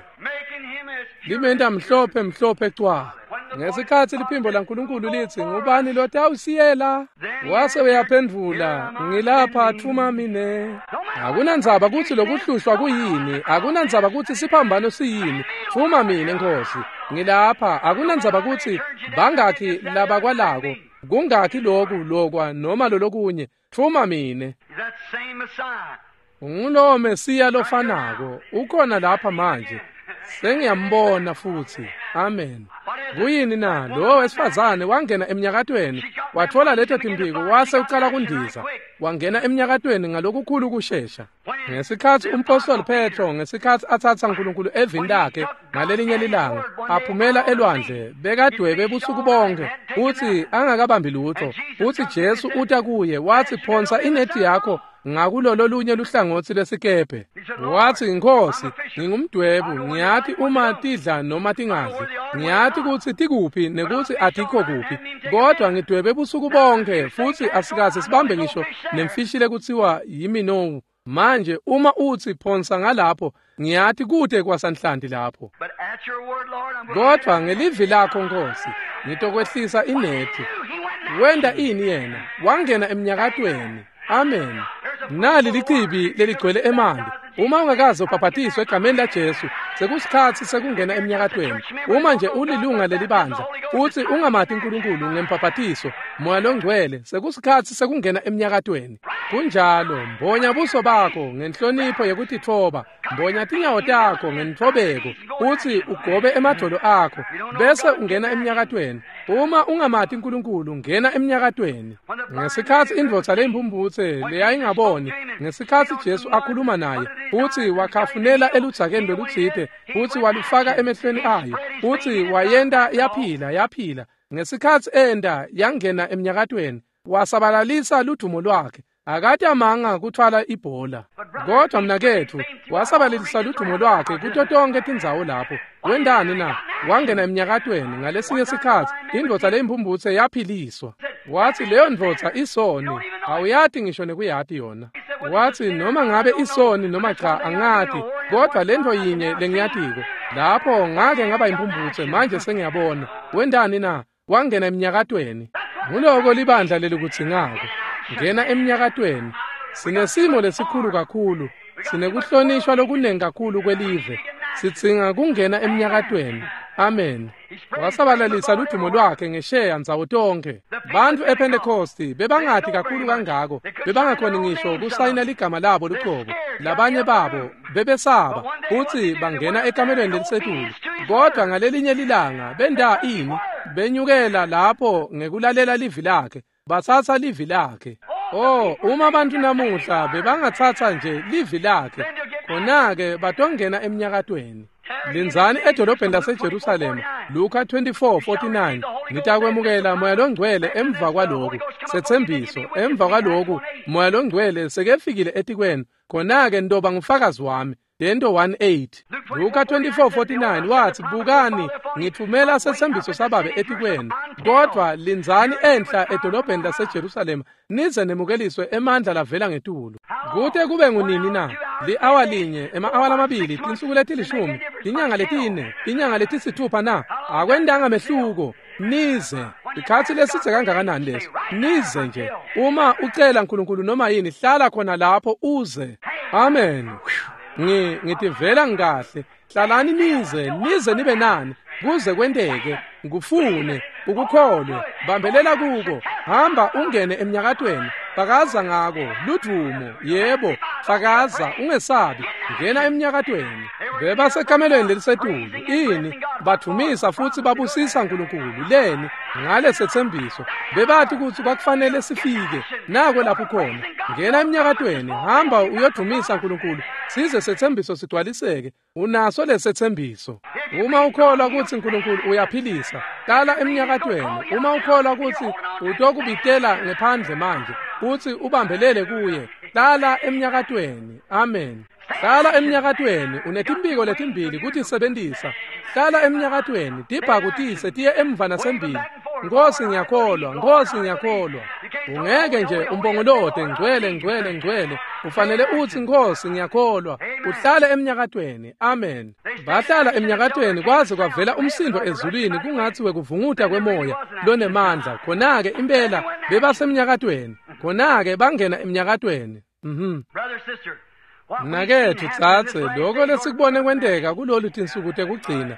limenta mhlophe mhlophe cwa. Ngesikhatsi liphimbo laNkulunkulu litsi, ngubani lotawusiyela? Wase uyaphendvula, ngilapha, thuma mine. Akunandzaba kutsi lokuhlushwa kuyini, akunandzaba kutsi siphambano siyini, thuma mine Nkosi, ngilapha. Akunandzaba kutsi bangakhi labakwalako, kungakhi loku lokwa noma lolokunye, thuma mine. Ungulowo Mesiya lofanako, ukhona lapha manje. Sengiyambona futhi. Amen. Kuyini na? Lowo wesifazane wangena emnyakatweni, watfola leto timphiko, wase ucala kundiza. Wangena emnyakatweni ngalokukhulu kushesha. Ngesikhatsi umpostoli Petro, ngesikhatsi atsatsa Nkulunkulu evini lakhe ngalelinye lilanga, aphumela elwandle, bekadwebe busuku bonke, utsi angakabambi lutho. Utsi Jesu uta kuye, watsi, phonsa inethi yakho ngakulolo lunye luhlangotsi lesikebhe. Watsi, Nkosi, ngingumdwebu, ngiyati uma tidla noma tingadli, ngiyati kutsi tikuphi nekutsi atikho kuphi, kodwa ngidwebe busuku bonke futsi asikaze sibambe ngisho nemfishi lekutsiwa yiminowu. Manje uma utsi phonsa ngalapho, ngiyati kute kwasanhlanti lapho. Kodwa ngelivi lakho Nkosi, ngitokwehlisa inethi. Wenta ini yena? Wangena emnyakatweni. Amen. Nali lichibi leligcwele emanti. Uma ungakaze ubhaphatiswe egameni laJesu, sekusikhatsi sekungena emnyakatweni. Uma nje ulilunga lelibandla futsi ungamati uNkulunkulu ngembhaphathiso, Moya loNgcwele, sekusikhatsi sekungena emnyakatweni. Kunjalo, mbonya buso bakho ngenhlonipho yekutitfoba, mbonya tinyawo takho ngentfobeko, utsi ugobe emadvolo akho, bese ungena emnyakatweni. Uma ungamati uNkulunkulu, ngena emnyakatweni. Ngesikhatsi indvodza leyimphumphutse leyayingaboni, ngesikhatsi Jesu akhuluma naye, utsi wakhafunela eludzakeni lolutsite, utsi walufaka emehlweni ayo, utsi wayenta yaphila. Ngesikhatsi enda yangena emnyakatweni, wasabalalisa ludumo lwakhe. Akatamanga kutfwala ibhola, kodwa mnaketfu wasabalalisa ludumo lwakhe kuto tonke tindzawo lapho. Wendani na? Wangena emnyakatweni. Ngalesinye sikhatsi indvodza leyimphumphutse yaphiliswa. Watsi leyo ndvodza isoni, awuyati ngisho nekuyati yona. Watsi noma ngabe isoni noma cha angati, kodwa lentfo yinye lengiyatiko, lapho ngake ngaba imphumphutse, manje sengiyabona. Wendani na? Wangena emnyakatweni. Nguloko libandla lelikudzingako. Ngena emnyakatweni. Sinesimo lesikhulu kakhulu, sinekuhlonishwa lokunengi kakhulu kwelive. Sidzinga kungena emnyakatweni. Amen. Wasabalalisa ludumo lwakhe ngesheya ndzawo tonke. Bantfu ePentecosti bebangati kakhulu kangako, bebangakhoni ngisho kusayina ligama labo lucobo. Labanye babo bebesaba kutsi bangena ekamelweni lelisetulu. Kodwa ngalelinye lilanga benda ini? Benyukela lapho ngekulalela livi lakhe, batsatsa livi lakhe. Oh, uma bantu namuhla bebangatsatsa nje livi lakhe, khona-ke batongena emnyakatweni. Lindzani edolobheni laseJerusalema, Luka 24:49, nitakwemukela Moya Longcwele emva kwaloku. Setsembiso, emva kwaloku Moya Longcwele sekefikile etikwenu, khona-ke nitoba ngufakazi wami. Tento 1:8. Luka 24:49 watsi, bukani, ngithumela setsembiso sababe etikwenu, kodvwa lindzani enhla edolobheni laseJerusalema nize nemukeliswe emandla lavela ngetulu. Kute kube ngunini na? Li-awa linye, ema-awa lamabili, tinsuku letilishumi, tinyanga letine, tinyanga letisithupha na? Akwendanga mehluko. Nize. Ikhatsi lesidze kangakanani leso? Nize nje. Uma ucela uNkulunkulu noma yini, hlala khona lapho uze. Amen. Ngitivela ngikahle. Hlalani nize, nize nibe nani, kuze kwenteke. Ngufune, ukukholwe, bambelela kuko, hamba ungene emnyakatweni, fakaza ngako, ludumo, yebo, fakaza, ungesabi, ngena emnyakatweni. Bebasekamelweni lelisetulu, ini, badvumisa futsi babusisa uNkulunkulu, leni, ngale setsembiso, bebati kutsi kwakufanele sifike, nako lapho khona, ngena emnyakatweni, hamba uyodvumisa uNkulunkulu, size setsembiso sigcwaliseke. Unaso lesetsembiso. Uma ukholwa kutsi uNkulunkulu uyaphilisa, hlala emnyakatweni. Uma ukholwa kutsi utokubitela ngephandle manje, utsi ubambelele kuye, hlala emnyakatweni. Amen. Hlala emnyakatweni, unetimphiko letimbili kutisebentisa. Hlala emnyakatweni, tibhakutise tiye emva nasembili. Nkosi ngiyakholwa, Nkosi ngiyakholwa. Ungeke nje umbongolote ngcwele ngcwele ngcwele. Ufanele utsi Nkosi ngiyakholwa. Uhlale emnyakatweni. Amen. Bahlala emnyakatweni kwaze kwavela umsindo ezulwini kungatsi wekuvunguta kwemoya lonemandla. Khona-ke impela bebasemnyakatweni. Khona-ke bangena emnyakatweni. Mnaketfu dzadze, lokho lesikubone kwenteka kulolu tinsuku tekugcina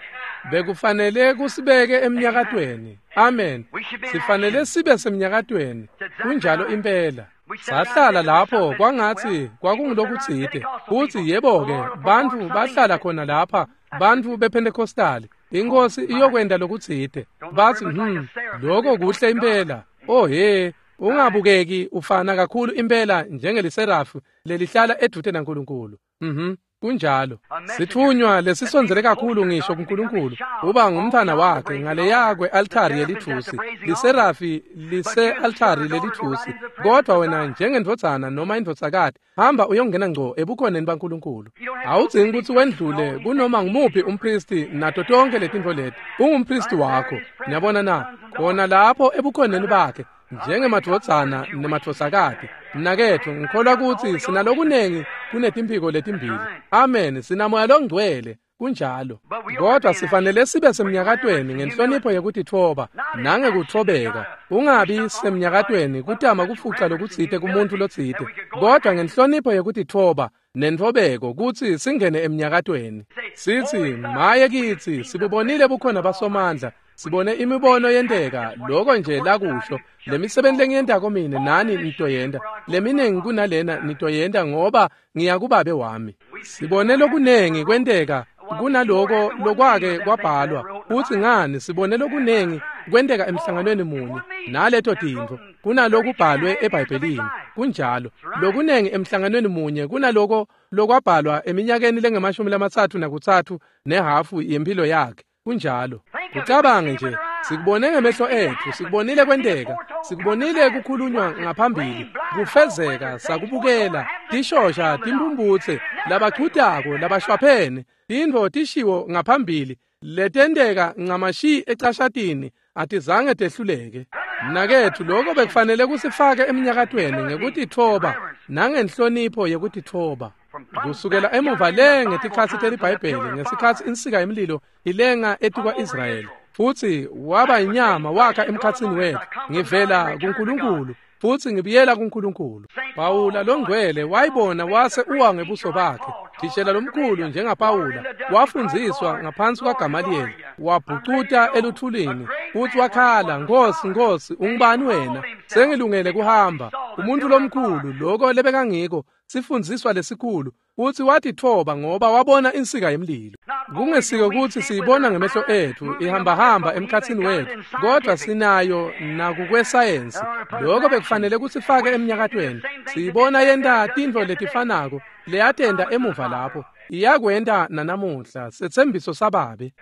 bekufanele kusibeke emnyakatweni. Amen. Sifanele sibe semnyakatweni. Kunjalo impela. Sahlala lapho kwangatsi kwakungulokutsite. Futsi yebo-ke, bantfu bahlala khona lapha, bantfu bePentecostali. Inkosi iyokwenta lokutsite. Batsi, lokho kuhle impela. Oh he, ungabukeki ufana kakhulu impela njengeliserafu lelihlala edvute naNkulunkulu. Kunjalo. Sitfunywa lesisondzele kakhulu ngisho kuNkulunkulu, uba ngumntfwana wakhe ngaleya kwe-altari yelitfusi. Liserafi lise-altari lelitfusi. Kodwa wena njengendvodzana noma indvodzakati, hamba uyongena ngco ebukhoneni baNkulunkulu. Awudzingi kutsi wendlule kunoma ngumuphi umpristi nato tonke letintfo leti. Ungumpristi wakho. Niyabona na? Khona lapho ebukhoneni bakhe, njengemadvodzana nemadvodzakati. Mnaketfu, ngikholwa kutsi sinalokunengi kunetimphiko letimbili. Amen. Sinamoya longcwele. Kunjalo. Kodwa sifanele sibe semnyakatweni ngenhlonipho yekutitfoba nangekutfobeka. Ungabi semnyakatweni kutama kufuca lokutsite kumuntu lotsite, kodwa ngenhlonipho yekutitfoba nentfobeko kutsi singene emnyakatweni. Sitsi, maye kitsi, sibubonile bukhona basomandla. Sibone imibono yenteka, loko nje lakusho. Lemisebenti lengiyentako mine nani nitoyenta, leminengi kunalena nitoyenta ngoba ngiya kuBabe wami. Sibone lokunengi kwenteka kunaloko lokwake kwabhalwa. Futsi ngani sibone lokunengi kwenteka emhlanganweni munye naleto tintfo kunalokubhalwe eBhayibhelini. Kunjalo, lokunengi emhlanganweni munye kunaloko lokwabhalwa eminyakeni lengamashumi 33 nehafu yempilo yakhe. Kunjalo. Kucabange nje, sikubone ngemehlo etfu, sikubonile kwenteka, sikubonile kukhulunywa ngaphambili, kufezeka, sakubukela, tishosha, timpumputse, labachutako, labashwaphene, tintfo tishiwo ngaphambili, letenteka ncamashi ecashatini, atizange tehluleke. Mnaketfu, lokho bekufanele kusifake eminyakatweni ngekutitfoba nangenhlonipho yekutitfoba. Kusukela emuva le ngetikhatsi teliBhayibheli, ngesikhatsi insika yemlilo ilenga etikwa-Israyeli, futsi waba inyama wakha emkhatsini wetfu. Ngivela kuNkulunkulu futsi ngibuyela kuNkulunkulu. Pawula longcwele wayibona wase uwa ngebuso bakhe. Thishela lomkhulu njengaPawula wafundziswa ngaphansi kwaGamaliyeli, wabhucuta eluthulini futsi wakhala, "Nkosi, Nkosi, ungubani wena? Sengilungele kuhamba." Umuntu lomkhulu, loko lebekangiko, sifundziswa lesikhulu, futsi watitfoba ngoba wabona insika yemlilo. Kungesiko kutsi siyibona ngemehlo etfu ihambahamba emkhatsini wetfu, kodwa sinayo nakukwesayensi. Lokho bekufanele kusifake emnyakatweni. Siyibona yenta tintfo letifanako leyatenta emuva lapho, iyakwenta nanamuhla, setsembiso saBabe.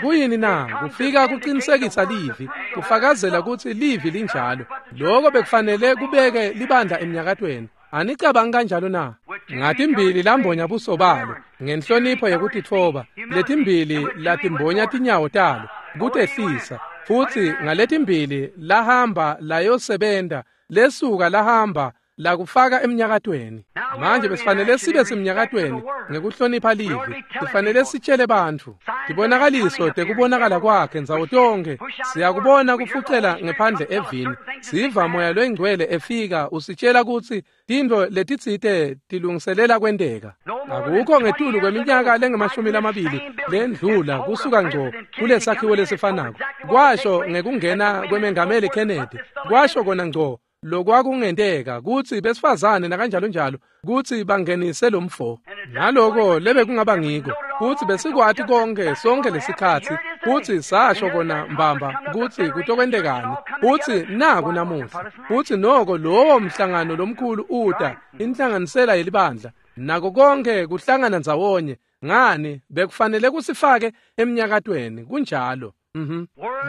Kuyini na? Kufika kuqinisekisa livi, kufakazela kutsi livi linjalo. Lokho bekufanele kubeke libandla emnyakatweni. Anicabangi kanjalo na? Ngatimbili lambonya buso balo ngenhlonipho yekutitfoba, letimbili latimbonya tinyawo talo kutehlisa, futsi ngaletimbili lahamba layosebenta, lesuka lahamba lakufaka emnyakatweni. Manje besifanele sibe semnyakatweni ngekuhlonipha livi. Sifanele sitshele bantfu tibonakaliso tekubonakala kwakhe ndzawo tonkhe. Siyakubona kufucela ngephandle evini, siva Moya loyiNgcwele efika usitshela kutsi tintfo letitsite tilungiselela kwenteka. Akukho ngetulu kweminyaka lengamashumi 20 lendlula kusuka ngco kulesakhiwo lesifanako, kwasho ngekungena kwemengameli Kennedy, kwasho kona ngco lokwakungenteka kutsi besifazane nakanjalo njalo kutsi bangenise lomfo, naloko lebekungaba ngiko, kutsi besikwati konke sonke lesikhatsi, kutsi sasho kona mbamba kutsi kutokwentekani, kutsi naku namuhla, kutsi noko lowo mhlangano lomkhulu uta, inhlanganisela yelibandla, nako konke kuhlangana ndzawonye. Ngani bekufanele kusifake emnyakatweni. Kunjalo.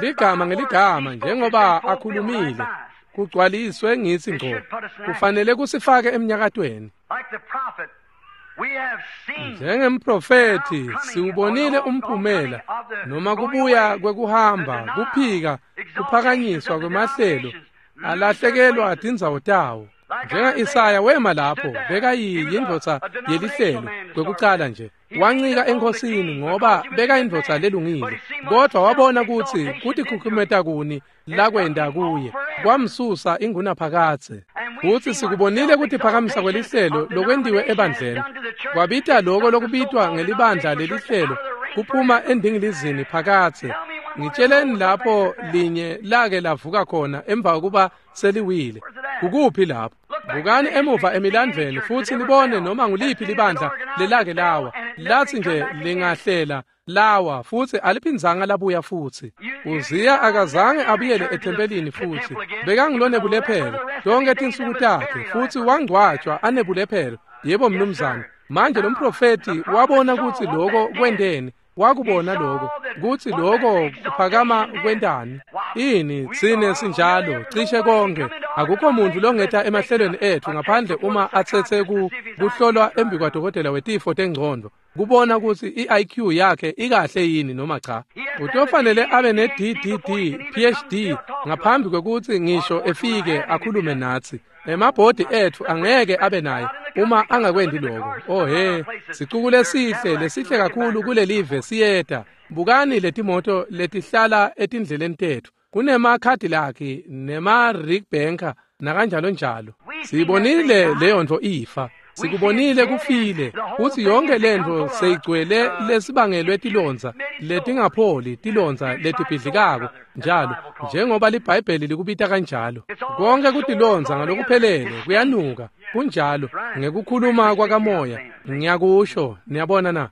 Ligama ngeligama njengoba akhulumile kugcwaliswe ngitsi ngco, kufanele kusifake emnyakatweni. Like the prophet, we have seen Njengemprofethi siwubonile umphumela noma kubuya kwekuhamba, kuphika kuphakanyiswa kwemahlelo, alahlekelwa tindzawo tawo. Njenga-Isaya wema lapho, bekayindvodza yelihlelo kwekucala nje, wancika enkhosini ngoba bekayindvodza lelungile, kodvwa wabona kutsi kutikhukhumeta kuni lakwenta kuye, kwamsusa ingunaphakadze. Futsi sikubonile kutiphakamisa kwelihlelo lokwentiwe ebandleni, kwabita loko lokubitwa ngelibandla lelihlelo kuphuma endingilizini phakadze. Ngitsheleni lapho linye lake lavuka khona emva kokuba seliwile. Kukuphi lapho? Bukani emuva emilandvweni futsi nibone noma nguliphi libandla lelake lawa, latsi nje lingahlela lawa futsi aliphindzanga labuya futsi. Uziya akazange abuyele ethempelini futsi, bekangulonebulephelo tonkhe tinsuku takhe, futsi wangcwatjwa anebulephelo. Yebo mnumzane. Manje lo mprofethi wabona kutsi loko kwenteni, wakubona lokho kutsi lokho kuphakama kwentani. Ini tsine sinjalo cishe konke, akukho muntu longeta emahlelweni etfu ngaphandle uma atsetse kuhlolwa embi kwadokotela wetifo tengcondvo kubona kutsi i-IQ yakhe ikahle yini noma cha. Utofanele abe ne-DDD PhD ngaphambi kwekutsi ngisho efike akhulume natsi. Emabhodi etfu angeke abe naye uma angakwendi lokho. Oh he, sicuku lesihle, lesihle kakhulu kulelive siyeta. Bukani letimoto letihlala etindleleni tetfu, kunema-Cadillac nema-Rig Banker nakanjalo njalo. Siyibonile leyo nto ifa. Sikubonile kufile kutsi yonke lentfo seyigcwele lesibangelwe tilondza letingapholi, tilondza letibhidlikako njalo, njengoba liBhayibheli likubita kanjalo. Konke kutilondza ngalokuphelele kuyanuka, kunjalo ngekukhuluma kwakamoya. Ngiyakusho, niyabona na?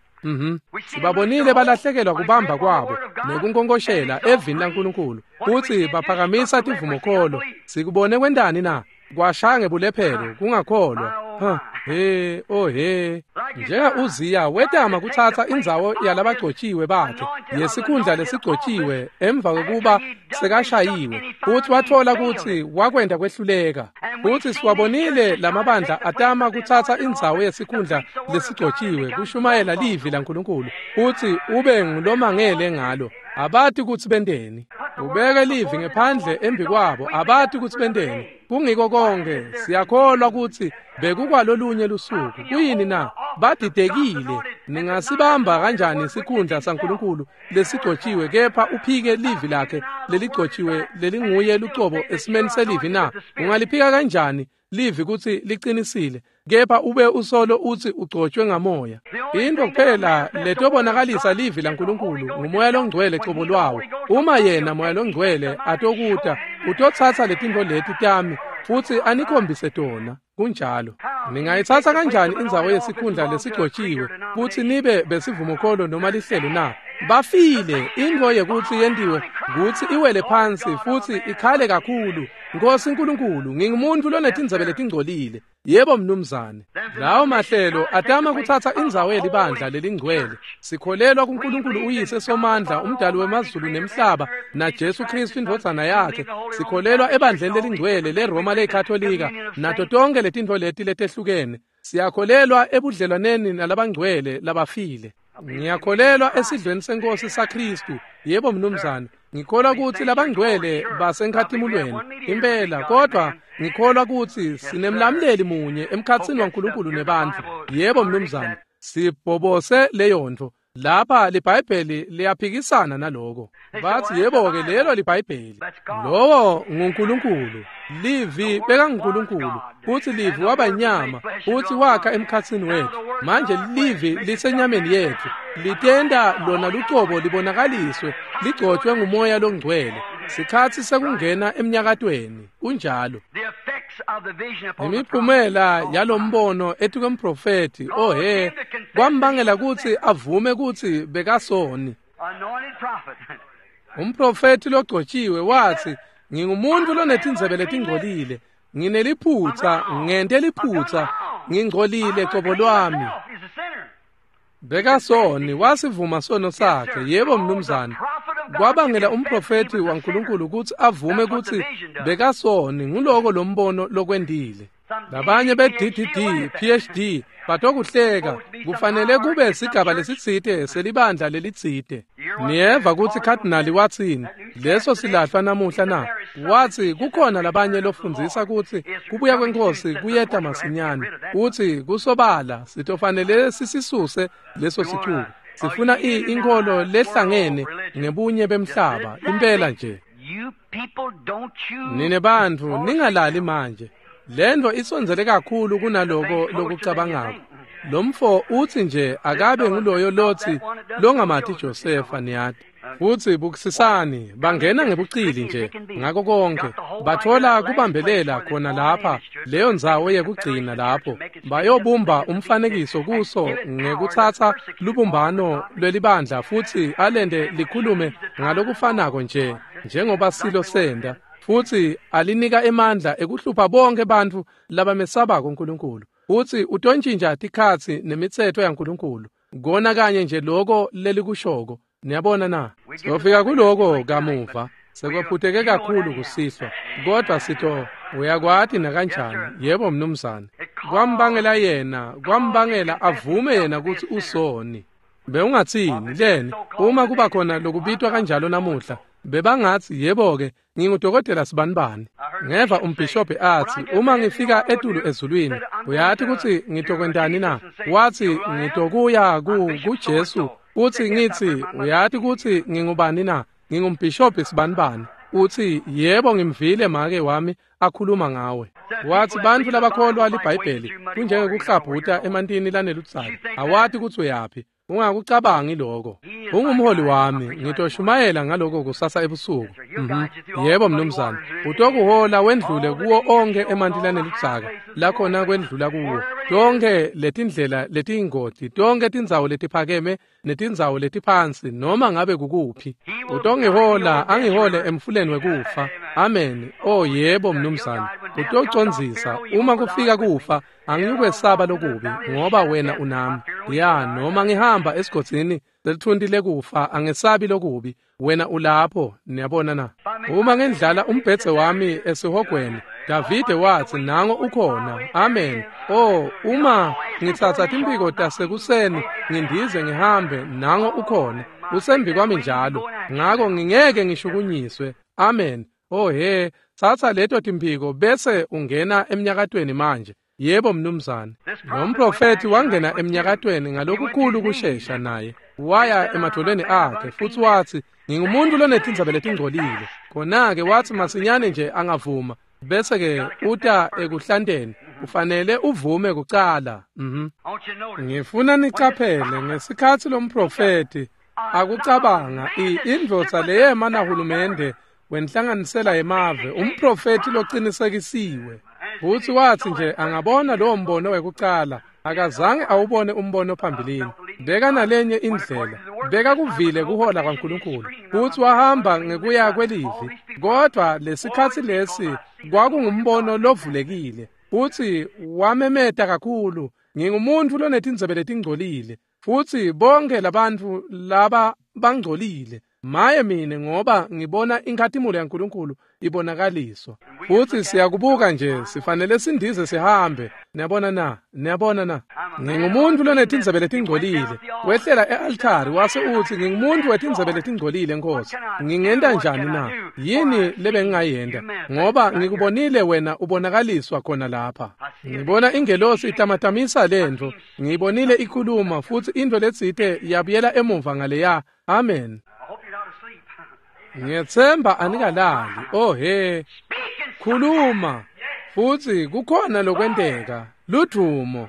Sibabonile balahlekelwa kubamba kwabo nekunkonkoshela evini laNkulunkulu kutsi baphakamisa tivumokholo. Sikubone kwentani na? Kwashaya ngebulephelo kungakholwa. He oh he. Njenga Uziya wetama kutsatsa indzawo yalabagcotshiwe bakhe yesikhundla lesigcotshiwe emva kokuba sekashayiwe, futsi watfola kutsi wakwenta kwehluleka. Futsi siwabonile lamabandla atama kutsatsa indzawo yesikhundla lesigcotshiwe kushumayela livi laNkulunkulu futsi ube ngulomangele ngalo. Abati kutsi benteni. Ubeke livi ngephandle embi kwabo, abati kutsi benteni. Kungiko konke siyakholwa kutsi bekukwalolunye lusuku. Kuyini na? Badidekile. Ningasibamba kanjani isikhundla saNkulunkulu lesigcotshiwe kepha uphike livi lakhe leligcotshiwe lelinguye lucobo esimeni selivi na? Ungaliphika kanjani livi kutsi liqinisile kepha ube usolo utsi ugcotshwe ngamoya? Into kuphela letobonakalisa livi laNkulunkulu ngumoya longcwele cobo lwawo. Uma yena moya longcwele atokuta, utotsatsa letintfo leti tami futsi anikhombise tona. Kunjalo. Ningayitsatsa kanjani indzawo yesikhundla lesigcotshiwe kutsi nibe besivumokholo noma lihlelo na? Bafile. Intfo yekutsi yentiwe kutsi iwele phansi futsi ikhale kakhulu. Nkosi Nkulunkulu, ngingumuntu lonetindzebe letingcolile. Yebo mnumzane. Lawo mahlelo atama kutsatsa indzawo yelibandla lelingcwele. Sikholelwa kuNkulunkulu uyise somandla, umdali wemazulu nemhlaba, naJesu Kristu indvodzana yakhe. Sikholelwa ebandleni lelingcwele leRoma leyiKatolika nato tonke letintfo leti letehlukene. Siyakholelwa ebudlelwaneni nalabangcwele labafile. Ngiyakholelwa esidlweni senkosi saKristu. Yebo mnumzane. Ngikholwa kutsi labangcwele basenkhatimulweni impela, kodwa ngikholwa kutsi sinemlamuleli munye emkhatsini waNkulunkulu nebantfu. Yebo mnumzane. Sibhobose leyontfo. Lapha liBhayibheli liyaphikisana naloko. Bathi yebo-ke lelo liBhayibheli. Lowo nguNkulunkulu. Livi bekanguNkulunkulu, futsi livi waba inyama, futsi wakha emkhatsini wetfu. Manje livi lisenyameni yetfu, litenta lona lucobo libonakaliswe, ligcotshwe ngumoya longcwele. Sikhatsi sekungena emnyakatweni, kunjalo. Imiphumela yalombono etikwemprofethi, oh he, kwambangela kutsi avume kutsi bekasoni. Umprofethi logcotshiwe wathi, ngingumuntu lonetindzebe letingcolile, ngineliphutsa, ngente liphutsa, ngingcolile cobo lwami. Bekasoni, wasivuma sono sakhe. Yebo mnumzane. Kwabangela umprofethi waNkulunkulu kutsi avume kutsi bekasoni. Nguloko lombono lokwendile. Labanye be-DDD, PhD batokuhleka. Kufanele kube sigaba lesitsite selibandla lelitsite. Niyeva kutsi Cardinal watsini leso silahlwa namuhla na? Watsi kukhona labanye lofundzisa kutsi kubuya kwenkosi kuyeta masinyane. Utsi kusobala sitofanele sisisuse leso sicuku. Sifuna inkholo lehlangene ngebunye bemhlaba impela nje. Nine bantfu ningalali manje. Lento isondzele kakhulu kunaloko lokucabangako. Lomfo utsi nje akabe nguloyo lotsi longamati Josefa, niyati. Futsi bukisisani, bangena ngebucili nje ngako konke. Bathola kubambelela khona lapha, leyo ndzawo yekugcina lapho. Bayobumba umfanekiso kuso ngekutsatsa lubumbano lwelibandla futsi alente likhulume ngalokufanako nje njengoba silo senda. Futsi alinika emandla ekuhlupha bonke bantfu labamesabako uNkulunkulu. Futsi utontjintja tikhatsi nemitsetfo yaNkulunkulu. Kona kanye nje loko lelikushoko. Niyabona na? Sofika kuloko kamuva. Sekwephuteke kakhulu kusihlwa. Kodwa sito uyakwati nakanjani. Yebo mnumzane. Kwambangela yena, kwambangela avume yena kutsi usoni. Bewungatsini leni uma kuba khona lokubitwa kanjalo namuhla? Bebangatsi yebo-ke ngingudokotela sibanibani. Ngeva umbhishobhi atsi uma ngifika etulu ezulwini, uyati kutsi ngitokwentani na? Watsi ngitokuya kuJesu, utsi ngitsi uyati kutsi ngingubani na? Ngingumbhishobhi sibanibani. Utsi, yebo ngimvile make wami akhuluma ngawe. Watsi bantfu labakholwa liBhayibheli kunjengekuhlabhuta emantini laneludzaka. Awati kutsi uyaphi. Ungakucabangi lokho. Ungumholi wami, ngitoshumayela ngaloko kusasa ebusuku. Yebo mnumzane, utokuhola wendlule kuwo onke emanti laneludzaka lakhona kwendlula kuwo. Tonke letindlela letiyingoti, tonke tindzawo letiphakeme netindzawo letiphansi noma ngabe kukuphi. Utongihola angihole emfuleni wekufa. Amen. Oh yebo mnumzane, utocondzisa uma kufika kufa angikwesaba lokubi ngoba wena unami. Ya noma ngihamba esigodzini selithunti lekufa angesabi lokubi wena ulapho. Niyabona na? Uma ngendlala umbhedze wami esihogweni, Davide watsi nango ukhona. Amen. Oh, uma ngitsatsa timphiko tasekuseni ngindize ngihambe, nango ukhona. Usembi kwami njalo, ngako ngingeke ngishukunyiswe. Amen. Oh he, tsatsa leto timphiko bese ungena emnyakatweni manje. Yebo mnumzane. Lo mprofethi wangena emnyakatweni ngalokukhulu kushesha naye. Waya emadvolweni akhe futsi watsi, ngingumuntu lonetindzaba letingcolile. Khona-ke watsi masinyane nje angavuma, bese-ke uta ekuhlanteni. Ufanele uvume kucala. Ngifuna nicaphele ngesikhatsi lo mprofethi akucabanga indvodza leyema nahulumende wenhlanganisela yemave, umprofethi locinisekisiwe. Futsi watsi nje angabona lowo mbono wekucala, akazange awubone umbono phambilini. Beka nalenye indlela, bekakuvile kuhola kwaNkulunkulu, futsi wahamba ngekuya kwelivi. Kodwa lesikhatsi lesi kwakungumbono lovulekile, futsi wamemeta kakhulu, ngingumuntu lonetindzebe letingcolile, futsi bonke labantfu laba bangcolile. Maye mine, ngoba ngibona inkhatimulo yaNkulunkulu ibonakaliswa. Futsi siyakubuka nje, sifanele sindize sihambe. Niyabona na? Niyabona na? Ngingumuntu lonetindzebe letingcolile. Wehlela e-altari wase utsi, ngingumuntu wetindzebe letingcolile, Nkosi. Ngingenta njani na? Yini lebengingayenta? Ngoba ngikubonile wena ubonakaliswa khona lapha. Ngibona ingelosi itamatamisa lentfo. Ngiyibonile ikhuluma futsi intfo letsite yabuyela emuva ngaleya. Amen. Ngiyetsemba anikalali. Oh he, khuluma futsi kukhona lokwenteka. Ludvumo.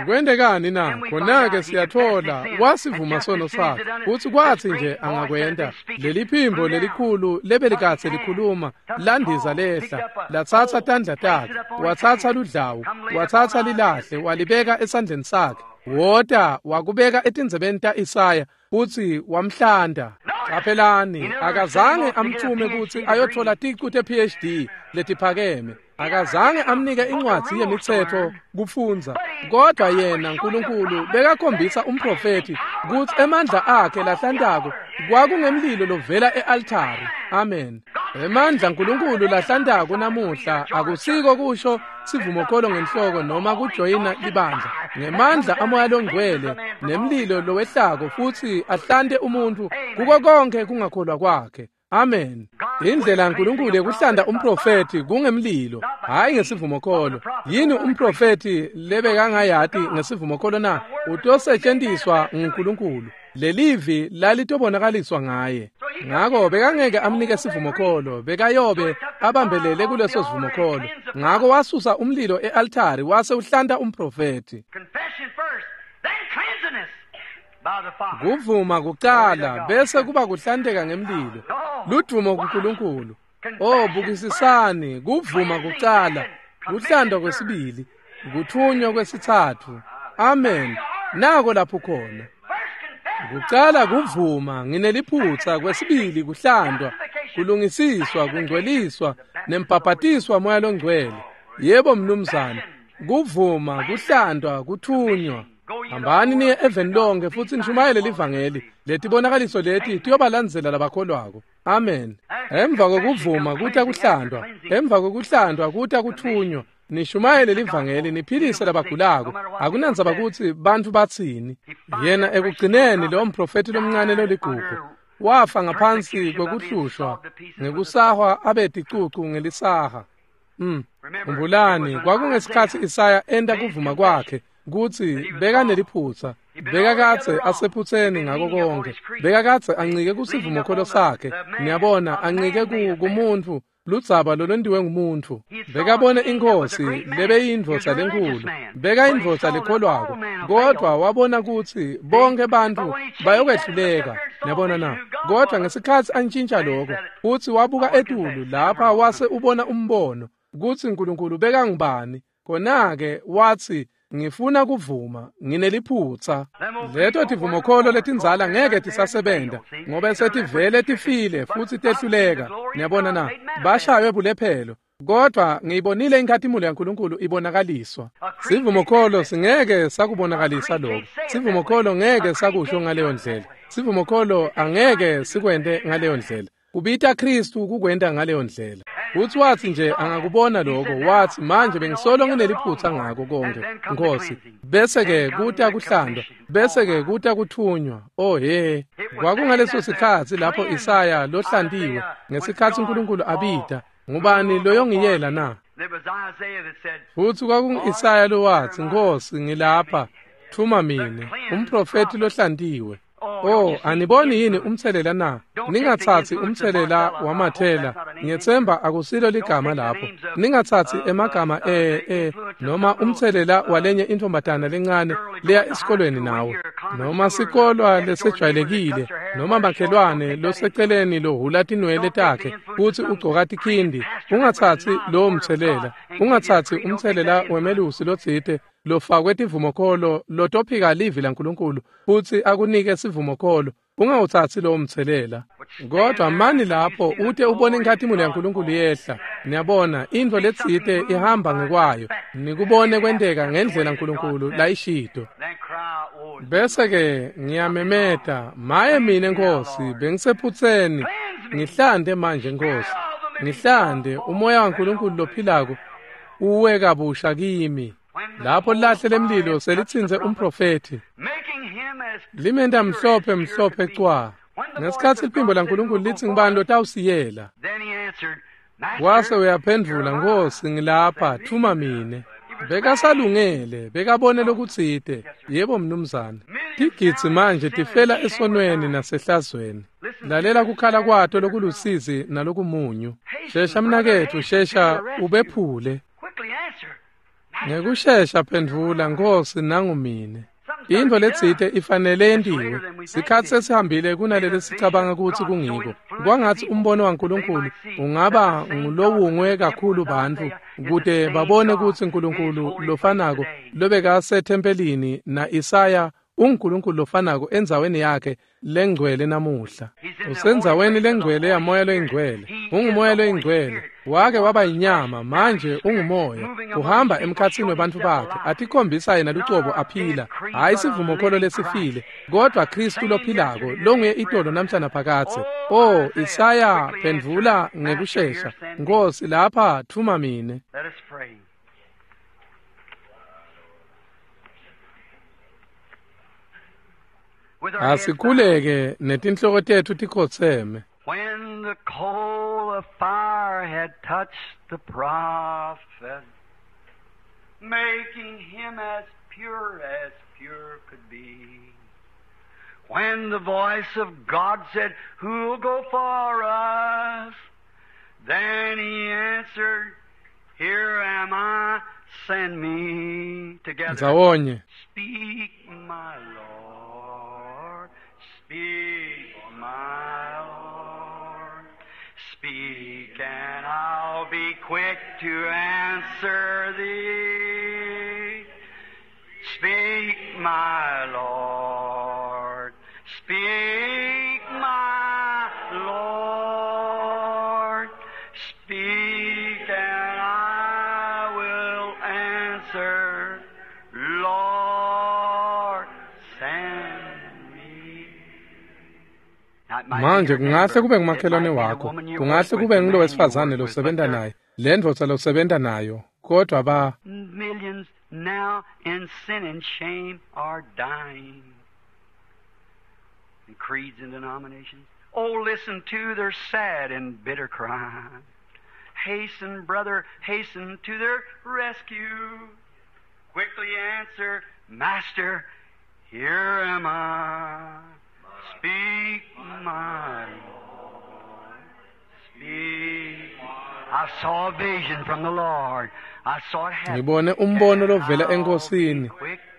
Kwentekani na? Khona-ke siyathola wasivuma sono sakhe, futsi kwatsi nje angakwenta, leli phimbo lelikhulu lebelikadze likhuluma landiza lehla, latsatsa tandla takhe, watsatsa ludlawu, watsatsa lilahle, walibeka esandleni sakhe, wota wakubeka etindzebeni ta-Isaya, futsi wamhlanda. Caphelani, akazange amthume kutsi ayothola ticu te-PhD letiphakeme. Akazange amnike incwadzi yemitsetfo kufundza, kodwa yena Nkulunkulu bekakhombisa umprofethi kutsi emandla akhe lahlantako kwakungemlilo lovela e-altari. Amen. Emandla Nkulunkulu lahlantako namuhla akusiko kusho sivumokolo ngenhloko noma kujoyina libandla. Ngemandla amoya longcwele nemlilo lowehlako futsi ahlante umuntu kuko konke kungakholwa kwakhe. Amen. Indlela Nkulunkulu yekuhlanda umprofethi kungemlilo, hayi ngesivumokolo. Yini umprofethi lebekangayati ngesivumokolo na? Utosetjentiswa nguNkulunkulu. Lelivi lalitobonakaliswa ngaye. Ngako bekangeke amnike sivumokolo, bekayobe abambelele kuleso sivumokolo. Ngako wasusa umlilo e-altari wase uhlanta umprofethi. Kuvuma kucala bese kuba kuhlanteka ngemlilo. Ludvumo kuNkulunkulu. Oh, bukisisani, kuvuma kucala, kuhlandwa kwesibili, kuthunywa kwesitsatfu. Amen. Nako lapho khona. Kucala kuvuma, ngineliphutsa, kwesibili kuhlandwa, kulungisiswa, kungcweliswa, nembhabhatiswa moya longcwele. Yebo mnumzane, kuvuma, kuhlandwa, kuthunywa. Hambani niye eveni lonke futsi nishumayele livangeli. Letibonakaliso leti tiyobalandzela labakholwako. Amen. Emva kokuvuma kuta kuhlandwa, emva kokuhlandwa kuta kuthunywa. Nishumayele livangeli, niphilise labagulako. Akunandzaba kutsi bantfu batsini. Yena ekugcineni lo mprofethi lomncane loligugu wafa ngaphansi kwekuhlushwa ngekusahwa abe ticucu ngelisaha. Khumbulani, kwakungesikhatsi Isaya enta kuvuma kwakhe kutsi bekaneliphutsa, Bekakadze asephutseni ngako konke. Bekakadze ancike kusivumokholo sakhe. Niyabona, ancike kumuntfu, ludzaba lolwentiwe ngumuntfu. Bekabone inkhosi lebeyindvodza lenkulu. Bekayindvodza lekholwako, kodvwa wabona kutsi bonke bantfu bayokwehluleka. Niyabona na? Kodvwa ngesikhatsi antjintja lokho, futsi wabuka etulu lapha wase ubona umbono kutsi Nkulunkulu bekangubani. Khona-ke watsi, ngifuna kuvuma, ngineliphutsa. Leto tivumokholo letindzala ngeke tisasebenta, ngoba setivele tifile futsi tehluleka. Niyabona na? Bashaywe bulephelo. Kodvwa ngiyibonile inkhatimulo yaNkulunkulu ibonakaliswa. Sivumokholo singeke sakubonakalisa lokho. Sivumokholo ngeke sakusho ngaleyo ndlela. Sivumokholo angeke sikwente ngaleyo ndlela. Kubita Kristu kukwenta ngaleyo ndlela. Futsi watsi nje angakubona lokho, watsi manje bengisolo ngineliphutsa ngako konke, Nkosi. Bese-ke kuta kuhlandwa, bese-ke kuta kuthunywa. Oh he, kwakungaleso sikhatsi lapho Isaya lohlantiwe, ngesikhatsi uNkulunkulu abita, ngubani loyongiyela na? Futsi kwakungu-Isaya lowatsi, Nkosi, ngilapha, thuma mine, umprofethi lohlantiwe. Oh, aniboni yini umtselela na? Ningatsatsi umtselela wamathela. Ngiyetsemba akusilo ligama lapho. Ningatsatsi emagama noma umtselela walenye intombatana lencane leya esikolweni nawe. Noma sikolwa lesejwayelekile, noma makhelwane loseceleni lohula tinwele takhe futsi ugcoka tikhindi. Ungatsatsi lowo mtselela. Ungatsatsi umtselela wemelusi lotsite lofakwe tivumokholo lotophika livi laNkulunkulu futsi akunike sivumokholo. Ungawutsatsi lowo mtselela. Kodwa mani lapho ute ubone inkhatimulo yaNkulunkulu yehla. Niyabona, intfo letsite ihamba ngekwayo. Nikubone kwenteka ngendlela Nkulunkulu layishito. Bese-ke ngiyamemeta, maye mine Nkosi, bengisephutseni. Ngihlante manje Nkosi. Ngihlante umoya waNkulunkulu lophilako uwe kabusha kimi. Lapho lahle lemlilo selitsintse umprofethi, limenta mhlophe mhlophe cwa. Ngesikhatsi liphimbo laNkulunkulu litsi, ngubani lotawusiyela? Wase uyaphendvula, Nkosi, ngilapha, thuma mine. Bekasalungele, bekabone lokutsite. Yebo mnumzane. Tigidzi manje tifela esonweni nasehlazweni. Lalela kukhala kwato lokulusizi nalokumunyu. Shesha mnaketfu, shesha ubephule. Ngekushesha phendvula, Nkosi, nangu mine. Intfo letsite ifanele yentiwe. Sikhatsi sesihambile kunaleli sicabanga kutsi kungiko. Kwangatsi umbono waNkulunkulu ungaba ngulowungwe kakhulu bantfu kute babone kutsi Nkulunkulu lofanako lobekasethempelini na-Isaya unguNkulunkulu lofanako endzaweni yakhe lengcwele namuhla. Usendzaweni lengcwele yamoya loyingcwele. Ungumoya loyingcwele. Wake waba yinyama, manje ungumoya. Uhamba emkhatsini webantfu bakhe, atikhombisa yena lucobo aphila. Hhayi sivumokholo lesifile, kodvwa Kristu lophilako, longuye itolo namhla naphakadze. Oh, Isaya, phendvula ngekushesha. Nkosi, lapha, thuma mine. Asikhuleke netinhloko tetfu tikhotseme. When the coal of fire had touched the prophet, making him as pure as pure could be. When the voice of God said, who'll go for us? Then he answered, here am I, send me. Together. Ndzawonye. Speak, my Lord. Speak, my Lord. Speak, and I'll be quick to answer thee. Speak, my Lord. Speak, my Lord. Speak, and I will answer. Lord, send me. Manje kungahle kube ngumakhelwane wakho, kungahle kube ngulo wesifazane losebenta naye, le ndvodza losebenta nayo, kodwa ba millions now in sin and shame are dying. And creeds and denominations. Oh, listen to their sad and bitter cry. Hasten, brother, hasten to their rescue. Quickly answer, Master, Here am I. Speak, my Lord. Speak. I saw a vision from the Lord. I saw it happen. Ngibone umbono lovela enkosini,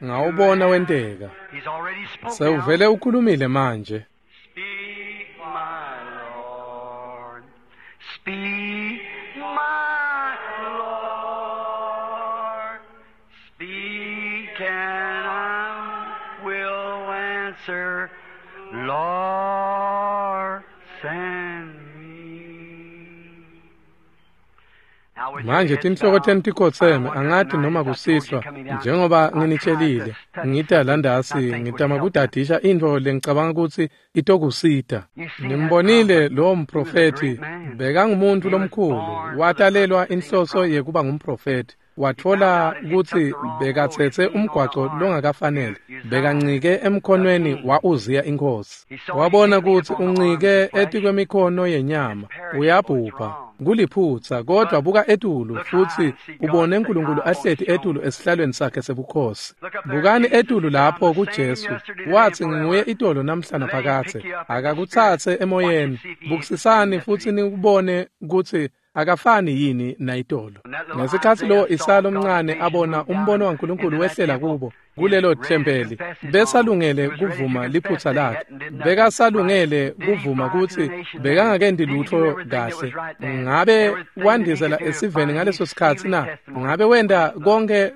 ngawubona wenteka. He's already spoken. Sewuvele ukhulumile manje. Speak, my Lord. Speak, my Lord. Speak, and I will answer. Lord, send me. Now with your Manje heads tinhloko bowed, tenu tikhotseme, I wonder angati tonight noma if I told you kusihlwa coming down, njengoba I tried nginitshelile to touch ngita something landasi I think would ngitama help you. kudadisha intfo lengicabanga kutsi itokusita. You see that Nimbonile prophet, lowo he was a mprofethi great man. bekangumuntu He was lomkhulu, born for the watalelwa purpose of being a inhloso prophet. yekuba ngumprofethi. He found Watfola out that he took kutsi the wrong road, bekatsetse leaned on the umgwaco arm longakafanele, to Uzziah, bekancike the emkhonweni king. wa Uziya inkosi. He saw he Wabona can't lean kutsi upon the arms of uncike the flesh. etikwemikhono It's yenyama, perishable, it's uyabhubha. wrong. Kuliphutsa, kodwa But buka etulu look high futsi and see God ubone sitting uNkulunkulu high upon his ahleti throne. etulu esihlalweni sakhe sebukhosi. Look up there at Bukani Jesus. etulu He said, I'm lapho the same kuJesu, yesterday, today, and wathi nginguye forever. itolo namhla Let him pick naphakadze. you up in the Spirit. Akakutsatse Watch and emoyeni, see if he ain't the same bukisisani futsi yesterday. nikubone kutsi akafani yini nayitolo. When that little Ngesikhatsi Isaiah lo saw Isaya God's lomncane vision abona move down umbono waNkulunkulu into that wehlela temple, kubo he was kulelo ready to thempeli, confess his wrong. besalungele He was ready to kuvuma confess liphutsa that he lakhe, hadn't did nothing right. bekasalungele Did he kuvuma fly to the kutsi nation then? bekangakenti Did he do lutfo everything that kahle. was right then? Ngabe Everything that he wandizela could do to esiveni find ngaleso he's sikhatsi sealed na? his testimony Ngabe with wenta his blood. konke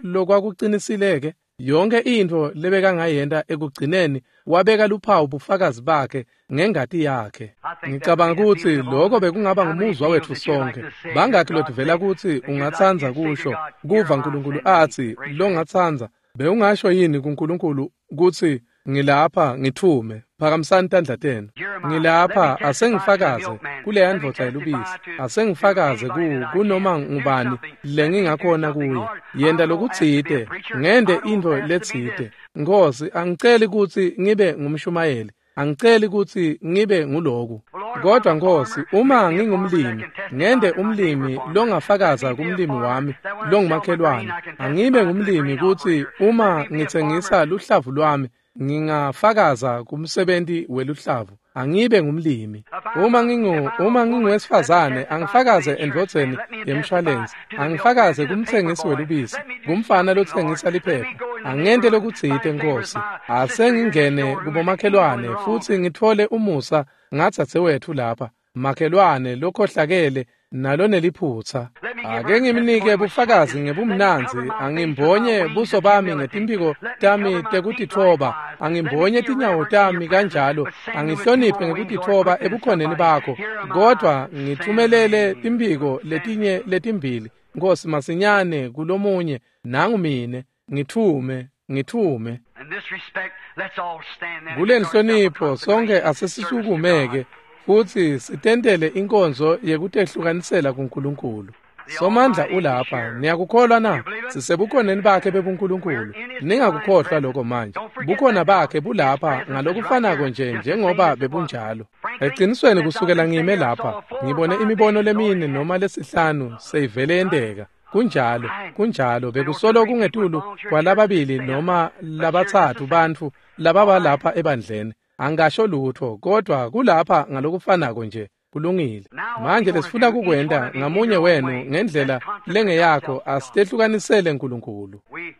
lokwakucinisileke? Yonke intfo lebekangayenta ekugcineni wabeka luphawu bufakazi bakhe ngengati yakhe. I think that would Ngicabanga be the kutsi feeling of all of lokho us. bekungaba How many ngumuzwa feels wetfu that you like sonke. to say, hear Bangakhi God lotivela say, kutsi that you'd like ungatsandza you'd say to kusho God, Here kuva am I, uNkulunkulu send me. atsi Raise your hand. longatsandza bewungasho yini kuNkulunkulu kutsi ngilapha ngithume phakamisani tandla tenu Here am I. Let me ngilapha testify to the asengifakaze milkman. kuleya Let me ndvodza testify yelubisi to asengifakaze anybody that I kunoma can. Do ngubani something. Let me do lengingakhona something, kuye Lord. I yenta don't ask to be a lokutsite preacher. ngente I don't intfo ask to be this. letsite Nkosi angiceli kutsi ngibe ngumshumayeli angiceli kutsi ngibe nguloku Well, Lord, if I'm kodwa a Nkosi farmer, make uma me a farmer that ngingumlimi can testify ngente to my neighbor umlimi farmer. Let longafakaza me be a kumlimi farmer wami that when I sell my grain, longumakhelwane I can angibe testify to the ngumlimi grain kutsi operator. Let uma me be a farmer ngitsengisa luhlavu lwami ngingafakaza kumsebenti weluhlavu angibe ngumlimi If I'm uma a ngingu if I'm a uma woman, let me nginguwesifazane testify to the angifakaze insurance man. endvodzeni Let me testify yemshwalensi to the milkman, angifakaze to the paper kumtsengisi boy. welubisi Let me do kumfana something, Lord. lotsengisa Let me liphepha go in the angente neighborhood, lokutsite find favor with Nkosi my sister here next asengingene door who is evil and kubomakhelwane wrong. futsi ngitfole umusa ngadzadzewetfu lapha makhelwane lokhohlakele naloneliphutsa Let me give her ake a ngimnike testimony with bufakazi sweetness. Let me ngebumnandzi cover my face with my angimbonye wings buso of bami humility. ngetimphiko Let me tami cover my feet tekutitfoba likewise. Let me angimbonye be tinyawo reverent in your tami presence, kanjalo but send me with two angihloniphe more wings, Lord, ngekutitfoba quickly to ebukhoneni somebody. bakho Here am I, kodwa send ngithumelele me. timphiko Send letinye letimbili Nkosi masinyane kulomunye nangu mine ngithume ngithume. In this respect, let's all stand then and Kule make ourselves a nhlonipho sonke consecration service to God. asesisukumeke futsi sitentele inkonzo yekutehlukanisela kuNkulunkulu. The Somandla Almighty is ulapha, here. niyakukholwa You na? believe it? Sisebukhoneni bakhe We're bebuNkulunkulu. in His divine Ningakukhohlwa presence. lokho manje. Don't forget Bukhona that now. bakhe His bulapha presence is right ngalokufanako here, nje just the same njengoba as it was. bebunjalo. Frankly, Ecinisweni since I've kusukela been ngime sitting here, I lapha, saw 4 or ngibone 5 imibono visions already lemine noma happen. lesihlanu seyivele Right? yenteka. Kunjalo, Right. kunjalo I know 2 or bekusolo 3 people at kungetulu volunteer churches that kwalababili say it, noma but here's just the labatsatfu same. bantfu All lababa right. lapha ebandleni. Angasho lutho kodwa kulapha ngalokufanako nje kulungile. Now what we Manje want to lesifuna do, each one kukwenta of you in ngamunye your own wenu way, let's ngendlela consecrate lengeyakho ourselves to God. asitehlukanisele uNkulunkulu. We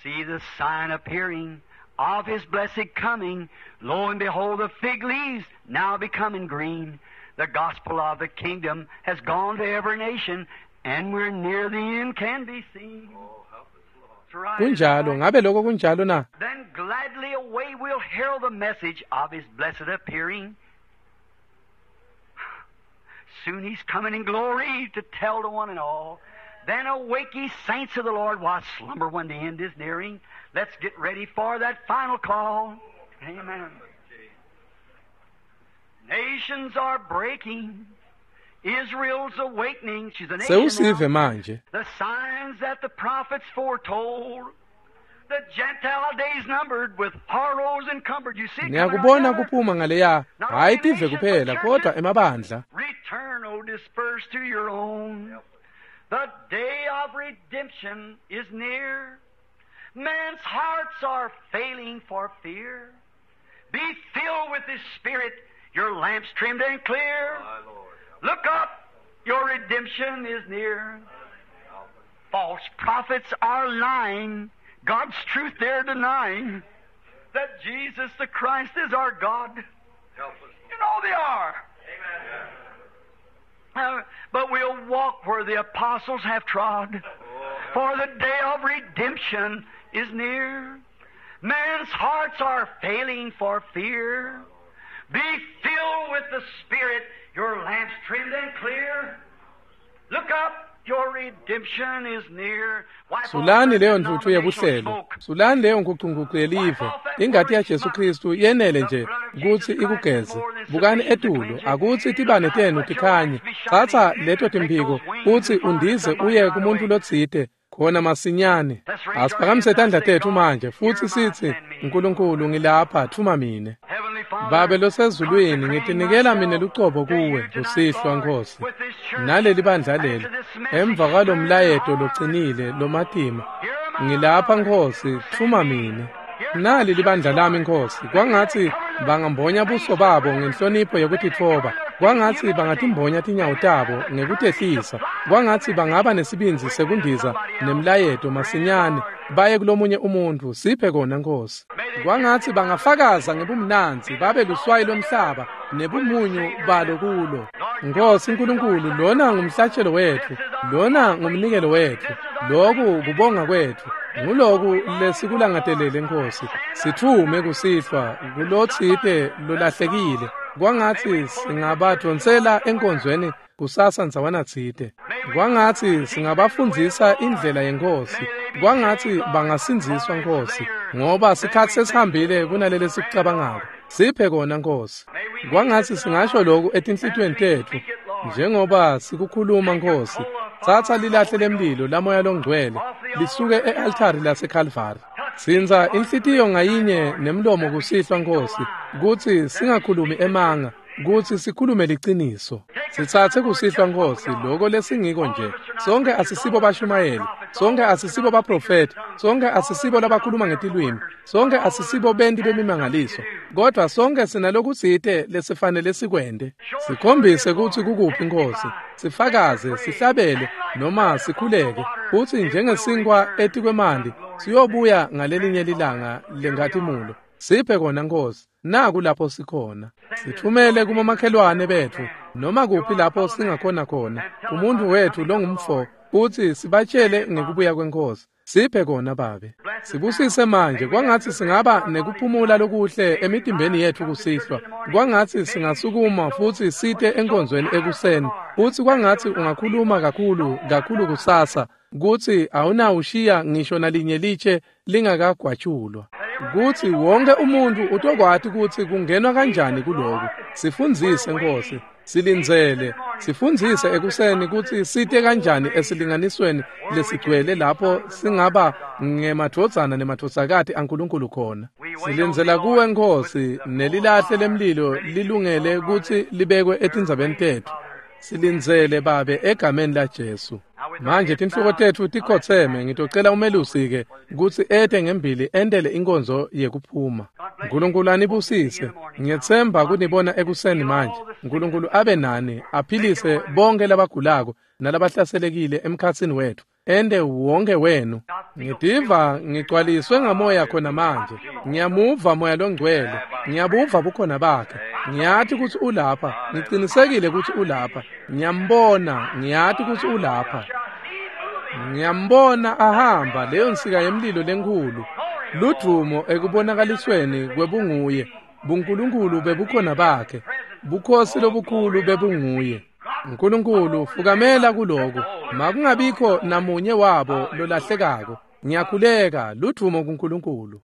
see the sign appearing of His blessed coming. Lo and behold, the fig leaves now becoming green. The gospel of the kingdom has gone to every nation, and we're near the end can be seen. That's right, isn't that Kunjalo, right? ngabe lokho kunjalo na? Then gladly away we'll herald the message of His blessed appearing. Soon He's coming in glory to tell to one and all. Then awake ye saints of the Lord, why slumber when the end is nearing? Let's get ready for that final call. Amen. Nations are breaking. Israel's awakening. She's a nation Sewusive now. manje. The signs that the prophets foretold. The Gentile days numbered with horrors encumbered. You see it coming right Niyakubona yonder? kuphuma ngaleya, Not hhayi only tive nations, but kuphela kodwa churches. emabandla. Return, O dispersed to your own. The day of redemption is near. Men's hearts are failing for fear. Be filled with His Spirit, your lamps trimmed and clear. Look up, your redemption is near. False prophets are lying, God's truth they're denying, that Jesus the Christ is our God. Help us. You know they are. Amen. But we'll walk where the apostles have trod, for the day of redemption is near. Men's hearts are failing for fear. Be filled with the Spirit, your lamps trimmed and clear. Look up, your redemption is near. Wipe off Sulani that leyo ntuthu denominational yebuhlelo, smoke. sulani leyo nkucunkucu yelive. Ingati yaJesu Kristu yenele nje kutsi ikugeze. Bukani etulu, akutsi tibane tenu tikhanye. Tsatsa leto timphiko utsi undize uye kumuntfu lotsite khona masinyane. Asiphakamise tandla tetfu manje futsi sitsi, Nkulunkulu ngilapha, thuma mine. Heavenly Father, Babe losezulwini, ngitinikela mine lucobo kuwe kusihlwa Nkhosi. Naleli bandla leli, emva kwalomlayeto locinile lomatima, ngilapha Nkhosi, thuma mine. Nali libandla lami Nkhosi, kwangatsi bangambonya buso babo ngenhlonipho yekutitfoba, kwangatsi bangatimbonya tinyawo tabo ngekutehlisa, kwangatsi bangaba nesibindzi sekundiza nemlayeto masinyane baye kulomunye umuntfu. Siphe kona Nkhosi. Kwangatsi bangafakaza ngebumnandzi babe luswayi lomhlaba nebumunyu balo kulo. Nkhosi Nkulunkulu, lona ngumhlatshelo wetfu, lona ngumnikelo wetfu, loku kubonga kwetfu, nguloku lesikulangatelele Nkhosi. Sitfume kusihlwa kulotsite lolahlekile, kwangatsi singabadvonsela enkonzweni kusasa ndzawana tsite. Kwangatsi singabafundzisa indlela yeNkhosi, kwangatsi bangasindziswa Nkhosi, ngoba sikhatsi sesihambile kunaleli sikucabangako. Siphe kona Nkhosi. Kwangatsi singasho loku etinhlitiyweni tetfu njengoba sikukhuluma Nkhosi. Tsatsa lilahle lemlilo lamoya longcwele lisuke e-altari laseKalvari. Tsintsa inhlitiyo ngayinye nemlomo kusihlwa Nkhosi, kutsi singakhulumi emanga, kutsi sikhulume liciniso. Sitsatse kusihlwa Nkhosi loko lesingiko nje. Sonke asisibo bashumayeli, sonke asisibo baprofeti, sonke asisibo labakhuluma ngetilwimi, sonke asisibo benti bemimangaliso, kodvwa sonke sinalokutsite lesifanele sikwente. Sikhombise kutsi kukuphi Nkhosi, sifakaze, sihlabele noma sikhuleke, futsi njengesinkwa etikwemanti siyobuya ngalelinye lilanga lenkhatimulo. Siphe kona Nkhosi, naku lapho sikhona. Sithumele kubomakhelwane betfu, noma kuphi lapho singakhona khona, umuntfu wetfu longumfo, futsi sibatshele ngekubuya kweNkhosi. Siphe kona Babe. Sibusise manje, kwangatsi singaba nekuphumula lokuhle emitimbeni yetfu kusihlwa. Kwangatsi singasukuma futsi site enkonzweni ekuseni. Futsi kwangatsi ungakhuluma kakhulu kakhulu kusasa, kutsi awunawushiya ngisho nalinye litshe lingakagwatshulwa. Kutsi wonke umuntfu utokwati kutsi kungenwa kanjani kuloku. Sifundzise Nkhosi, silindzele, sifundzise ekuseni kutsi site kanjani esilinganisweni lesigcwele lapho singaba ngemadvodzana nemadvodzakati aNkulunkulu khona. Silindzela kuwe Nkhosi, nelilahle lemlilo lilungele kutsi libekwe etindzabeni tetfu. Silindzele Babe egameni laJesu. Manje tinhloko tetfu tikhotseme, ngitocela umelusi-ke kutsi ete ngembili entele inkonzo yekuphuma. Nkulunkulu anibusise. Ngiyetsemba kunibona ekuseni manje. Nkulunkulu abe nani, aphilise bonke labagulako nalabahlaselekile emkhatsini wetfu. Ente wonke wenu. Ngitiva ngigcwaliswe ngamoya khona manje. Ngiyamuva moya longcwele. Ngiyabuva bukhona bakhe. Ngiyati kutsi ulapha. Ngicinisekile kutsi ulapha. Ngiyambona, ngiyati kutsi ulapha. Ngiyambona ahamba leyo nsika yemlilo lenkhulu. Ludvumo ekubonakalisweni kwebunguye. BuNkulunkulu bebukhona bakhe. Bukhosi lobukhulu bebunguye. Nkulunkulu fukamela kuloku. Makungabikho namunye wabo lolahlekako. Ngiyakhuleka, ludvumo kuNkulunkulu.